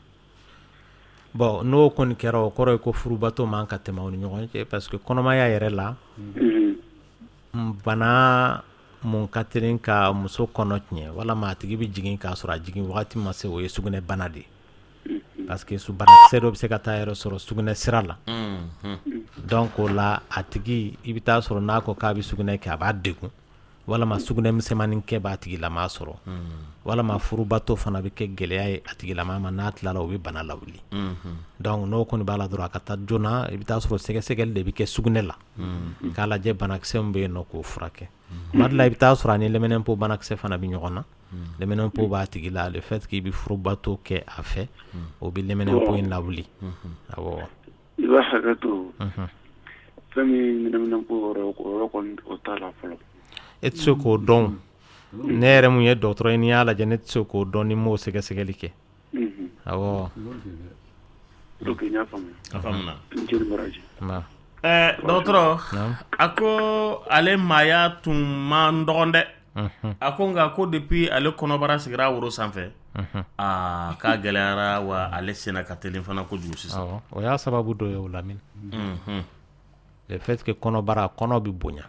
Speaker 5: Bon, n'o kɔni kɛra, o kɔrɔ ye ko furubato man ka tɛmɛ aw ni ɲɔgɔn cɛ, parce que kɔnɔmaya yɛrɛ la, bana mun ka teli ka muso kɔnɔ tiɲɛ walama a tigi bɛ jigin k'a sɔrɔ a jigin wagati ma se, o ye sugunɛ bana de ye, parce que su banakisɛ dɔ bɛ se ka taa yɛrɛ sɔrɔ sugunɛ sira la. Donc o la, a tigi, i bɛ taa sɔrɔ n'a ko k'a bɛ sugunɛ kɛ, a b'a degun, walama sugunɛ misɛnmanin kɛ b'a tigilama sɔrɔ, walama furubato fana bɛ kɛ gɛlɛya ye a tigilama ma. N'a tilala, o bɛ bana lawuli. Donc n'o kɔni b'a la dɔrɔn, a ka taa joona. I bɛ taa sɔrɔ sɛgɛsɛgɛli de bɛ kɛ sugunɛ la k'a lajɛ banakisɛ min bɛ yen nɔ, k'o furakɛ. Tuma dɔ la, i bɛ taa sɔrɔ a ni lɛmɛnɛnpo banakisɛ fana bɛ ɲɔgɔn na, lɛmɛnɛnpo b'a tigi la. Le fait k'i bɛ furubato kɛ a fɛ, o bɛ lɛmɛnɛnpo in lawuli, awɔ.
Speaker 14: I b'a hakɛ to, fɛn min ɲɛnaminɛ ko yɔrɔ, o yɔrɔ kɔni, o t'a la fɔlɔ.
Speaker 5: E tɛ se k'o dɔn. Ne yɛrɛ mun ye dɔgɔtɔrɔ ye, n'i y'a lajɛ, ne tɛ se k'o dɔn ni m'o sɛgɛsɛgɛli kɛ. Awɔ.
Speaker 14: Ok, n y'a faamuya.
Speaker 6: A faamuna.
Speaker 14: N ce ni baraji.
Speaker 6: Ɛɛ dɔgɔtɔrɔ, a ko ale maaya tun man dɔgɔn dɛ. A ko nka ko depuis ale kɔnɔbara sigira woro sanfɛ, aa, k'a gɛlɛyara wa, ale senna ka teli fana kojugu sisan.
Speaker 5: Awɔ, o y'a sababu dɔ ye o, Lamini. Le fait que kɔnɔbara, kɔnɔ bɛ bonya,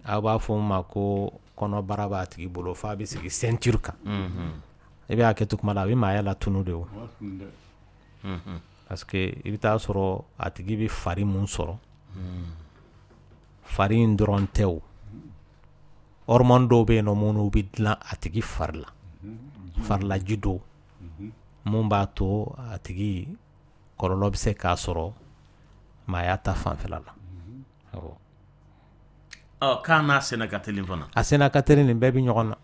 Speaker 5: aw b'a fɔ min ma ko kɔnɔbara b'a tigi bolo f'a bɛ sigi ceinture kan, i bɛ hakɛ to kuma la, a bɛ maaya latunu de o, parce que i bɛ taa sɔrɔ a tigi bɛ fari mun sɔrɔ, fari in dɔrɔn tɛ o, hormone dɔw bɛ yen nɔ minnu bɛ dilan a tigi fari la, farilaji dɔw mun b'a to a tigi kɔlɔlɔ bɛ se k'a sɔrɔ maaya ta fanfɛla la. Awɔ.
Speaker 6: Ɔ, k'a n'a senna ka teli fana.
Speaker 5: A senna ka teli, nin bɛɛ bɛ ɲɔgɔn na.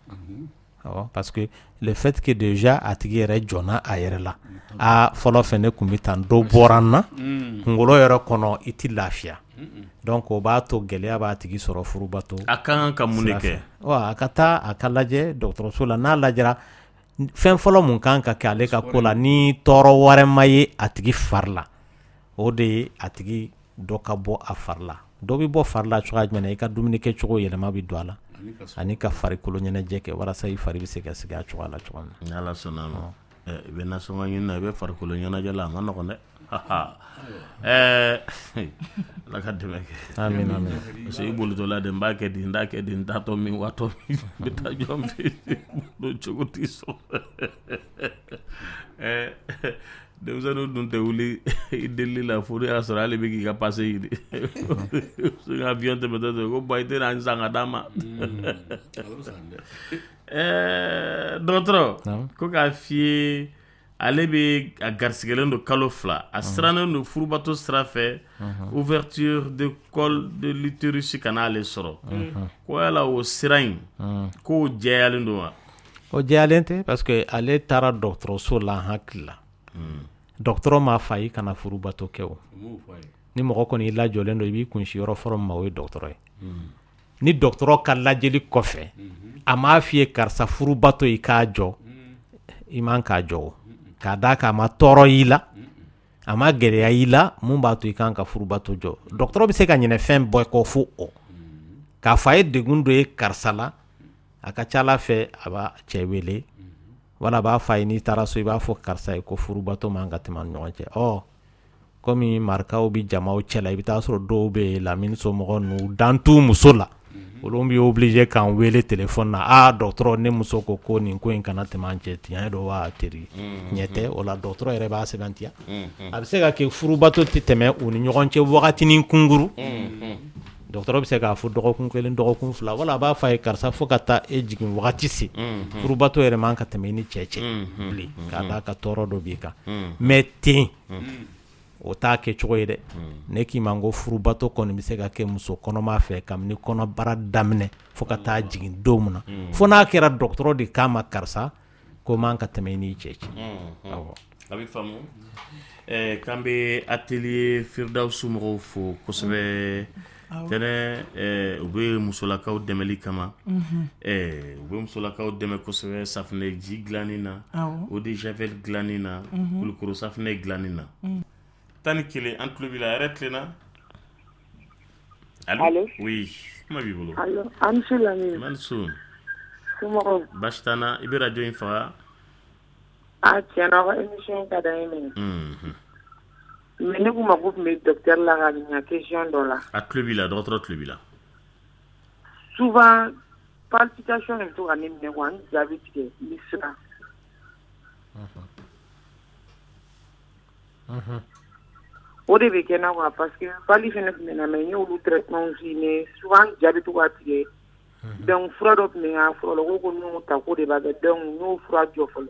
Speaker 5: Awɔ, parce que le fait que déjà a tigi yɛrɛ jɔnna a yɛrɛ la, aa, fɔlɔ fɛ ne tun bɛ tan, dɔ bɔra n na, kunkolo yɛrɛ kɔnɔ, i tɛ lafiya. Donc o b'a to gɛlɛya b'a tigi sɔrɔ furubato.
Speaker 6: A ka kan ka mun de kɛ?
Speaker 5: Wa a ka taa a ka lajɛ dɔgɔtɔrɔso la. N'a lajɛra, fɛn fɔlɔ mun kan ka kɛ ale ka ko la, ni tɔɔrɔ wɛrɛ ma ye a tigi fari la, o de ye a tigi dɔ ka bɔ a fari la. Dɔ bɛ bɔ fari la cogoya jumɛn na? I ka dumuni kɛcogo yɛlɛma bɛ don a la, ani ka farikolo ɲɛnajɛ kɛ walasa i fari bɛ se ka sigi a cogoya la cogo min
Speaker 6: na. Ni Ala sɔnna a ma, i bɛ nasɔngɔ ɲini na, i bɛ farikolo ɲɛnajɛ la, a ma nɔgɔn dɛ. Ɛɛ Ala ka dɛmɛ kɛ.
Speaker 5: Amin, amin.
Speaker 6: Parce que i bolitɔla de, n b'a kɛ di, n t'a kɛ di, n taatɔ min, watɔ min, n bɛ taa jɔn fɛ yen, cogo t'i sɔrɔ. Ɛɛ denmisɛnninw dun tɛ wuli i delili la fo n'o y'a sɔrɔ hali bɛ k'i ka passe ɲini. Avion tɛmɛtɔ dɔrɔn ko bɔn, i tɛna n san ka d'a ma. Ɛɛ dɔgɔtɔrɔ ko k'a f'i ye, ale bɛ a garisigɛlen don kalo fila, a sirannen don furubato sira fɛ, ouverture de col de l'utérus kana ale sɔrɔ, ko yala o sira in, k'o jɛyalen don wa?
Speaker 5: O jɛyalen tɛ, parce que ale taara dɔgɔtɔrɔso la, n hakili la dɔgɔtɔrɔ m'a fɔ a ye kana furubato kɛ. O ni mɔgɔ kɔni i lajɔlen don, i b'i kunsi yɔrɔ fɔlɔ min ma, o ye dɔgɔtɔrɔ ye. Ni dɔgɔtɔrɔ ka lajɛli kɔfɛ, a m'a f'i ye karisa, furubato i k'a jɔ, i man k'a jɔ o, k'a d'a kan a ma tɔɔrɔ i la, a ma gɛlɛya i la mun b'a to i kan ka furubato jɔ. Dɔgɔtɔrɔ bɛ se ka ɲinɛ fɛn bɛɛ kɔ fo o k'a fɔ a ye degun dɔ ye karisa la. A ka ca Ala fɛ, a b'a cɛ wele wala a b'a fɔ a ye, n'i taara so, i b'a fɔ karisa ye ko furubato man ka tɛmɛ an ni ɲɔgɔn cɛ. Ɔ, komi marikaw bɛ jamaw cɛ la, i bɛ taa sɔrɔ dɔw bɛ yen, Lamini somɔgɔw ninnu, dan t'u muso la, olu bɛ obligé k'an wele téléphone na: aa dɔgɔtɔrɔ, ne muso ko ko nin ko in kana tɛmɛ an cɛ, tiɲɛ don wa teri tiɲɛ tɛ? O la dɔgɔtɔrɔ yɛrɛ b'a sɛbɛntiya. A bɛ se ka kɛ furubato tɛ tɛmɛ u ni ɲɔgɔn cɛ wagatinin kunkuru. Dɔgɔtɔrɔ bɛ se k'a fɔ dɔgɔkun kelen, dɔgɔkun fila, wala a b'a fɔ a ye karisa, fo ka taa e jigin wagati se, furubato yɛrɛ man ka tɛmɛ i ni cɛ cɛ bilen, k'a d'a ka tɔɔrɔ dɔ b'i kan. Mais ten o t'a kɛ cogo ye dɛ. Ne k'i ma ko furubato kɔni bɛ se ka kɛ muso kɔnɔma fɛ kabini kɔnɔbara daminɛ fo ka taa jigin don min na, fo n'a kɛra dɔgɔtɔrɔ de k'a ma karisa, ko man ka tɛmɛ i n'i cɛ cɛ. Awɔ.
Speaker 6: A bɛ faamu. Ɛɛ k'an bɛ atelier Firdawusu mɔgɔw fo kosɛbɛ. Tɛnɛ, u bɛ musolakaw dɛmɛli kama, u bɛ musolakaw dɛmɛ kosɛbɛ safunɛji dilanni na, eau de javel dilanni na, kulukoro safunɛ dilanni na. Tan ni kelen, an tulo b'i la, hɛrɛ tilenna. Allo, oui, kuma b'i bolo.
Speaker 15: Allo, a ni su Lamini.
Speaker 6: A ni su.
Speaker 15: Somɔgɔw?
Speaker 6: Baasi t'an na, i bɛ radio in faga.
Speaker 15: A tiɲɛ na, aw ka émission ka d'an ye minɛ. Mais ne kun mako tun bɛ docteur la ka ɲininka question dɔ la.
Speaker 6: A tulo b'i la, dɔgɔtɔrɔ tulo b'i la.
Speaker 15: Souvent palpitation de bɛ to ka ne minɛ quoi, n ja bɛ tigɛ, n bɛ siran. O de bɛ kɛ n na quoi, parce que palu fana tun bɛ n na, mais n y'olu traitement suivi, mais souvent ja bɛ to ka tigɛ. Donc fura dɔ tun bɛ n ka fura la, u ko ko ni n y'o ta k'o de b'a kɛ, donc n y'o fura jɔ fɔlɔ.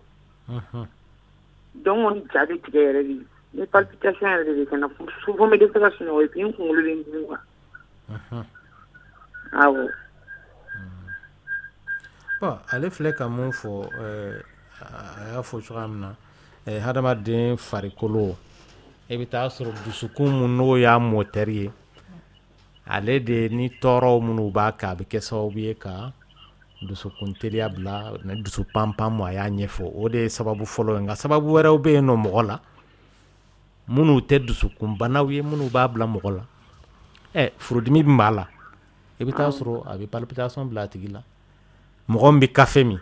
Speaker 15: Donc n kɔni ja bɛ tigɛ yɛrɛ de. Ni palpitation yɛrɛ de bɛ kɛ n na, souvent n bɛ dɛsɛ ka sunɔgɔ et puis n kunkolo bɛ n dimi quoi. Awɔ.
Speaker 5: Bon, ale filɛ ka mun fɔ, a y'a fɔ cogoya min na, hadamaden farikolo I bɛ taa sɔrɔ dusukun mun n'o y'a moteur ye, ale de ni tɔɔrɔw minnu b'a kan, a bɛ kɛ sababu ye ka dusukun teliya bila ni dusu panpan. A y'a ɲɛfɔ, o de ye sababu fɔlɔ ye. Nka sababu wɛrɛw bɛ yen nɔ mɔgɔ la minnu tɛ dusukunbanaw ye, minnu b'a bila mɔgɔ la. Ɛ, furudimi min b'a la, i bɛ taa sɔrɔ a bɛ palpitation bila a tigi la. Mɔgɔ min bɛ kafe min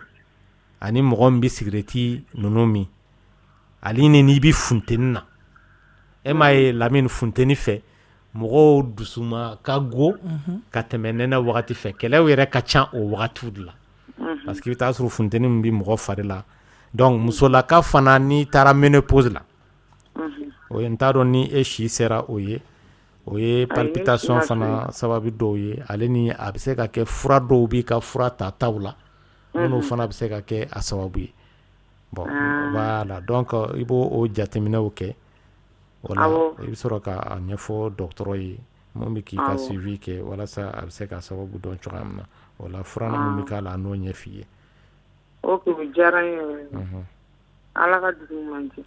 Speaker 5: ani mɔgɔ min bɛ sigirɛti ninnu min, ale ni n'i bɛ funteni na, e m'a ye Lamini, funteni fɛ mɔgɔw dusuma ka go ka tɛmɛ nɛnɛ wagati fɛ. Kɛlɛw yɛrɛ ka ca o wagatiw de la, parce que i bɛ taa sɔrɔ funteni min bɛ mɔgɔ fari la. Donc musolaka fana, n'i taara ménopause la, o ye, n t'a dɔn ni e si sera o ye, o ye palpitation fana sababu dɔw ye. Ale ni a bɛ se ka kɛ fura dɔw b'i ka fura tataw la minnu fana bɛ se ka kɛ a sababu ye. Bon, voilà, donc i b'o o jateminɛw kɛ. O la, i bɛ sɔrɔ k'a ɲɛfɔ dɔgɔtɔrɔ ye mun bɛ k'i ka suivi kɛ, walasa a bɛ se ka sababu dɔn cogoya min na. O la, fura min bɛ k'a la, a n'o ɲɛf'i ye.
Speaker 15: Ok, o diyara n ye yɛrɛ. Ala ka dugu ɲuman jɛ.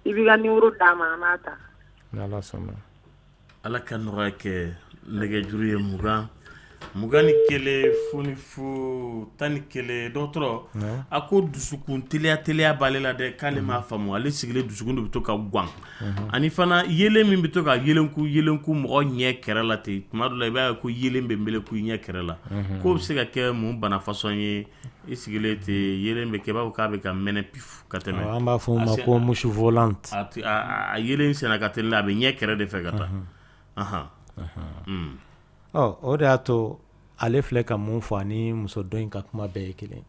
Speaker 15: I b'i ka numéro d'a ma, an b'a ta.
Speaker 5: Ni Ala sɔnna.
Speaker 6: Ala ka nɔgɔya kɛ. Nɛgɛjuru ye mugan mugan ni kelen fu ni fu tan ni kelen. Dɔgɔtɔrɔ, a ko dusukun teliya teliya b'ale la dɛ, k'ale m'a faamu. Ale sigilen, dusukun de bɛ to ka gan, ani fana yelen min bɛ to ka yelenku yelenku mɔgɔ ɲɛ kɛrɛ la ten. Tuma dɔ la, i b'a ye ko yelen bɛ meleku ɲɛ kɛrɛ la. K'o bɛ se ka kɛ mun bana façon ye? I sigilen ten, yelen bɛ kɛ i b'a fɔ k'a bɛ ka mɛnɛ pif ka tɛmɛ.
Speaker 5: An b'a fɔ o ma ko mouche volante.
Speaker 6: A yelen senna ka teli, a bɛ ɲɛ kɛrɛ de fɛ ka taa.
Speaker 5: Ɔ, o de y'a to ale filɛ ka mun fɔ, ani muso dɔ in ka kuma bɛɛ ye kelen.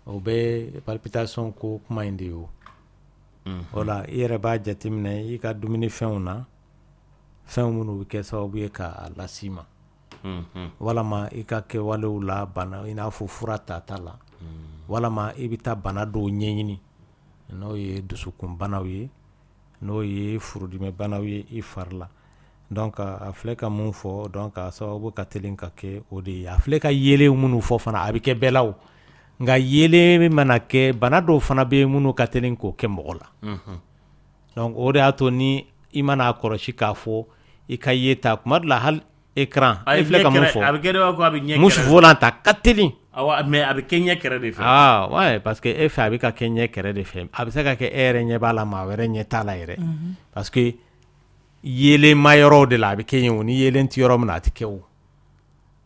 Speaker 5: O bɛ palpitation ko kuma in de ye. O o la, i yɛrɛ b'a jateminɛ i ka dumunifɛnw na, fɛn minnu bɛ kɛ sababu ye k'a las'i ma, walama i ka kɛwalew la, bana i n'a fɔ fura tata la, walama i bɛ taa bana dɔw ɲɛɲini, n'o ye dusukunbanaw ye, n'o ye furudimibanaw ye i fari la. Donc a filɛ ka mun fɔ, donc a sababu ka teli ka kɛ o de ye. A filɛ ka yelen minnu fɔ fana, a bɛ kɛ bɛɛ la o. Nka yelen mana kɛ, bana dɔw fana bɛ yen minnu ka teli k'o kɛ mɔgɔ la. Donc o de y'a to ni i mana kɔlɔsi k'a fɔ i ka yeta kuma dɔ la, hali écran, e filɛ ka mun fɔ,
Speaker 6: a bɛ kɛ i b'a fɔ a bɛ ɲɛ
Speaker 5: mouche volante, a ka teli.
Speaker 6: Awɔ, mais a bɛ kɛ ɲɛ kɛrɛ de fɛ.
Speaker 5: Ah ouais, parce que e fɛ a bɛ ka kɛ ɲɛ kɛrɛ de fɛ. A bɛ se ka kɛ e yɛrɛ ɲɛ b'a la, maa wɛrɛ ɲɛ t'a la yɛrɛ, parce que yelenma yɔrɔw de la a bɛ kɛ yen o. Ni yelen tɛ yɔrɔ min na, a tɛ kɛ o.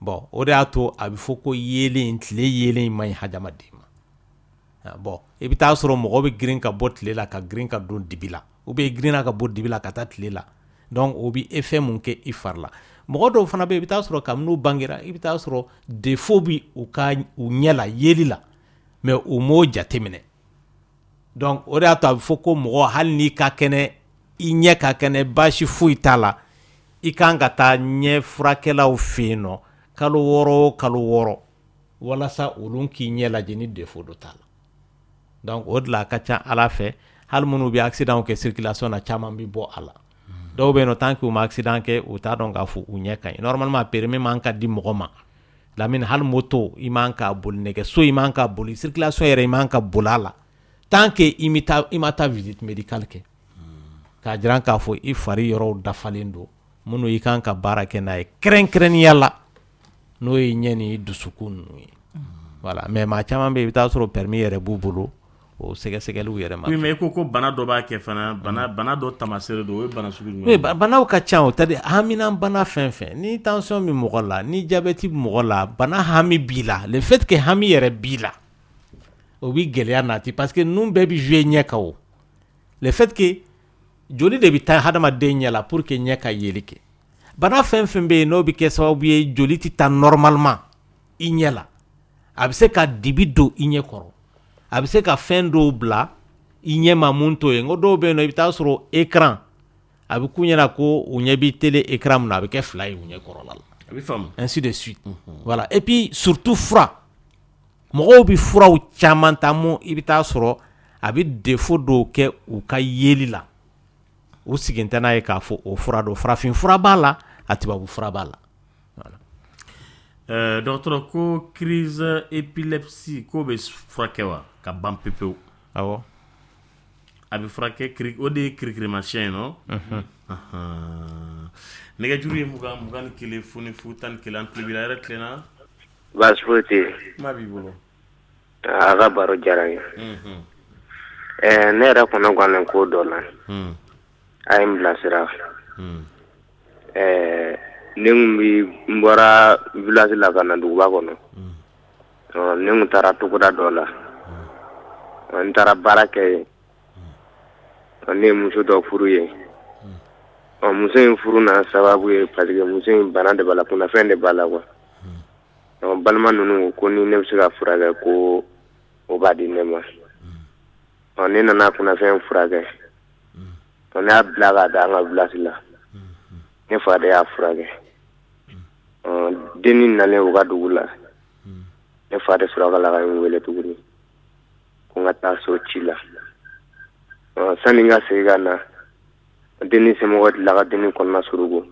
Speaker 5: Bon, o de y'a to a bɛ fɔ ko yelen, tile yelen man ɲi hadamaden ma. Bon, i bɛ taa sɔrɔ mɔgɔ bɛ girin ka bɔ tile la ka girin ka don dibi la, ou bien girinna ka bɔ dibi la ka taa tile la. Donc o bɛ effet mun kɛ i fari la? Mɔgɔ dɔw fana bɛ yen, i bɛ taa sɔrɔ kabini n'u bangera, i bɛ taa sɔrɔ défaut bɛ u ka u ɲɛ la yeli la, mais u m'o jateminɛ. Donc o de y'a to a bɛ fɔ ko mɔgɔ, hali n'i ka kɛnɛ, i ɲɛ ka kɛnɛ, baasi foyi t'a la, i kan ka taa ɲɛ furakɛlaw fɛ yen nɔ kalo wɔɔrɔ o kalo wɔɔrɔ, walasa olu k'i ɲɛ lajɛ ni défaut dɔ t'a la. Donc o de la, a ka ca Ala fɛ, hali minnu bɛ accident kɛ circulation na, caman bɛ bɔ a la. Dɔw bɛ yen nɔ, tant que u ma accident kɛ, u t'a dɔn k'a fɔ u ɲɛ ka ɲi. Normalement, permis man ka di mɔgɔ ma, Lamini, hali moto i man k'a boli, nɛgɛso i man ka boli, circulation yɛrɛ i man ka boli a la, tant que i ma taa i ma taa visite médicale kɛ k'a jira k'a fɔ i fari yɔrɔw dafalen don minnu i kan ka baara kɛ n'a ye, kɛrɛnkɛrɛnnenya la n'o ye ɲɛ ni dusukun ninnu ye. Voilà, mais maa caman bɛ yen, i bɛ taa sɔrɔ permis yɛrɛ b'u bolo, o sɛgɛsɛgɛliw yɛrɛ ma.
Speaker 6: Oui, mais i ko ko bana dɔ b'a kɛ fana, bana bana dɔ tamaseere don. O ye bana sugu jumɛn
Speaker 5: Oui,
Speaker 6: ye?
Speaker 5: Banaw ka ca o. C'est à dire haminan bana fɛn fɛn, ni tension bɛ mɔgɔ la, ni diabète bɛ mɔgɔ la, bana hami b'i la, le fait que hami yɛrɛ b'i la, o bɛ gɛlɛya nati, parce que ninnu bɛɛ bɛ jouer ɲɛ kan. O le fait que joli de bɛ taa hadamaden ɲɛ la pour que ɲɛ ka yeli kɛ. Bana fɛn fɛn bɛ yen n'o bɛ kɛ sababu ye joli tɛ taa normalement i ɲɛ la, a bɛ se ka dibi don i ɲɛ kɔrɔ, a bɛ se ka fɛn dɔw bila i ɲɛ ma mun t'o ye. N ko dɔw bɛ yen nɔ, i bɛ taa sɔrɔ écran a bɛ k'u ɲɛna ko u ɲɛ bɛ télé écran min na, a bɛ kɛ fila ye u ɲɛ kɔrɔla la.
Speaker 6: A bɛ faamu.
Speaker 5: Ainsi de suite. Voilà, et puis surtout fura, mɔgɔw bɛ furaw caman ta mun, i bɛ taa sɔrɔ a bɛ défaut dɔw kɛ u ka yeli la. U sigin tɛ n'a ye k'a fɔ o fura don. Farafin fura b'a la, a tubabu fura b'a la.
Speaker 6: Ɛɛ dɔgɔtɔrɔ, ko crise épilepsie, k'o bɛ furakɛ wa ka ban pewu pewu?
Speaker 5: Awɔ.
Speaker 6: A bɛ furakɛ, o de ye kirikirimasiyɛn ye nɔ. Nɛgɛjuru ye mugan mugan ni kelen fu ni fu tan ni kelen. An tulo b'i la. Yɛrɛ tilenna?
Speaker 8: Baasi foyi tɛ yen.
Speaker 6: Kuma b'i bolo.
Speaker 8: A ka baro diyara n ye. Ɛɛ, ne yɛrɛ kɔnɔ gannen ko dɔ la, a ye n bilasira. Ɛɛ, ne kun bi n bɔra village la ka na duguba kɔnɔ. Ne kun taara togoda dɔ la, n taara baara kɛ yen. Ne ye muso dɔ furu yen. Ɔ, muso in furu n'a sababu ye, parce que muso in bana de b'a la, kunnafɛn de b'a la quoi. Ɔ, balima ninnu ko ni ne bɛ se ka furakɛ, ko o b'a di ne ma. Ɔ, ne nana kunnafɛn furakɛ. Ɔ, ne y'a bila ka da an ka village la. Ne fa de y'a furakɛ. Ɔ, dennin nalen u ka dugu la, ne fa de sɔrɔ ka la ka n wele tuguni ko n ka taa so ci la. Ɔ, sani n ka segin ka na, dennin somɔgɔw tilala ka dennin kɔnɔna suruku.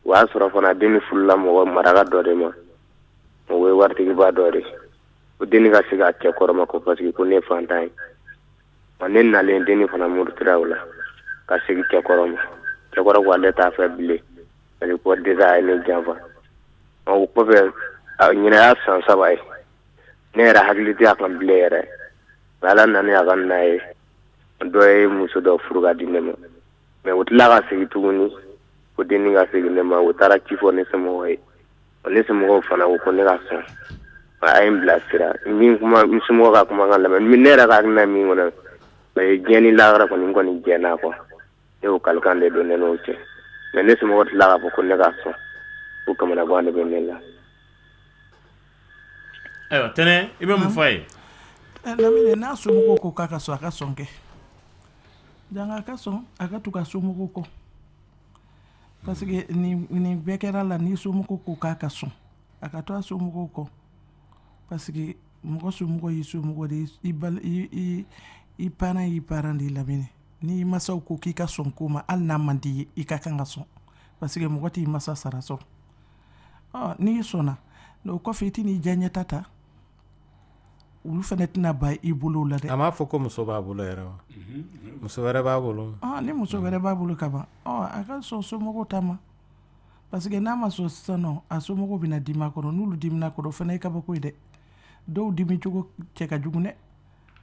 Speaker 8: O y'a sɔrɔ fana dennin furula mɔgɔ maraka dɔ de ma, o ye waritigiba dɔ de. O dennin ka segin a cɛ kɔrɔ ma ko parce que ko ne ye fantan ye. Ɔ, ne nalen, dennin fana murutira o la ka segin cɛkɔrɔ ma. Cɛkɔrɔ ko ale t'a fɛ bilen, parce que ko déjà a ye ne janfa. Ɔ, o kɔfɛ, ɲinɛ y'a san saba ye, ne yɛrɛ hakili tɛ a kan bilen yɛrɛ. Mais Ala nana a ka na ye, dɔ ye muso dɔ furu ka di ne ma. Mais u tila ka segin tuguni ko dennin ka segin ne ma. U taara ci fɔ ne somɔgɔw ye. Ne somɔgɔw fana ko ko ne ka sɔn. A ye n bilasira min kuma, n somɔgɔw ka kumakan lamɛn. Ne yɛrɛ ka hakilina min kɔnɔ, mais diɲɛ ni lahara kɔni, n kɔni jɛn'a kɔ. Ne y'o kalikan de don ne n'o cɛ. Mais ne somɔgɔw tila k'a fɔ ko ne ka sɔn, ko kamanagan de bɛ ne la.
Speaker 6: Ayiwa Tɛnɛ, i bɛ mun fɔ a ye?
Speaker 3: Lamini, n'a somɔgɔw ko k'a ka sɔn, a ka sɔn kɛ. Janga a ka sɔn, a ka tugu a somɔgɔw kɔ, parce que nin nin bɛɛ kɛra la, ni somɔgɔw ko k'a ka sɔn, a ka to a somɔgɔw kɔ, parce que mɔgɔ somɔgɔ y'i somɔgɔ de ye. I bal i i i parent y'i parent de ye. Lamini, n'i masaw ko k'i ka sɔn ko ma, hali n'a man di ye, i ka kan ka sɔn, parce que mɔgɔ t'i masa sara sɔrɔ. Ɔ, n'i sɔnna, o kɔfɛ i tɛn'i diyaɲɛta ta, olu fana tɛna ban i bolo la dɛ.
Speaker 5: A m'a fɔ ko muso b'a bolo yɛrɛ wa? Muso wɛrɛ b'a bolo.
Speaker 3: Ni muso wɛrɛ b'a bolo ka ban, ɔ, a ka sɔn somɔgɔw ta ma, parce que n'a ma sɔn sisan nɔ, a somɔgɔw bɛna dimi a kɔrɔ. N'olu dimina kɔrɔ, o fana ye kabako ye dɛ. Dɔw dimi cogo cɛ ka jugu dɛ.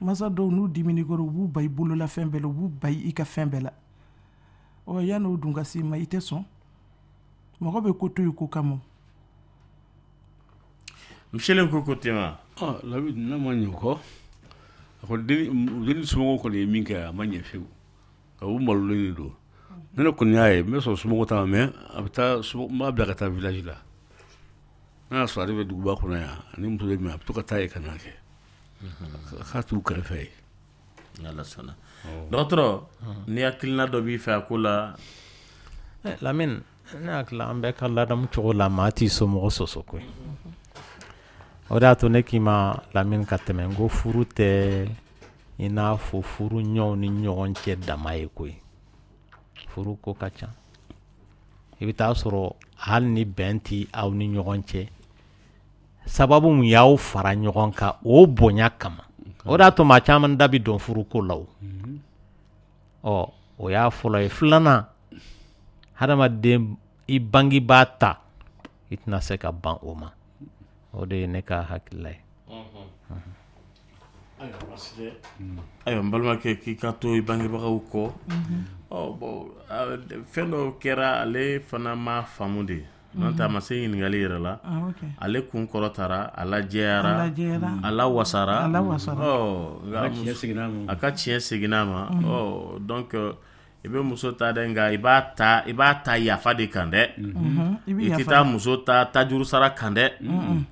Speaker 3: Masa dɔw, n'u dimini kɔrɔ, u b'u ba i bolola fɛn bɛɛ la, u b'u ba i ka fɛn bɛɛ la. Ɔ, yan'o dun ka s'i ma, i tɛ sɔn. Mɔgɔ bɛ ko to yen ko kama.
Speaker 6: Miselen ko ko ten wa?
Speaker 4: Ɔ Lamini, n'a ma ɲɛ o kɔ, a ko denni somɔgɔw kɔni ye min kɛ, a ma ɲɛ fiyewu. U malolen de don. Ne ne kɔni y'a ye, n bɛ sɔn somɔgɔw ta ma, mais a bɛ taa, n b'a bila ka taa village la. N'a y'a sɔrɔ ale bɛ duguba kɔnɔ yan ani muso bɛ min, a bɛ to ka taa yen ka na kɛ k'a t'u kɛrɛfɛ yen.
Speaker 6: N'Ala sɔnna. Dɔgɔtɔrɔ, ni hakilina dɔ b'i fɛ a ko la?
Speaker 5: Lamini, ne hakili, an bɛɛ ka ladamu cogo la, maa t'i somɔgɔ sɔsɔ koyi. O de y'a to ne k'i ma, Lamini, ka tɛmɛ, n ko furu tɛ i n'a fɔ furu ɲɔgɔn ni ɲɔgɔn cɛ dama ye koyi. Furu ko ka ca. I bɛ taa sɔrɔ hali ni bɛn tɛ aw ni ɲɔgɔn cɛ, sababu mun y'aw fara ɲɔgɔn kan, o bonya kama. O de y'a to maa caman da bɛ don furuko la. O ɔ, o y'a fɔlɔ ye. Filanan, hadamaden i bangebaa ta, i tɛna se ka ban o ma. O de ye ne ka hakilila ye.
Speaker 6: Ayiwa, n balimakɛ, k'i ka to i bangebagaw kɔ. Ɔ bon, fɛn dɔw kɛra, ale fana ma faamu de, n'o tɛ a ma se ɲininkali yɛrɛ la. Ale kun kɔrɔtara, a lajɛyara, a lawasara, ɔ, a ka tiɲɛ seginna a ma. Ɔ, donc i bɛ muso ta dɛ, nka i b'a ta i b'a ta yafa de kan dɛ. I tɛ taa muso ta tajuru sara kan dɛ.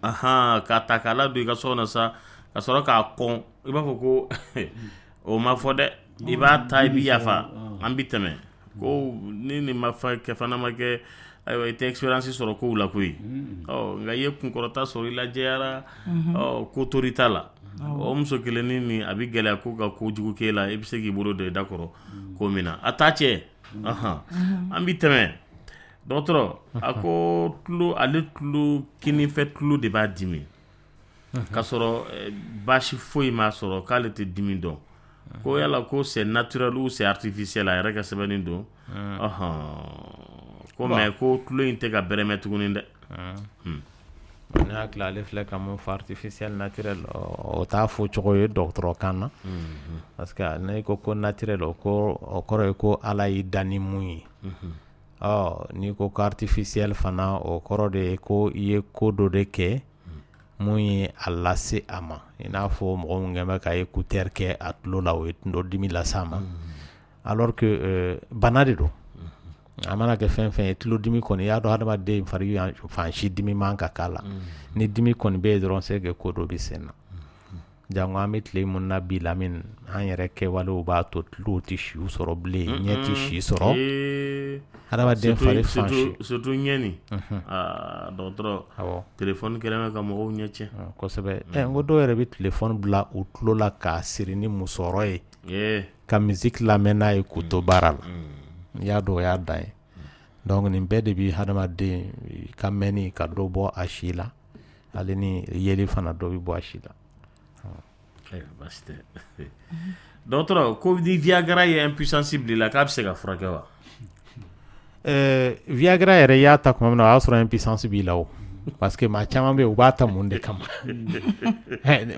Speaker 6: Ahan, k'a ta k'a ladon i ka so kɔnɔ sa, ka sɔrɔ k'a kɔn, i b'a fɔ ko o ma fɔ dɛ. I b'a ta, i bɛ yafa, an bɛ tɛmɛ. Ko ni nin ma kɛ fana ma kɛ, ayiwa, i tɛ expérience sɔrɔ kow la koyi. Ɔ, nka i ye kunkɔrɔta sɔrɔ, i lajɛyara, ɔ, ko tor'i ta la. O muso kelennin nin, a bɛ gɛlɛya ko ka kojugu k'e la, i bɛ se k'i bolo don i da kɔrɔ ko min na a t'a cɛ. An bɛ tɛmɛ. Dɔgɔtɔrɔ, a ko tulo, ale tulo kinifɛ tulo de b'a dimi, k'a sɔrɔ baasi foyi m'a sɔrɔ, k'ale tɛ dimi dɔn. Ko yala ko c'est naturel ou c'est artificiel? A yɛrɛ ka sɛbɛnni don. Ɔhɔn, ko mais ko tulo in tɛ ka bɛrɛmɛ tuguni dɛ.
Speaker 5: Ne hakili, ale filɛ ka mun fɔ, artificiel, naturel, o t'a fɔ cogo ye dɔgɔtɔrɔ kan na, parce que n'i ko ko naturel, o ko o kɔrɔ ye ko Ala y'i dan ni mun ye. Ɔ n'i ko ko artificiel fana, o kɔrɔ de ye ko i ye ko dɔ de kɛ mun ye a lase a ma, i n'a fɔ mɔgɔ min kɛn bɛ ka écouteur kɛ a tulo la, o ye dɔ dimi lase a ma, alors que euh, bana de don. A mana kɛ fɛn fɛn ye, tulodimi kɔni, i y'a dɔn hadamaden fari fan si dimi man ka k'a la. Ni dimi kɔni bɛ yen dɔrɔn, c'est que ko dɔ bɛ sen na. Jango an bɛ tile mun na bi, Lamini, an yɛrɛ kɛwalew b'a to tulow tɛ siw sɔrɔ bilen, ɲɛ tɛ si sɔrɔ, hadamaden fari fan si.
Speaker 6: Surtout ɲɛ nin, aa dɔgɔtɔrɔ,
Speaker 5: awɔ
Speaker 6: téléphone kɛlen bɛ ka mɔgɔw ɲɛ tiɲɛ.
Speaker 5: Kosɛbɛ. Ɛ n ko dɔw yɛrɛ bɛ téléphone bila u tulo la k'a siri ni musɔrɔ ye ka musique lamɛn n'a ye k'u to baara la. I y'a dɔn, o y'a dan ye. Donc nin bɛɛ de bi hadamaden ka mɛnni ka dɔ bɔ a si la, ale ni yeli fana, dɔ bɛ bɔ a si la.
Speaker 6: Baasi tɛ. Dɔgɔtɔrɔ, ko ni Viagra ye impuissance bila i la, k'a bɛ se ka furakɛ wa?
Speaker 5: Ɛɛ Viagra yɛrɛ, i y'a ta tuma min na, o y'a sɔrɔ impuissance b'i la o, parce que maa caman bɛ yen, u b'a ta mun de kama?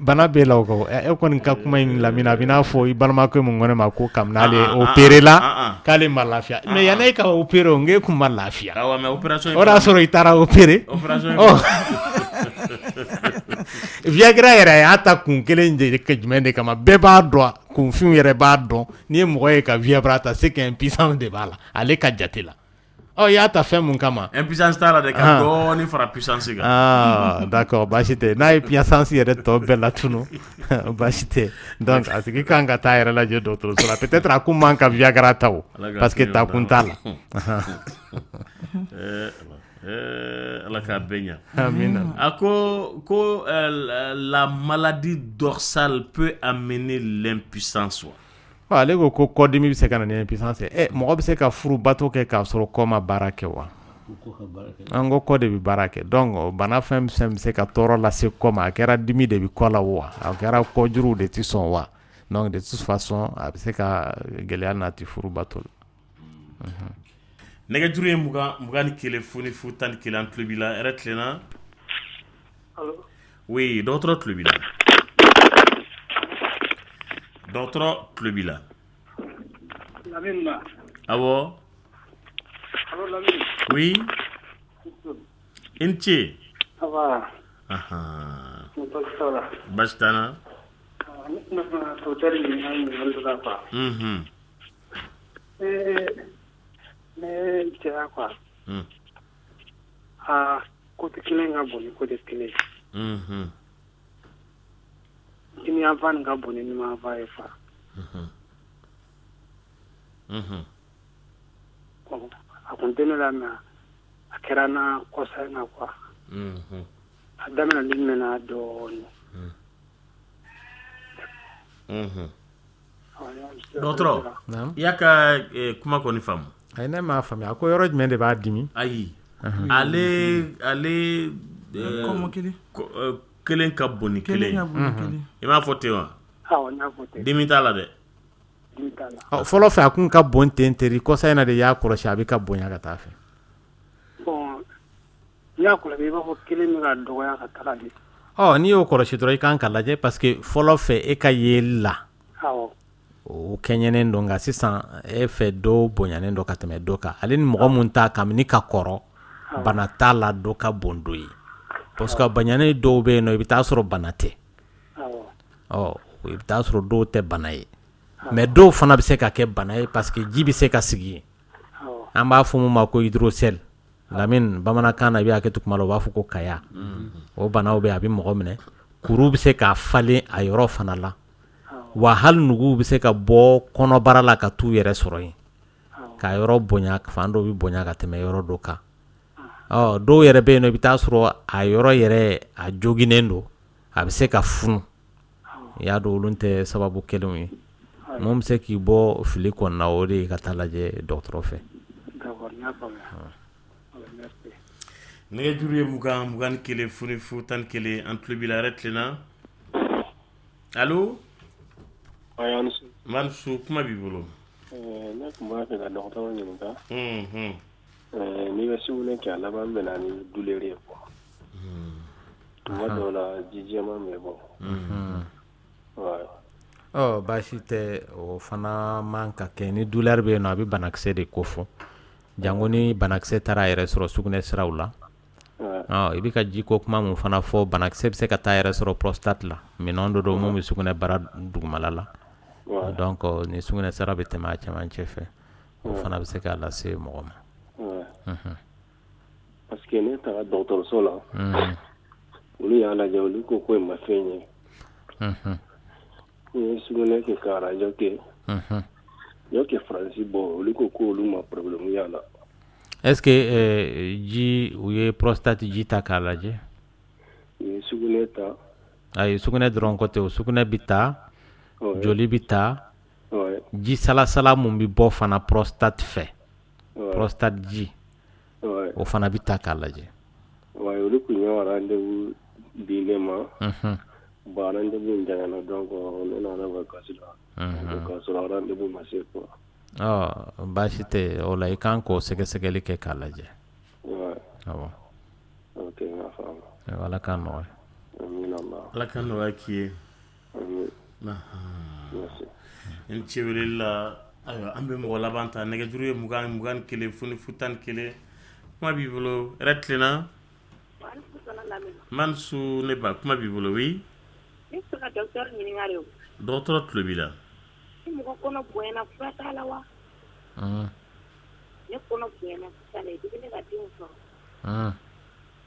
Speaker 5: Bana b'e la o kɔ. E kɔni ka kuma in, Lamini, a bɛ n'a fɔ i balimakɛ mun ko ne ma ko kabini ale opéré la k'ale ma lafiya. Mais yanni e ka opéré o, n k'e kun ma lafiya.
Speaker 6: Awɔ, mais opération
Speaker 5: O de y'a sɔrɔ i taara opéré.
Speaker 6: Opération.
Speaker 5: Viagra yɛrɛ, a y'a ta kun kelen de jumɛn de kama? Bɛɛ b'a dɔn, kunfinw yɛrɛ b'a dɔn, n'i ye mɔgɔ ye ka Viagra ta, c'est que impuissance de b'a la, ale ka jate la. Ɔ i y'a ta fɛn mun kama?
Speaker 6: Impuissance t'a la dɛ, ka dɔɔnin fara puissance kan.
Speaker 5: Ah d'accord, baasi tɛ. N'a ye puissance yɛrɛ tɔ bɛɛ latunu, baasi tɛ. Donc a tigi kan ka taa yɛrɛ lajɛ dɔgɔtɔrɔso la. Peut-être a kun man ka Viagra ta o, parce que ta kun t'a la.
Speaker 6: Ala k'a bɛɛ ɲa.
Speaker 5: Amina.
Speaker 6: A ko ko la maladie dorsale peut amener l'impuissance wa?
Speaker 5: Ale ko ko kɔdimi bɛ se ka na ni impuissance ye. Ɛ mɔgɔ bɛ se ka furu bato kɛ k'a sɔrɔ kɔ ma baara kɛ wa? An ko kɔ de bɛ baara kɛ. Donc bana fɛn fɛn bɛ se ka tɔɔrɔ lase kɔ ma, a kɛra dimi de bɛ kɔ la wa, a kɛra kɔjuruw de tɛ sɔn wa, donc de toute façon a bɛ se ka gɛlɛya nati furu bato la.
Speaker 6: Nɛgɛjuru ye mugan mugan ni kelen fu ni fu tan ni kelen. An tulo b'i la. Hɛrɛ tilenna? Oui, dɔgɔtɔrɔ tulo b'i la, dɔgɔtɔrɔ tulo b'i la.
Speaker 14: Lamine na.
Speaker 6: Awɔ.
Speaker 14: Allo Lamine.
Speaker 6: Oui, i ni ce.
Speaker 14: Ça va?
Speaker 6: Ahan.
Speaker 14: Baasi t'a la.
Speaker 6: Baasi t'an na.
Speaker 14: Ne tun bɛ fɛ ka docteur ɲininka ɲininkali dɔ la quoi.
Speaker 6: Mhm.
Speaker 14: Ne ne cɛya quoi.
Speaker 6: Mm.
Speaker 14: A côté kelen ka bon ni côté kelen ye.
Speaker 6: Mhm.
Speaker 14: Kini yanfan nin ka bon ni numan ye quoi.
Speaker 6: Mhm. Mhm.
Speaker 14: Bon, a kun tɛ ne la, mais a kɛra n na kɔsa in na quoi.
Speaker 6: Mhm.
Speaker 14: A daminɛli mɛnna dɔɔnin.
Speaker 6: Mhm.
Speaker 14: Awɔ.
Speaker 6: Dɔgɔtɔrɔ, i y'a ka eh, kuma kɔni faamu?
Speaker 5: Ayi, ne m'a faamuya. A ko yɔrɔ jumɛn de b'a dimi?
Speaker 6: Ayi, ale ale eh,
Speaker 3: Kɔmɔkili.
Speaker 6: ko- eh, kelen ka bon ni kelen
Speaker 3: Kelen
Speaker 6: ye.
Speaker 3: ka bon ni kelen.
Speaker 6: I m'a fɔ ten wa?
Speaker 14: Awɔ, n y'a fɔ ten.
Speaker 6: Dimi t'a la dɛ.
Speaker 14: Dimi t'a la.
Speaker 5: Ɔ fɔlɔ fɛ, a kun ka bon ten teri, kɔsa in na de y'a kɔlɔsi a bɛ ka bonya ka taa fɛ.
Speaker 14: Bon, n y'a kɔlɔsi, i b'a fɔ kelen bɛ ka dɔgɔya ka taga de.
Speaker 5: Ɔ n'i y'o kɔlɔsi dɔrɔn, i kan ka lajɛ, parce que fɔlɔ fɛ, e ka yeli la,
Speaker 14: Awɔ.
Speaker 5: o kɛɲɛnen don, nka sisan e fɛ, dɔw bonyanen don ka tɛmɛ dɔ kan. Ale ni mɔgɔ mun ta kabini ka kɔrɔ, bana t'a la, dɔ ka bon dɔ ye, parce que bonyanen dɔw bɛ yen nɔ, i bɛ taa sɔrɔ bana tɛ.
Speaker 14: Awɔ.
Speaker 5: Ɔ i bɛ taa sɔrɔ dɔw tɛ bana ye, mais dɔw fana bɛ se ka kɛ bana ye, parce que ji bɛ se ka sigi yen. An b'a fɔ mun ma ko hydrocèle, Lamini, bamanankan na, i bɛ hakɛ to kuma la, u b'a fɔ ko kaya. O banaw bɛ yen, a bɛ mɔgɔ minɛ, kuru bɛ se ka falen a yɔrɔ fana la wa, hali nuguw bɛ se ka bɔ kɔnɔbara la ka t'u yɛrɛ sɔrɔ yen ka yɔrɔ bonya, fan dɔ bɛ bonya ka tɛmɛ yɔrɔ dɔ kan. Ɔ dɔw yɛrɛ bɛ yen nɔ, i bɛ taa sɔrɔ a yɔrɔ yɛrɛ a joginnen don, a bɛ se ka funu. I y'a dɔn, olu tɛ sababu kelenw ye. Mun bɛ se k'i bɔ fili kɔnɔna, o de ye ka taa lajɛ dɔgɔtɔrɔ fɛ.
Speaker 14: D'accord, n y'a faamuya. Merci.
Speaker 6: Nɛgɛjuru ye mugan mugan ni kelen fu ni fu tan ni kelen. An tulo b'i la. Hɛrɛ tilenna? Allo? N su, kuma b'i bolo.
Speaker 16: Ne tun b'a fɛ ka dɔgɔtɔrɔ ɲininka, n'i bɛ sugunɛ kɛ, a laban bɛ na ni douleur ye quoi, tuma dɔw la ji jɛman bɛ bɔ.
Speaker 5: Ɔ, baasi tɛ, o fana man ka kɛ. Ni douleur bɛ yen nɔ, a bɛ banakisɛ de ko fɔ, jango ni banakisɛ taara a yɛrɛ sɔrɔ sugunɛ siraw la. I bɛ ka ji ko kuma mun fana fɔ, banakisɛ bɛ se ka taa yɛrɛ sɔrɔ prostate la, minɛn dɔ don mun bɛ sugunɛ bara dugumala la. Donc ni sugunɛ sira bɛ tɛmɛ a cɛmancɛ fɛ, o fana bɛ se k'a lase mɔgɔ ma.
Speaker 16: Parce que ne taara dɔgɔtɔrɔso la, olu y'a lajɛ, olu ko ko ma fɛn ye. N ye sugunɛ kɛ ka arajo kɛ, n y'o kɛ Faransi. Bɔ, olu ko ko olu ma problème y'a la.
Speaker 5: Est ce que ji, u ye prostate ji ta k'a lajɛ?
Speaker 16: U ye sugunɛ ta.
Speaker 5: Ayi, sugunɛ dɔrɔn ko tɛ o. Sugunɛ bɛ ta, joli bɛ ta, ji salasala mun bɛ bɔ fana prostate fɛ, prostate ji, o fana bɛ ta k'a lajɛ.
Speaker 16: Olu tun ye rendez-vous di ne ma. Bon, rendez-vous in janyana, donc ne nana ka kasi la k'a sɔrɔ rendez-vous ma se quoi.
Speaker 5: Ɔ, baasi tɛ o la, i kan k'o sɛgɛsɛgɛli kɛ k'a lajɛ. Awɔ.
Speaker 16: Ok, n y'a faamu.
Speaker 5: Ala k'a nɔgɔya.
Speaker 16: Amina.
Speaker 6: Ala ka nɔgɔya k'i ye. N ce weleli la. Ayiwa, an bɛ mɔgɔ laban ta. Nɛgɛjuru ye mugan mugan ni kelen fu ni fu tan ni kelen. Kuma b'i bolo, hɛrɛ tilenna man su, ne ba, kuma b'i bolo, oui.
Speaker 17: Ne bɛ fɛ ka docteur ɲininka de o.
Speaker 6: Dɔgɔtɔrɔ tulo b'i la.
Speaker 17: Ni mɔgɔ kɔnɔ bonyana, fura t'a la wa? Ne kɔnɔ bonyana sisan de, depuis ne ka denw sɔrɔ.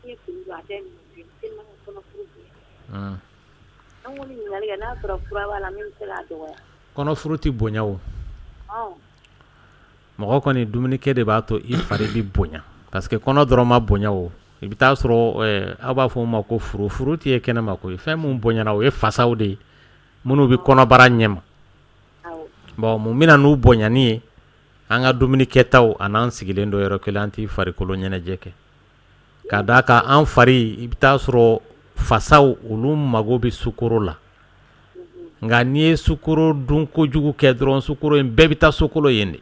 Speaker 17: Ne ye fini don, a tɛ minɛ tellement que kɔnɔ furu bonyana. An ko ɲininkali kɛ n'a sɔrɔ fura b'a la min bɛ se k'a dɔgɔya.
Speaker 5: Kɔnɔfuru tɛ bonya o. Mɔgɔ kɔni, dumunikɛ de b'a to i fari bɛ bonya, parce que kɔnɔ dɔrɔn ma bonya o. I bɛ taa sɔrɔ aw b'a fɔ o ma ko furu. Furu tɛ ye kɛnɛ ma koyi. Fɛn mun bonyana, o ye fasaw de ye minnu bɛ kɔnɔbara ɲɛma. Bon, mun bɛna n'u bonyani ye? An ka dumuni kɛtaw a n'an sigilen don yɔrɔ kelen, an tɛ farikolo ɲɛnajɛ kɛ. Ka d'a kan an fari, i bɛ taa sɔrɔ fasaw, olu mago bɛ sukoro la. Nka n'i ye sukoro dun kojugu kɛ dɔrɔn, sukoro in bɛɛ bɛ taa sokolo yen de.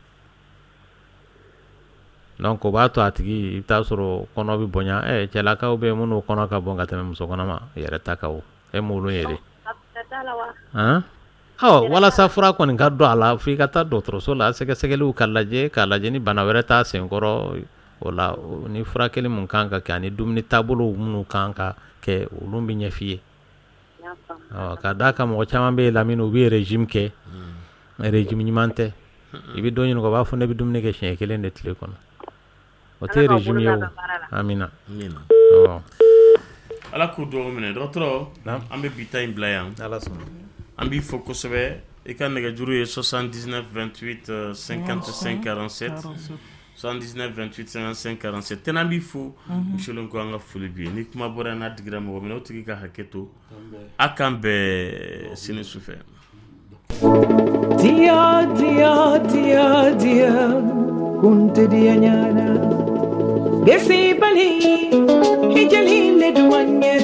Speaker 5: Donc o b'a to a tigi, i bɛ taa sɔrɔ kɔnɔ bɛ bonya. Ɛ, cɛlakaw bɛ yen minnu kɔnɔ ka bon ka tɛmɛ muso kɔnɔma yɛrɛ ta kan o, e m'olu ye de? Ɔ, walasa fura kɔni ka dɔn a la, f'i ka taa dɔgɔtɔrɔso la, sɛgɛsɛgɛliw ka lajɛ, k'a lajɛ ni bana wɛrɛ t'a senkɔrɔ. O la, ni furakɛli mun kan ka kɛ ani dumuni taabolo minnu kan ka kɛ, olu bɛ ɲɛf'i ye. Ka d'a kan mɔgɔ caman bɛ yen, Lamini, u bɛ régime kɛ, régime ɲuman tɛ. I bɛ dɔ ɲininka, o b'a fɔ ne bɛ dumuni kɛ siɲɛ kelen de tile kɔnɔ. O tɛ régime ye o. Amina.
Speaker 6: Ala k'u dugawu minɛ. Dɔgɔtɔrɔ, an bɛ bi ta in bila yan. An b'i fo kosɛbɛ. I ka nɛgɛjuru ye soixante-dix-neuf vingt-huit cinquante-cinq quarante-sept, soixante-dix-neuf vingt-huit cinquante-cinq quarante-sept. Tɛnɛ, an b'i fo. Misilen ko an ka foli b'i ye. Ni kuma bɔra n'a digira mɔgɔ min na, o tigi ka hakɛ to. A k'an bɛn sini su fɛ.
Speaker 18: Dia dia dia dia kunte dia nyana gesi bali hijali le duanye.